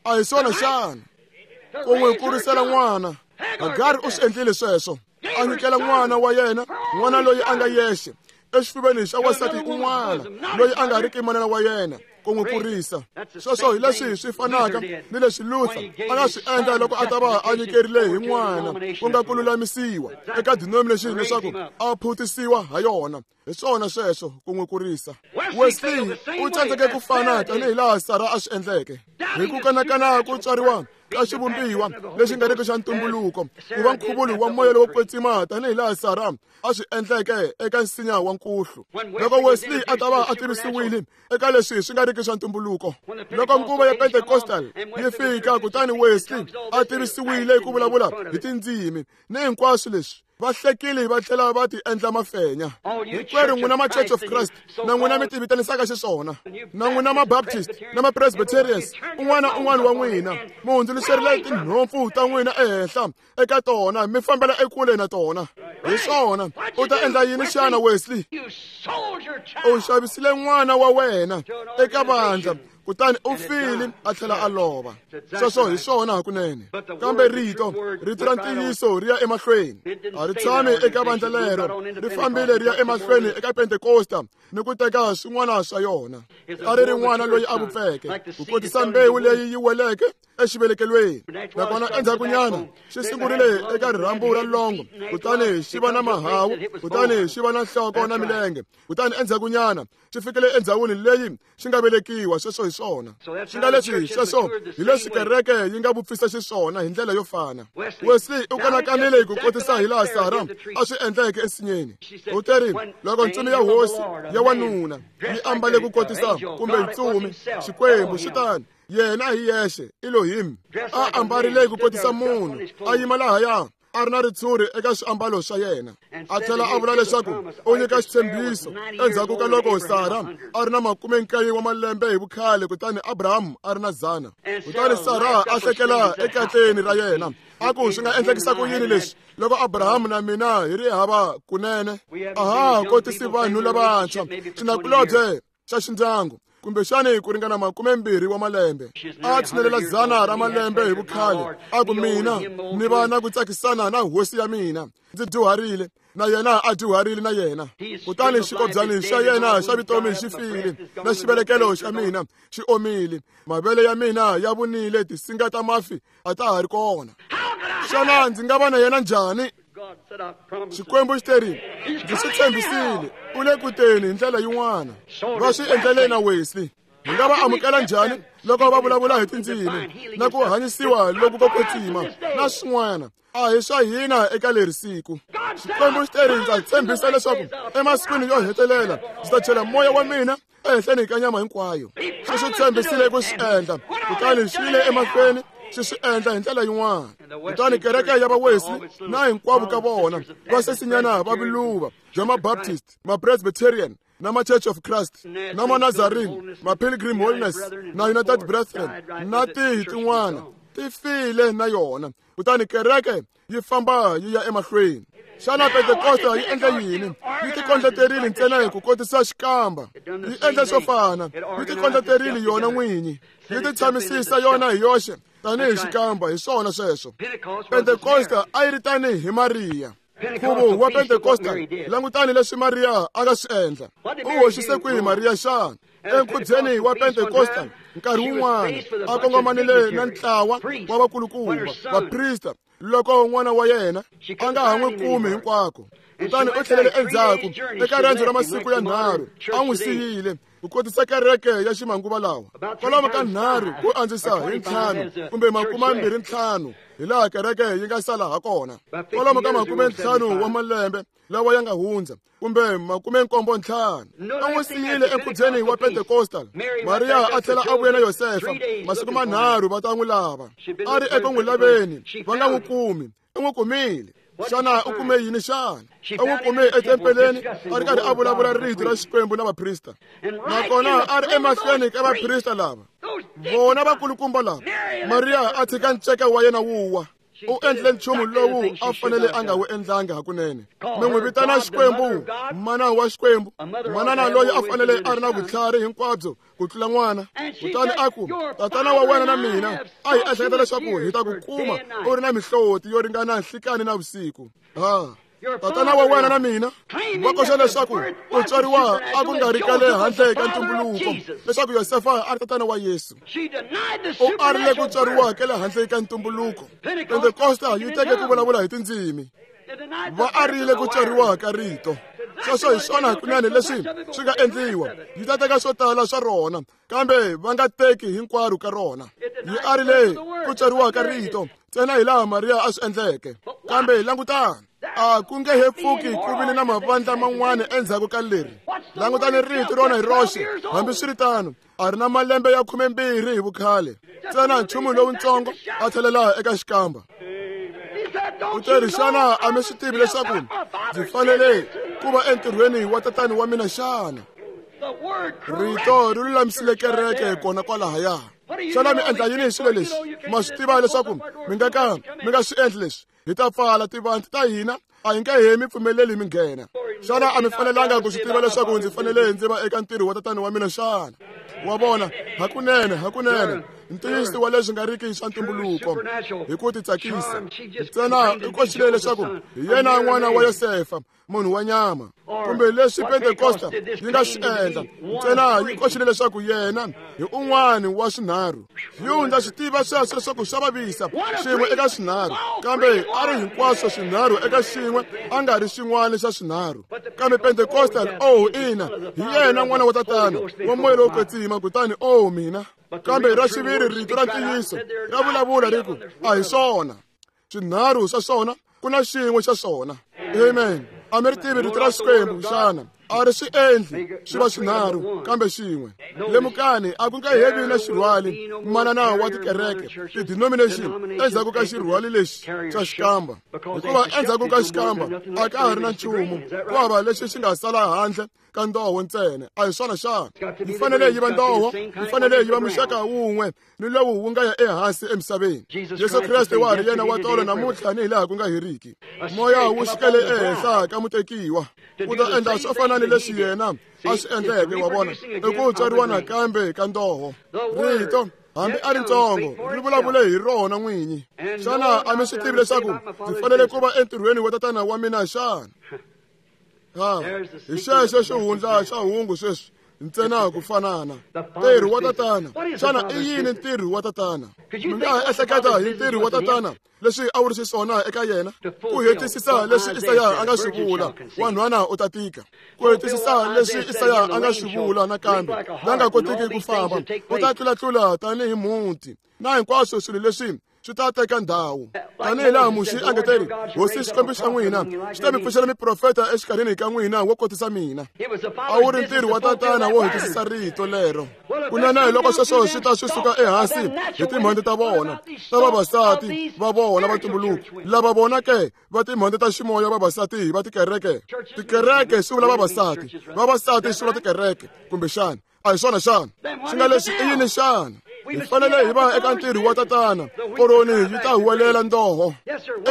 [SPEAKER 2] A hi swona xana? Ku n'wi kurisela n'wana. Hagari u swi endlile sweswo. A nyikela n'wana wa yena, n'wana loyi a nga yexe, exifuveni xa wansati un'wana loyi a nga riki manana wa yena, ku n'wi kurisa. Sweswo hi leswi swi fanaka ni leswi Luther a nga swi endla loko a ta va a nyikerile hi n'wana ku nga ku lulamisiwa eka denomination leswaku a phutisiwa ha yona. Hi swona sweswo ku n'wi kurisa. Wesley u tsandzeke ku fana tanihi laha Sara a swi endleke. Hi ku kanakana ku tswariwa ka xivumbiwa lexi nga riki xa ntumbuluko ku va nkhuvulo wa moya lowo kwetsima tanihi laha Sara a swi endleke eka nsinya wa nkuhlu. Loko Wesley a ta va a tivisiwile eka leswi swi nga riki swa ntumbuluko, loko nguva ya Pentecostal yi fika, kutani Wesley a tivisiwile ku vulavula hi tindzimi ni hinkwaswo leswi, va hlekile va tlhela va ti endla mafenya. Hinkwerhu n'wina ma Church of Christ na n'wina mi ti vitanisaka xiswona, na n'wina ma Baptist na ma Presbyterians, un'wana un'wana wa n'wina mi hundzuluxerile tinhompfu ta n'wina ehenhla eka tona, mi fambela ekule na tona. Hi swona, u ta endla yini xana Wesley? U xavisile n'wana wa wena eka vandla, kutani u file a tlhela a lova. Sweswo hi swona hakunene. Kambe rito, rito ra ntiyiso ri ya emahlweni. A ri tshami eka vandla lero, ri fambile ri ya emahlweni eka Pentekosta ni ku teka swin'wana swa yona. A ri ri n'wana loyi a vupfeke, ku kotisa mbewu leyi yi weleke exivelekelweni. Nakona endzhakunyana xi sungurile eka rirhambu ra longo, kutani xi va na mahawu, kutani xi va na nhloko na milenge, kutani endzhakunyana xi fikile endzhawini leyi xi nga velekiwa. Sweswo hi swona. Swi nga leswi sweswo hi leswi kereke yi nga vupfisa xiswona hi ndlela yo fana. Wesley u kanakanile ku kotisa hi laha Sara a swi endleke ensinyeni. U teri loko ntsumi ya hosi ya wanuna yi ambale ku kotisa kumbe ntsumi Xikwembu xi tani, yena hi yexe Elohim a ambarile ku kotisa munhu, a yima lahaya a ri na ritshuri eka swiambalo swa yena. A tlhela a vula leswaku u nyika xitshembiso endzhaku ka loko Sara a ri na makume nkaye wa malembe hi vukhale, kutani Abrahamu a ri na dzana. Kutani Sara a hlekela ekatleni ra yena, a ku swi nga endlekisa ku yini leswi loko Abrahamu na mina hi ri hava kunene? A ha kotisi vanhu lavantshwa xinakulobye xa xindyangu. kumbexani ku ringana makumembirhi wa malembe. A tshinelela dzana ra malembe hi vukhale, a ku mina ni va na ku tsakisana na hosi ya mina, ndzi dyuharile na yena a dyuharile na yena. Kutani xikobyani xa yena xa vutomi xi file, na xivelekelo xa mina xi omile, mavele ya mina ya vunile, tisinga ta mafi a ta ha ri kona. Xana ndzi nga va na yena njhani? Xikwembu xi terile, ndzi swi tshembisile, u le ku teni hi ndlela yin'wana. Va swi endlele na Wesley. Hi nga va amukela njhani loko va vulavula hi tindzimi na ku hanyisiwa loku ko kwetsima na swin'wana? A hi swa hina eka leri siku. Xikwembu xi teri, ndza tshembisa leswaku emasikwini yo hetelela ndzi ta chela moya wa mina ehenhleni ka nyama hinkwayo. Xi swi tshembisile ku swi endla, kutani xi yile emahlweni xi swi endla hi ndlela yin'wana. Kutani kereke ya va Wesley na hinkwavo ka vona va sesinyana va viluva bya ma-Baptist, ma-Presbyterian na ma-Church of Christ, na ma-Nazarene, ma-Pilgrim Holiness na United Brethren na tihi tin'wana ti file na yona. Kutani kereke yi famba yi ya emahlweni. Xana Pentekosta yi endla yini? Yi tikondleterile ntsena hi ku kotisa xikamba. Yi endla swo fana, yi tikondleterile yona n'winyi, yi ti tshamisisa yona hi yoxe tanihi xikamba. Hi swona sweswo. Pentekosta a yi ri tanihi hi Mariya. Nkhuvo wa Pentekosta, langutani leswi Mariya a nga swi endla. U hoxise kwihi Mariya xana? Enkhubyeni wa Pentekosta nkarhi wun'wana a kongomanile na ntlawa wa vakulukumba vaprista loko n'wana wa yena a nga ha n'wi kumi hinkwako. Kutani u tlhelele endzhaku eka riendzo ra masiku ya nharhu, a n'wi siyile ku kotisa kereke ya ximanguva lawa. Kwalomu ka nharhu ku andzisa hi ntlhanu kumbe makumembirhi ntlhanu hi laha kereke yi nga sala ha kona. Kwalomu ka makumentlhanu wa malembe lawa ya nga hundza kumbe makumenkombo ntlhanu. A n'wi siyile enkhubyeni wa Pentecostal. Mariya a tlhela a vuya na Yosefa masiku manharhu va ta n'wi lava. A ri eku n'wi laveni, va nga n'wi kumi. U n'wi kumile. Xana u kume yini xana? U n'wi kume etempeleni a ri karhi a vulavula rito ra Xikwembu na vaprista. Nakona a ri emahlweni ka vaprista lava, vona vakulukumba lava. Mariya a tshika nceka wa yena wu wa. U endle nchumu lowu a fanele a nga wu endlanga hakunene. Mi n'wi vitana Xikwembu, mana wa Xikwembu, manana loyi a fanele a ri na vutlhari hinkwabyo ku tlula n'wana. Kutani a ku, tatana wa wena na mina a hi ehleketa leswaku hi ta ku kuma u ri na mihloti yo ringana nhlikani na vusiku. Ha, tatana wa wena na mina va koxa leswaku ku tswariwa a ku nga ri ka le handle ka ntumbuluko, leswaku Yosefa a ri tatana wa Yesu. U arile ku tswariwa ka le handle ka ntumbuluko. Pentekosta yi teke ku vulavula hi tindzimi. Va arile ku tswariwa ka rito. Sweswo hi swona hakunene leswi swi nga endliwa. Yi ta teka swo tala swa rona, kambe va nga teki hinkwaro ka rona. Yi arile ku tswariwa ka rito ntsena hi laha Mariya a swi endleke. Kambe langutani, a ku nge he pfuki ku vile na mavandla man'wana endzhaku ka leri. Langutani rito rona hi roxe, hambiswiritano a ri na malembe ya khumembirhi hi vukhale. Ntsena nchumu lowutsongo a tlhelela eka xikamba. U teri, xana a mi swi tivi leswaku ndzi fanele ku va entirhweni wa tatani wa mina xana? Rito ri lulamisile kereke kona kwalahaya. Xana mi endla yini hi swilo leswi? Ma swi tiva leswaku mi nga ka mi nga swi endli leswi. Hi ta pfala tivanti ta hina, a hi nge he mi pfumeleli mi nghena. Xana a mi fanelanga ku swi tiva leswaku ndzi fanele ndzi va eka ntirho wa tatani wa mina xana? Wa vona, hakunene, hakunene, ntiyiso wa leswi nga riki swa ntumbuluko hi ku titsakisa. Ntsena u koxile leswaku hi yena n'wana wa Yosefa, munhu wa nyama, kumbe leswi Pentekosta yi nga swi endla. Ntsena yi koxile leswaku yena hi un'wana wa swinharhu. Yo ndza swi tiva sweswo leswaku swa vavisa xin'we eka swinharhu, kambe a ri hinkwaswo swinharhu eka xin'we, a nga ri xin'wana xa swinharhu. Kambe Pentecostal, oh ina, hi yena n'wana wa tatana wa moya lowo kwetsima. Kutani oh mina, kambe ra xiviri rito ra ntiyiso ra vulavula ri ku a hi swona swinharhu swa swona, ku na xin'we xa swona. Amen. A mi ri tivi rito ra Xikwembu xana? A ri swi endli swi va swinharhu kambe xin'we. Lemukani, a ku nga he vi na xirhwali manana wa tikereke ti-denomination endzhaku ka xirhwali lexi xa xikamba, hikuva endzhaku ka xikamba a ka ha ri na nchumu, ku hava lexi xi nga sala handle ka ndoho ntsena. A hi swona xana? Yi fanele yi va ndoho, yi fanele yi va muxaka wun'we ni lowu wu nga ya ehansi emisaveni. Yesu Kreste wa ha ri yena wa tolo namuntlha ni hi laha ku nga heriki. Moya wu xikele ehenhla ka mutekiwa ku ta endla swo fana Vonani leswi yena a swi endleke, wa vona, i ku tswariwa nakambe ka ndoho. Rito hambi a ri ntsongo ri vulavule hi rona n'winyi. Xana a mi swi tivi leswaku ndzi fanele ku va entirhweni wa tatana wa mina xana? Ha, hi xexo xihundla xa hungu sweswi ntsena ku fanana. Ntirho wa tatana. Xana i yini ntirho wa tatana? Mi nga ha ehleketa hi ntirho wa tatana leswi a wu ri xiswona eka yena? Ku hetisisa leswi Isaya a nga swi vula, wanhwana u ta tika. Ku hetisisa leswi Isaya a nga swi vula nakambe, la nga kotiki ku famba, u ta tlulatlula tanihi mhunti. Na hinkwaswo swilo leswi swi ta teka ndhawu. Tanihi laha Muxe a nga teri, Hosi Xikwembu xa n'wina xi ta mi pfuxela miprofeta exikarhini ka n'wina wo kotisa mina. A wu ri ntirho wa tatana wo hetisisa rito lero. Kunene hi loko sweswo swi ta swi suka ehansi hi timhondzo ta vona, ta vavasati va vona va ntumbuluko, lava vona ke va timhondzo ta ximoya vavasati va tikereke. Tikereke swi vula vavasati, vavasati swi vula tikereke, kumbexana a hi swona xana? Swi nga leswi i yini xana? Hi fanele hi va eka ntirho wa tatana, koroni yi ta huwelela ndoho.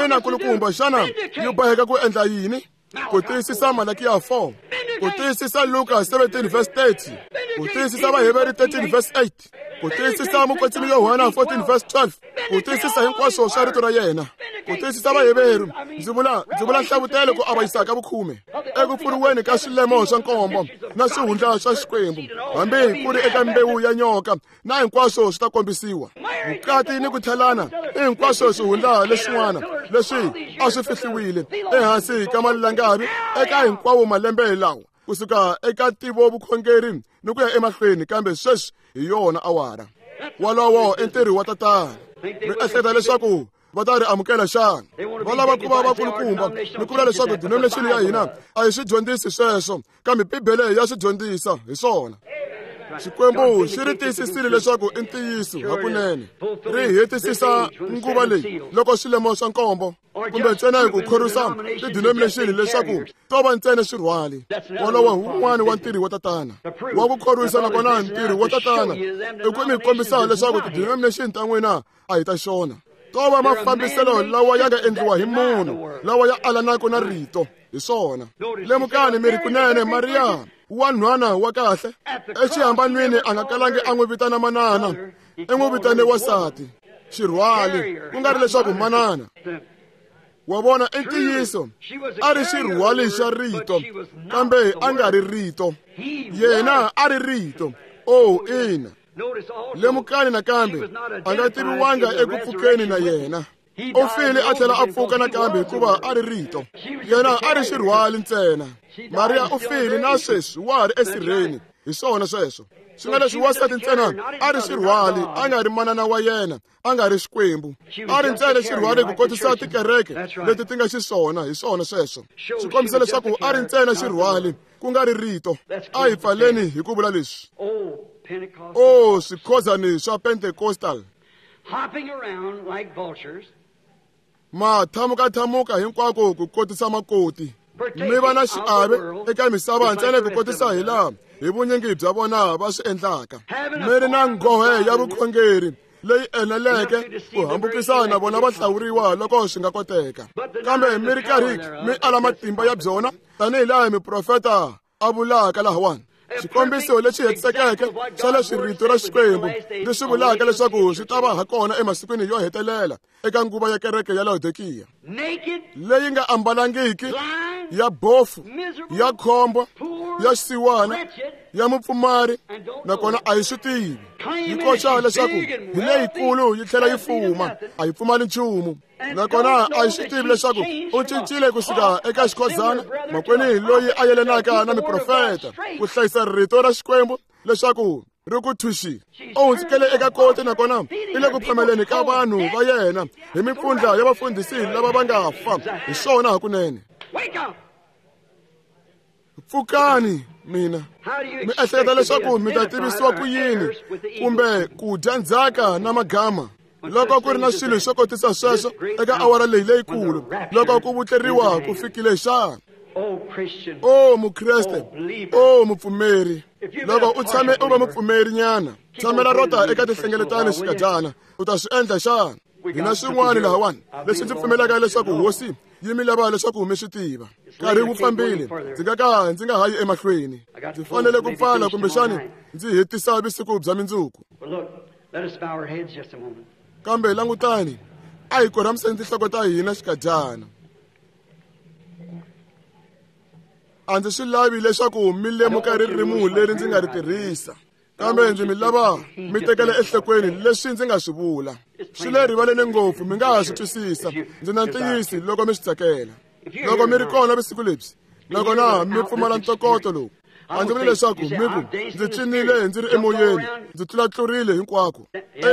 [SPEAKER 2] Ina kulukumba, xana yi boheka ku endla yini? Ku tiyisisa Malakiya four, ku tiyisisa Luka seventeen verse thirty, ku tiyisisa Vaheberi thirteen verse eight, ku tiyisisa Mukwetsimi Yohana fourteen verse twelve, ku tiyisisa hinkwaswo swa rito ra yena, ku tiyisisa Vaheveru, ndzi vula ndzi vula nhlavutelo ku avanyisa ka vukhume, eku pfuriweni ka swilemo swa nkombo na swihundla swa Xikwembu, hambi ku ri eka mbewu ya nyoka, na hinkwaswo swi ta kombisiwa. Vukati ni ku tlhelana i hinkwaswo swihundla leswin'wana leswi a swi fihliwile ehansi ka malangavi eka hinkwawo malembe lawa, kusuka eka tivo vukhongeri ni ku ya emahlweni, kambe sweswi hi yona awara. Wolowo i ntirho wa tatana. Mi ehleketa leswaku va ta ri amukela xana? Va lava ku va vakulukumba ni ku vula leswaku denomination ya hina a hi swi dyondzisi sweswo, kambe Bibele ya swi dyondzisa hi swona. Xikwembu xi ri tiyisisile leswaku i ntiyiso hakunene, ri hetisisa nguva leyi loko swilemo swa nkombo, kumbe ntsena hi ku khorwisa ti-denomination leswaku to va ntsena swirhwali. Wolowo wun'wana wa ntirho wa tatana wa ku khorwisa, nakona ntirho wa tatana i ku mi kombisa leswaku ti-denomination ta n'wina a hi ta xona. To va mafambiselo lawa ya nga endliwa hi munhu, lawa ya alanaka na rito, hi swona. Lemukani mi ri kunene Mariya wanhwana wa kahle exihambanweni a nga kalangi a n'wi vitana manana, i n'wi vitane wansati, xirhwali, ku nga ri leswaku manana. Wa vona, i ntiyiso a ri xirhwali xa rito, kambe a nga ri rito. Yena a ri rito. Oh, ina. Lemukani nakambe a nga tiviwanga eku pfukeni na yena. U file a tlhela a pfuka nakambe hikuva a ri rito. Yena a ri xirhwali ntsena. Mariya u file na sweswi wa ha ri esirheni. Hi swona sweswo. Swi nga leswi wansati ntsena a ri xirhwali, a nga ri manana wa yena, a nga ri Xikwembu. A ri ntsena xirhwali ku kotisa tikereke leti ti nga xiswona, hi swona sweswo. Swi kombisa leswaku a ri ntsena xirhwali, ku nga ri rito. A hi pfaleni hi ku vula leswi. Oh, swikhozani swa Pentecostal ma thamuka-thamuka hinkwako ku kotisa makoti. Mi va na xiave eka misava ntsena ku kotisa hi laha hi vunyingi bya vona va swi endlaka. Mi ri na nghohe ya vukhongeri leyi eneleke ku hambukisa na vona va hlawuriwa loko swi nga koteka, kambe mi ri karhi mi ala matimba ya byona tanihi laha miprofeta a vulaka lahawani. Xikombiso lexi hetisekeke xa leswi rito ra Xikwembu ri swi vulaka leswaku swi ta va ha kona emasikwini yo hetelela eka nguva ya kereke ya Laodikiya, leyi nga ambalangiki, ya bofu, ya khombo, ya xisiwana, ya mupfumari, nakona a yi swi tivi. Yi koxa leswaku hi leyikulu yi tlhela yi fuma, a yi pfumali nchumu. Nakona a yi swi tivi leswaku u cincile kusuka eka xikhozana makweni loyi a yelanaka na miprofeta ku hlayisa rito ra Xikwembu leswaku ri ku thuxile. U hundzukele eka koti, nakona i le ku phameleni ka vanhu va yena hi mipfundla ya vafundhisi lava va nga fa. Hi swona hakunene. Pfukani mina. Mi ehleketa leswaku mi ta tivisiwa ku yini kumbe ku dya ndzhaka na magama loko ku ri na swilo swo kotisa sweswo eka awara leyi leyikulu loko ku vutleriwa ku fikile xana? O Mukreste, o mupfumeri, loko u tshame u va mupfumeri nyana, tshamela rota eka tinhlengeletano xikadyana, u ta swi endla xana? Hi na swin'wana lahawani leswi ndzi pfumelaka leswaku hosi yi mi lava leswaku mi swi tiva. Nkarhi wu fambile, ndzi nga ka ndzi nga ha yi emahlweni. Ndzi fanele ku pfala kumbexani ndzi hetisa vusiku bya mindzuku. Kambe langutani, a hi korhamiseni tinhloko ta hina xikadyana. A ndzi swi lavi leswaku mi lemuka ririmi leri ndzi nga ri tirhisa, kambe ndzi mi lava mi tekela enhlokweni leswi ndzi nga swi vula. Swi le rivaleni ngopfu, mi nga ha swi twisisa. Ndzi na ntiyiso loko mi swi tsakela. Loko mi ri kona vusiku lebyi, nakona mi pfumala ntokoto lowu, a ndzi vuli leswaku mi ku ndzi cinile ndzi ri emoyeni, ndzi tlulatlurile hinkwako.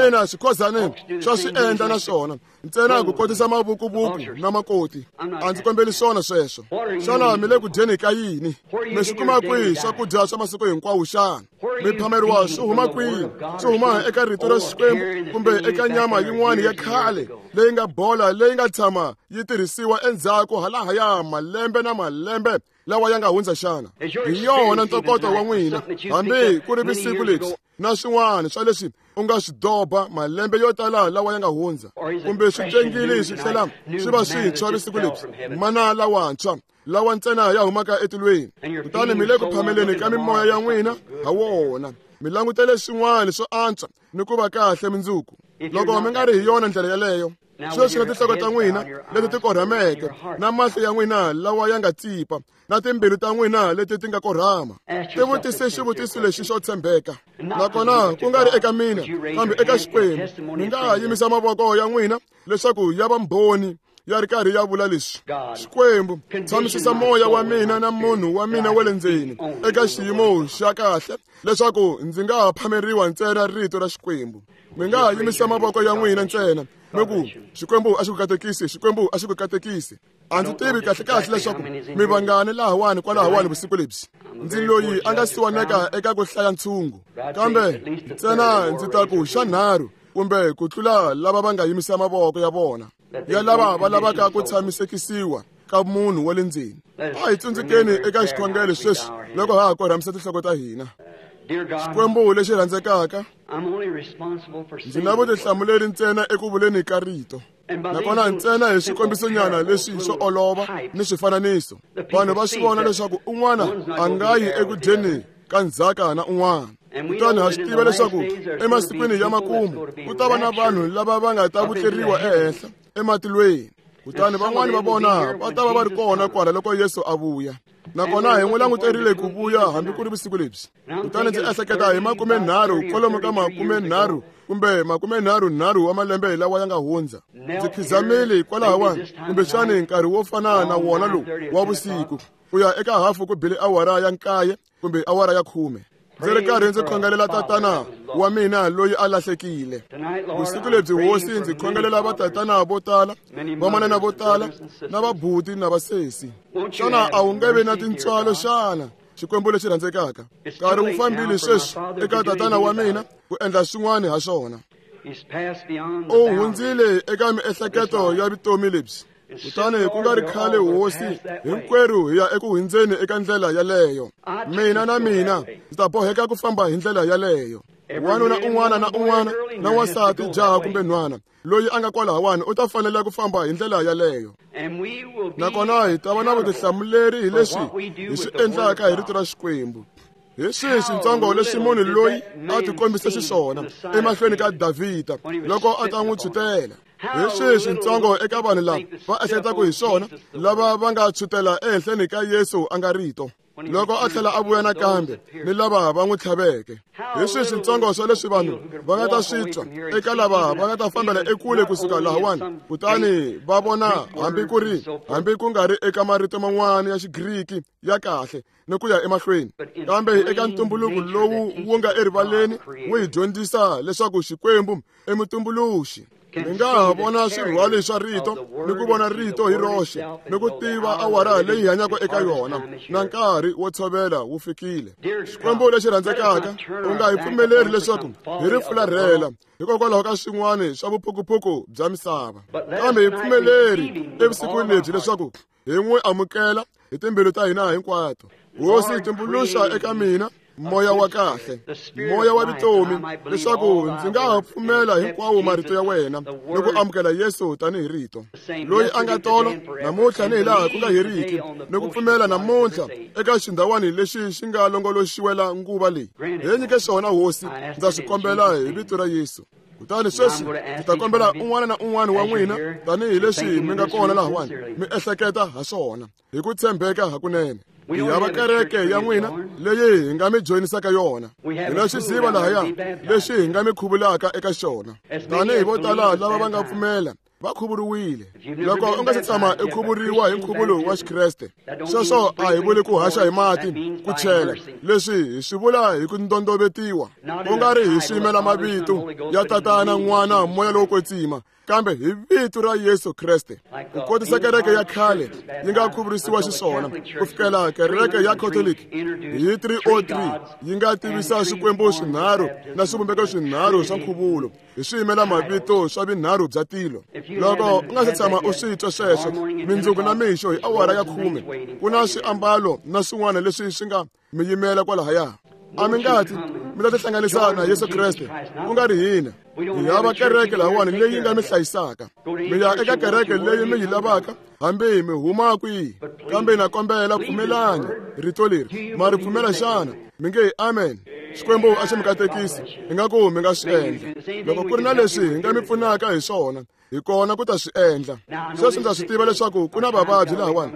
[SPEAKER 2] Ina, swikhozane swa swi endla na swona, ntsena ku kotisa mavukuvuku na makoti. A ndzi kombeli swona sweswo. Xana mi le ku dyeni ka yini? Mi swi kuma kwihi swakudya swa masiku hinkwawo xana? Mi phameriwa swi huma kwihi? Swi huma eka rito ra Xikwembu kumbe eka nyama yin'wana ya khale leyi nga bola, leyi nga tshama yi tirhisiwa endzhaku halahaya malembe na malembe lawa ya nga hundza xana? Hi yona ntokoto wa n'wina, hambi ku ri vusiku lebyi na swin'wana swa leswi u nga swi doba malembe yo tala lawa ya nga hundza, kumbe swi tengile swi tlhela swi va swintshwa vusiku lebyi, mana lawantshwa lawa ntsena ya humaka etilweni. Kutani mi le ku phameleni ka mimoya ya n'wina ha wona, mi langutele swin'wana swo antswa ni ku va kahle mindzuku. Loko mi nga ri hi yona ndlela yeleyo, sweswi na tinhloko ta n'wina leti ti korhameke, na mahlo ya n'wina lawa ya nga tsipa, na timbilu ta n'wina leti ti nga korhama, tivutise xivutiso lexi xo tshembeka. Nakona ku nga ri eka mina, kambe eka Xikwembu, mi nga ha yimisa mavoko ya n'wina leswaku ya va mbhoni ya ri karhi ya vula leswi: Xikwembu, tshamisisa moya wa mina na munhu wa mina wa le ndzeni eka xiyimo xa kahle leswaku ndzi nga ha phameriwa ntsena rito ra Xikwembu. Mi nga ha yimisa mavoko ya n'wina ntsena mi ku, Xikwembu a xi ku katekisi, Xikwembu a xi ku katekisi. A ndzi tivi kahlekahle leswaku mi vangani lahawani kwalahawani vusiku lebyi. Ndzi loyi a nga siwaneka eka ku hlaya ntshungu, kambe ntsena ndzi ta ku xa nharhu kumbe ku tlula lava va nga yimisa mavoko ya vona ya lava va lavaka ku tshamisekisiwa ka munhu wa le ndzeni. A hi tsundzukeni eka xikhongelo sweswi loko ha ha korhamisa tinhloko ta hina. Xikwembu lexi rhandzekaka, ndzi na vutihlamuleri ntsena eku vuleni ka rito, nakona ntsena hi swikombiso-nyana leswi swo olova ni swifananiso. Vanhu va swi vona leswaku un'wana a nga yi eku dyeni ka ndzhaka na un'wana. Kutani ha swi tiva leswaku emasikwini ya makumu ku ta va na vanhu lava va nga ta vutleriwa ehenhla ematilweni. Kutani van'wani va vona va ta va va ri kona kwala loko Yesu a vuya. Nakona hi n'wi languterile ku vuya hambi ku ri vusiku lebyi. Kutani ndzi ehleketa hi makumenharhu, kwalomu ka makumenharhu kumbe makumenharhunharhu wa malembe lawa ya nga hundza. Ndzi khizamile kwalahawani, kumbexani nkarhi wo fana na wona lowu wa vusiku, ku ya eka hafu ku bile awara ya nkaye kumbe awara ya khume. Ndzi ri karhi ndzi khongelela tatana wa mina loyi a lahlekile. Vusiku lebyi, hosi, ndzi khongelela vatatana vo tala, vamanana vo tala, na vabuti na vasesi. Xana a wu nge vi na tintswalo xana, Xikwembu lexi rhandzekaka? Nkarhi wu fambile sweswi eka tatana wa mina ku endla swin'wana ha swona. U hundzile eka miehleketo ya vutomi lebyi. Kutani ku nga ri khale, hosi, hinkwerhu hi ya eku hundzeni eka ndlela yaleyo. Mina na mina ndzi ta boheka ku famba hi ndlela yaleyo. Wanuna un'wana na un'wana na wansati, jaha kumbe nhwana loyi a nga kwalahawani u ta fanela ku famba hi ndlela yaleyo. Nakona hi ta va na vutihlamuleri hi leswi hi swi endlaka hi rito ra Xikwembu. Hi swihi swintsongo leswi munhu loyi a tikombise xiswona emahlweni ka Davhida loko a ta n'wi tshutela? Hi swihi swintsongo eka vanhu lava va ehleketaka hi swona lava va nga tshutela ehenhleni ka Yesu a nga rito loko a tlhela a vuya nakambe ni lava va n'wi tlhaveke? Hi swihi swintsongo swa leswi vanhu va nga ta swi twa eka lava va nga ta fambela ekule kusuka lahawani kutani va vona hambi ku ri hambi ku nga ri eka marito man'wana ya Xigriki ya kahle ni ku ya emahlweni, kambe eka ntumbuluko lowu wu nga erivaleni wu hi dyondzisa leswaku Xikwembu i mutumbuluxi. Mi nga ha vona swirhwali swa rito ni ku vona rito hi roxe ni ku tiva awara leyi hi hanyaka eka yona na nkarhi wo tshovela wu fikile. Xikwembu lexi rhandzekaka, u nga hi pfumeleri leswaku hi ri fularhela hikokwalaho ka swin'wana swa vuphukuphuku bya misava, kambe hi pfumeleri evusikwini lebyi leswaku hi n'wi amukela hi timbilu ta hina hinkwato. Hosi, tumbuluxa eka mina Moya wa kahle, moya wa vutomi, leswaku ndzi nga ha pfumela hinkwawo marito ya wena ni ku amukela Yesu tanihi rito loyi a nga tolo namuntlha ni hilaha ku nga heriki, ni ku pfumela namuntlha eka xindhawani lexi xi nga longoloxiwela nguva leyi. Hi nyike xona Hosi, ndza swi kombela hi vito ra Yesu. Kutani sweswi ndzi ta kombela un'wana na un'wana wa n'wina tanihileswi mi nga kona lahawani mi ehleketa ha swona hi ku tshembeka hakunene. Hi hava kereke ya n'wina leyi hi nga mi joyinisaka yona. Hi na xiziva lahaya lexi hi nga mi khuvulaka eka xona. Tanihi vo tala lava va nga pfumela va khuvuriwile. Loko u nga se tshama i khuvuriwa hi nkhuvulo wa Xikreste, sweswo a hi vuli ku haxa hi mati ku chela. Leswi hi swi vula hi ku ndondovetiwa, ku nga ri hi swiyimela mavito ya Tatana, N'wana, Moya lowo Kwetsima, kambe hi vito ra Yesu Kreste. Ku kotisa kereke ya khale yi nga khuvurisiwa xiswona ku fikela kereke ya Catholic hi three oh three yi nga tivisa swikwembu swinharhu na swivumbeko swinharhu swa nkhuvulo hi swiyimela mavito swa vinharhu bya tilo. Loko u nga se tshama u swi twa sweswo, mindzuku na mixo hi awara ya khume ku na swiambalo na swin'wana leswi swi nga mi yimela kwalahaya. A mi ngati mi ta tihlanganisa na Yesu Kreste, ku nga ri hina. Hi hava kereke lahawani leyi nga mi hlayisaka. Mi ya eka kereke leyi mi yi lavaka hambi mi huma kwihi, kambe na kombela pfumelani rito leri. Ma ri pfumela xana? Mi nge amen. Xikwembu a xi mi katekisi, ingaku mi nga swi endla. Loko ku ri na leswi hi nga mi pfunaka hi swona, hi kona ku ta swi endla. Sweswi ndza swi tiva leswaku ku na vavabyi lahawani.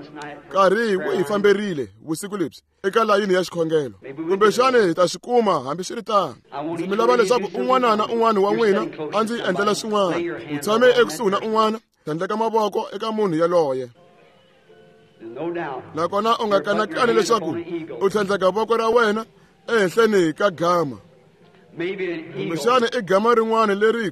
[SPEAKER 2] Nkarhi wu hi famberile vusiku lebyi eka layini ya xikhongelo, kumbexani hi ta swi kuma hambiswiritano. Ndzi mi lava leswaku un'wana na un'wana wa n'wina a ndzi endlela swin'wana. U tshame ekusuhi na un'wana, tlhandleka mavoko eka munhu yaloye. Nakona u nga kanakani leswaku u tlhandleka voko ra wena ehenhleni ka gama. Kumbexani i gama rin'wana leri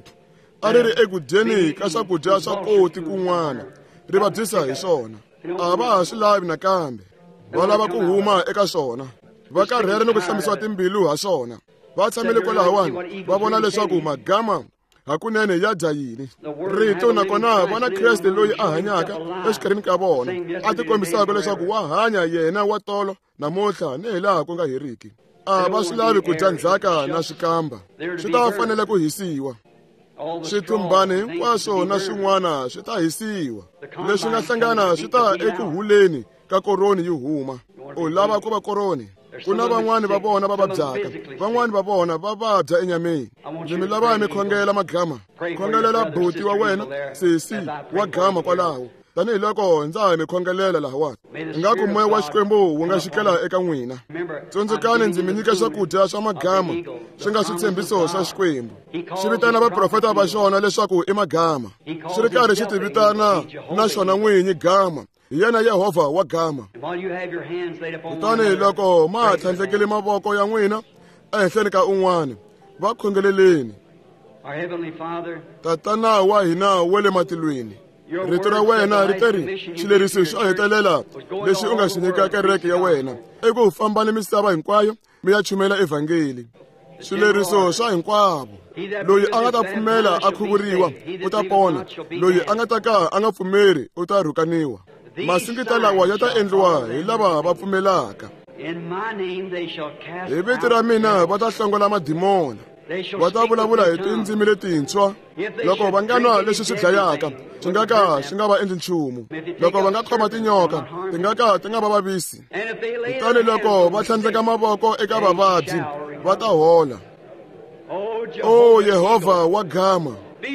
[SPEAKER 2] a ri ri eku dyeni ka swakudya swa koti kun'wana ri vabyisa hi swona. A va ha swi lavi nakambe, va lava ku huma eka swona. Va karhele ni ku hlambisiwa timbilu ha swona. Va tshamile kwalahawani va vona leswaku magama hakunene ya dya yini. Rito nakona va na Kreste loyi a hanyaka exikarhini ka vona, a tikombisaka leswaku wa hanya yena wa tolo namuntlha ni hilaha ku nga heriki. A va swi lavi ku dya ndzhaka na swikamba, swi ta fanele ku hisiwa. Swithumbani hinkwaswo na swin'wana swi ta hisiwa. Leswi nga hlangana swi ta eku huleni ka koroni yi huma. U lava ku va koroni. Ku na van'wani va vona va vabyaka, van'wani va vona va vabya enyameni. Ndzi mi lava mi khongela magama. Khongelela buti wa wena, sesi wa gama kwalaho, tanihiloko ndza ha mi khongelela lahawani. Ingaku moya wa Xikwembu wu nga xikela eka n'wina. Tsundzukani ndzi mi nyika swakudya swa magama swi nga switshembiso swa Xikwembu. Xi vitana vaprofeta va xona leswaku i magama, xi ri karhi xi ti vitana na xona n'winyi gama. Hi yena Yehovha wa gama. Kutani loko ma ha tlhandlekile mavoko ya n'wina ehenhleni ka un'wana, va khongeleleni. Tatana wa hina wa le matilweni, rito ra wena ri teri xileriso xo hetelela lexi u nga xi nyika kereke ya wena i ku famba ni misava hinkwayo mi ya chumela evhangeli. Swileriso swa hinkwavo. Loyi a nga ta pfumela a khuvuriwa u ta pona, loyi a nga ta ka a nga pfumeri u ta rhukaniwa. Masingita lawa ya ta endliwa hi lava va pfumelaka. Hi vito ra mina va ta hlongola madimona, va ta vulavula hi tindzimi letintshwa. Loko va nga nwa leswi swi dlayaka, swi nga ka swi nga va endli nchumu. Loko va nga khoma tinyoka, ti nga ka ti nga va vavisi. Kutani loko va tlhandleka mavoko eka vavabyi, va ta hola. O Yehovha wa gama,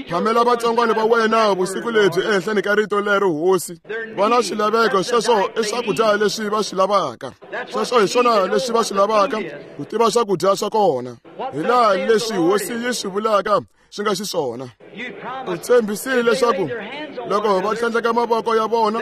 [SPEAKER 2] phamela vatsongwana va wena vusiku lebyi ehenhleni ka rito lero Hosi. Va na swilaveko, sweswo i swakudya leswi va swi lavaka. Sweswo hi swona leswi va swi lavaka, ku tiva swakudya swa kona. Hi laha leswi Hosi yi swi vulaka swi nga xiswona. U tshembisile leswaku loko va tlhandleka mavoko ya vona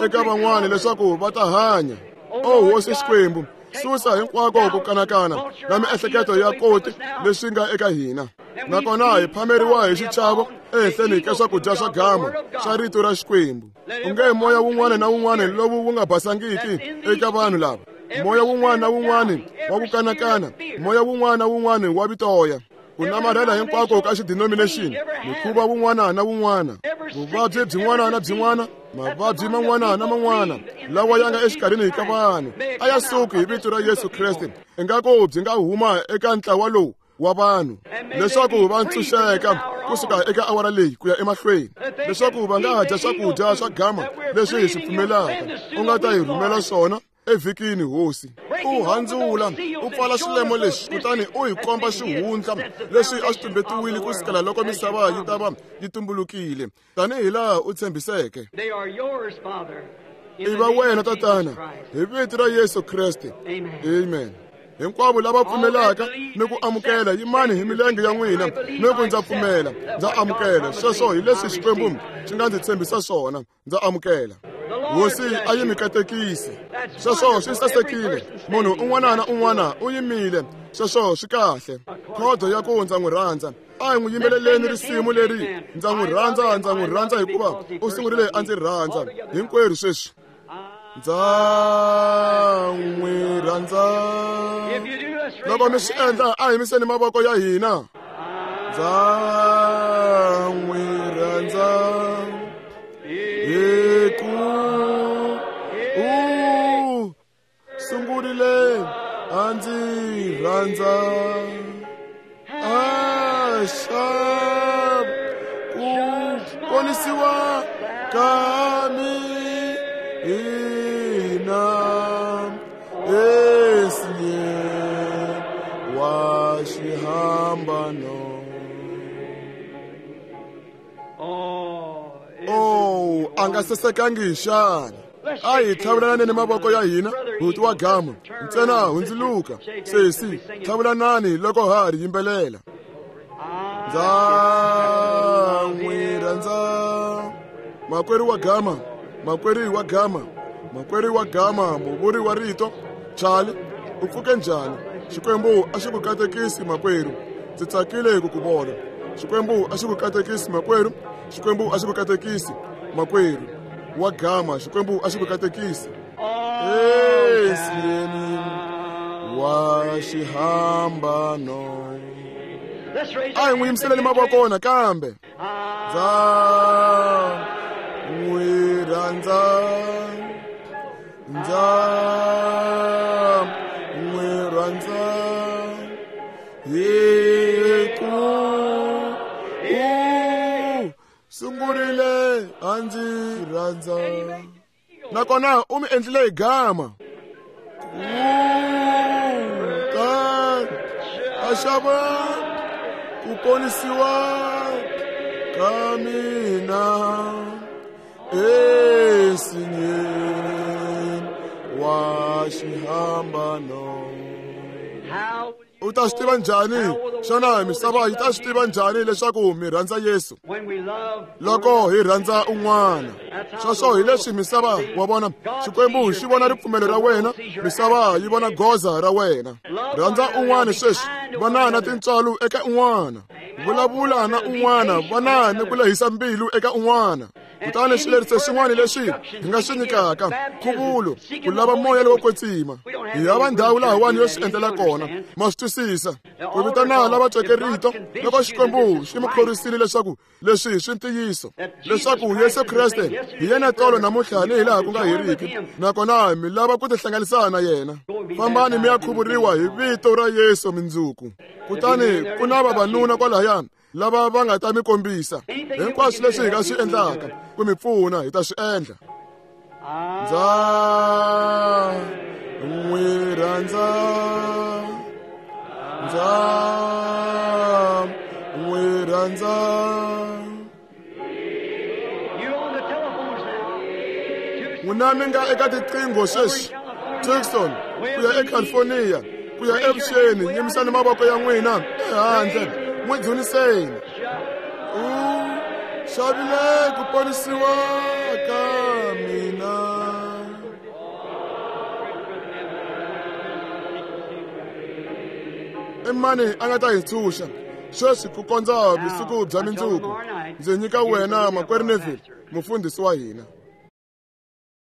[SPEAKER 2] eka van'wana leswaku va ta hanya. O Hosi Xikwembu, susa hinkwako ku kanakana na miehleketo ya koti leswi nga eka hina. Nakona hi phameriwa hi xichavo ehenhleni ka swakudya swa gama swa rito ra Xikwembu. Unge moya wun'wana na wun'wana lowu wu nga basangiki eka vanhu lava, moya wun'wana na wun'wana wa ku kanakana, moya wun'wana na wun'wana wa vitoya, ku namarhela hinkwako ka xidenomination, mikhuva wun'wana na wun'wana, vuvabyi byin'wana na byin'wana, Mavabyi man'wana na man'wana lawa ya nga exikarhini ka vanhu a ya suki hi vito ra Yesu Kreste. Ingaku byi nga huma eka ntlawa lowu wa vanhu leswaku va ntshunxeka kusuka eka awara leyi ku ya emahlweni, leswaku va nga dya swakudya swa gama leswi hi swi pfumelaka u nga ta hi rhumela swona evhikini hosi. U handzula u pfala swilemo leswi kutani u hi komba xihundla leswi a swi tumbetiwile kusukela loko misava yi ta va yi tumbulukile tanihi laha u tshembiseke. I va wena tatana hi vito ra Yesu Kreste. Amen. Hinkwavo lava pfumelaka ni ku amukela yimani hi milenge ya n'wina ni ku ndza pfumela ndza amukela. Sweswo hi leswi Xikwembu xi nga ndzi tshembisa swona, ndza amukela. Hosi a yi mi katekisi. Sweswo swi sasekile. Munhu un'wana na un'wana u yimile. Sweswo swi kahle. Khodo ya ku ndza n'wi rhandza. A hi n'wi yimbeleleni risimu leri ndza n'wi rhandza, ndza n'wi rhandza hikuva u sungurile a ndzi rhandza. Hinkwerhu sweswi. Ndza n'wi rhandza. Loko mi swi endla a hi yimiseni mavoko ya hina. Ndza n'wi rhandza hi ku u sungurile a ndzi rhandza. A xa ku ponisiwa ka mina esinye wa xihambano. Oh, a nga sasekangi xana? A hi tlhavulanani mavoko ya hina buti wa gama ntsena hundzuluka sesi tlhavulanani loko ha ri yimbelela. Ndza n'wi rhandza makwerhu wa gama, makwerhu wa gama, makwerhu wa gama, muvuri wa rito Charlie, u pfuke njhani? Xikwembu a xi ku katekisi makwerhu, ndzi tsakile ku ku vona. Xikwembu a xi ku katekisi makwerhu, Xikwembu a xi ku katekisi makwerhu wa gama, Xikwembu a xi ku katekisi. Esieni wa xihambano. A hi n'wi yimiseleni mavoko nakambe. Ndza n'wi rhandza, ndza n'wi rhandza hi ku u sungurile a ndzi rhandza. Nakona u mi endlile hi gama. Ku a xava ku ponisiwa ka mina esinyeni wa xihambano. U ta swi tiva njhani? Xana misava yi ta swi tiva njhani leswaku mi rhandza Yesu? Loko hi rhandza un'wana. Sweswo hi leswi misava wa vona. Xikwembu xi vona ripfumelo ra wena, misava yi vona goza ra wena. Rhandza un'wana sweswi, vana na tintswalo eka un'wana. Vulavula na un'wana, vana ni ku lehisa mbilu eka un'wana. Kutani xileriso xin'wana lexi hi nga xi nyikaka nkhuvulo ku lava moya lowo kwetsima. Hi hava ndhawu lahawani yo swi endlela kona, ma swi twisisa. Ku vitana lava tweke rito loko Xikwembu xi mi khorisile leswaku leswi swi ntiyiso, leswaku Yesu Kreste hi yena tolo namuntlha ni hi laha ku nga heriki, nakona mi lava ku tihlanganisa na yena. Fambani mi ya khuvuriwa hi vito ra Yesu mindzuku. Kutani ku na vavanuna kwalahayani lava va nga ta mi kombisa hinkwaswo leswi hi nga swi endlaka ku mi pfuna, hi ta swi endla. Ndza n'wi rhandza, ndza n'wi rhandza. N'wina mi nga eka tiqingho sweswi, Tucson ku ya eCalifornia ku ya evuxeni, yimisani mavoko ya n'wina ehandle n'wi dzuniseni. U xavile ku ponisiwa ka mina. I mani a nga ta hi ntshunxa sweswi ku kondza vusiku bya mindzuku? Ndzi nyika wena makwerhu Neville, mufundhisi wa hina.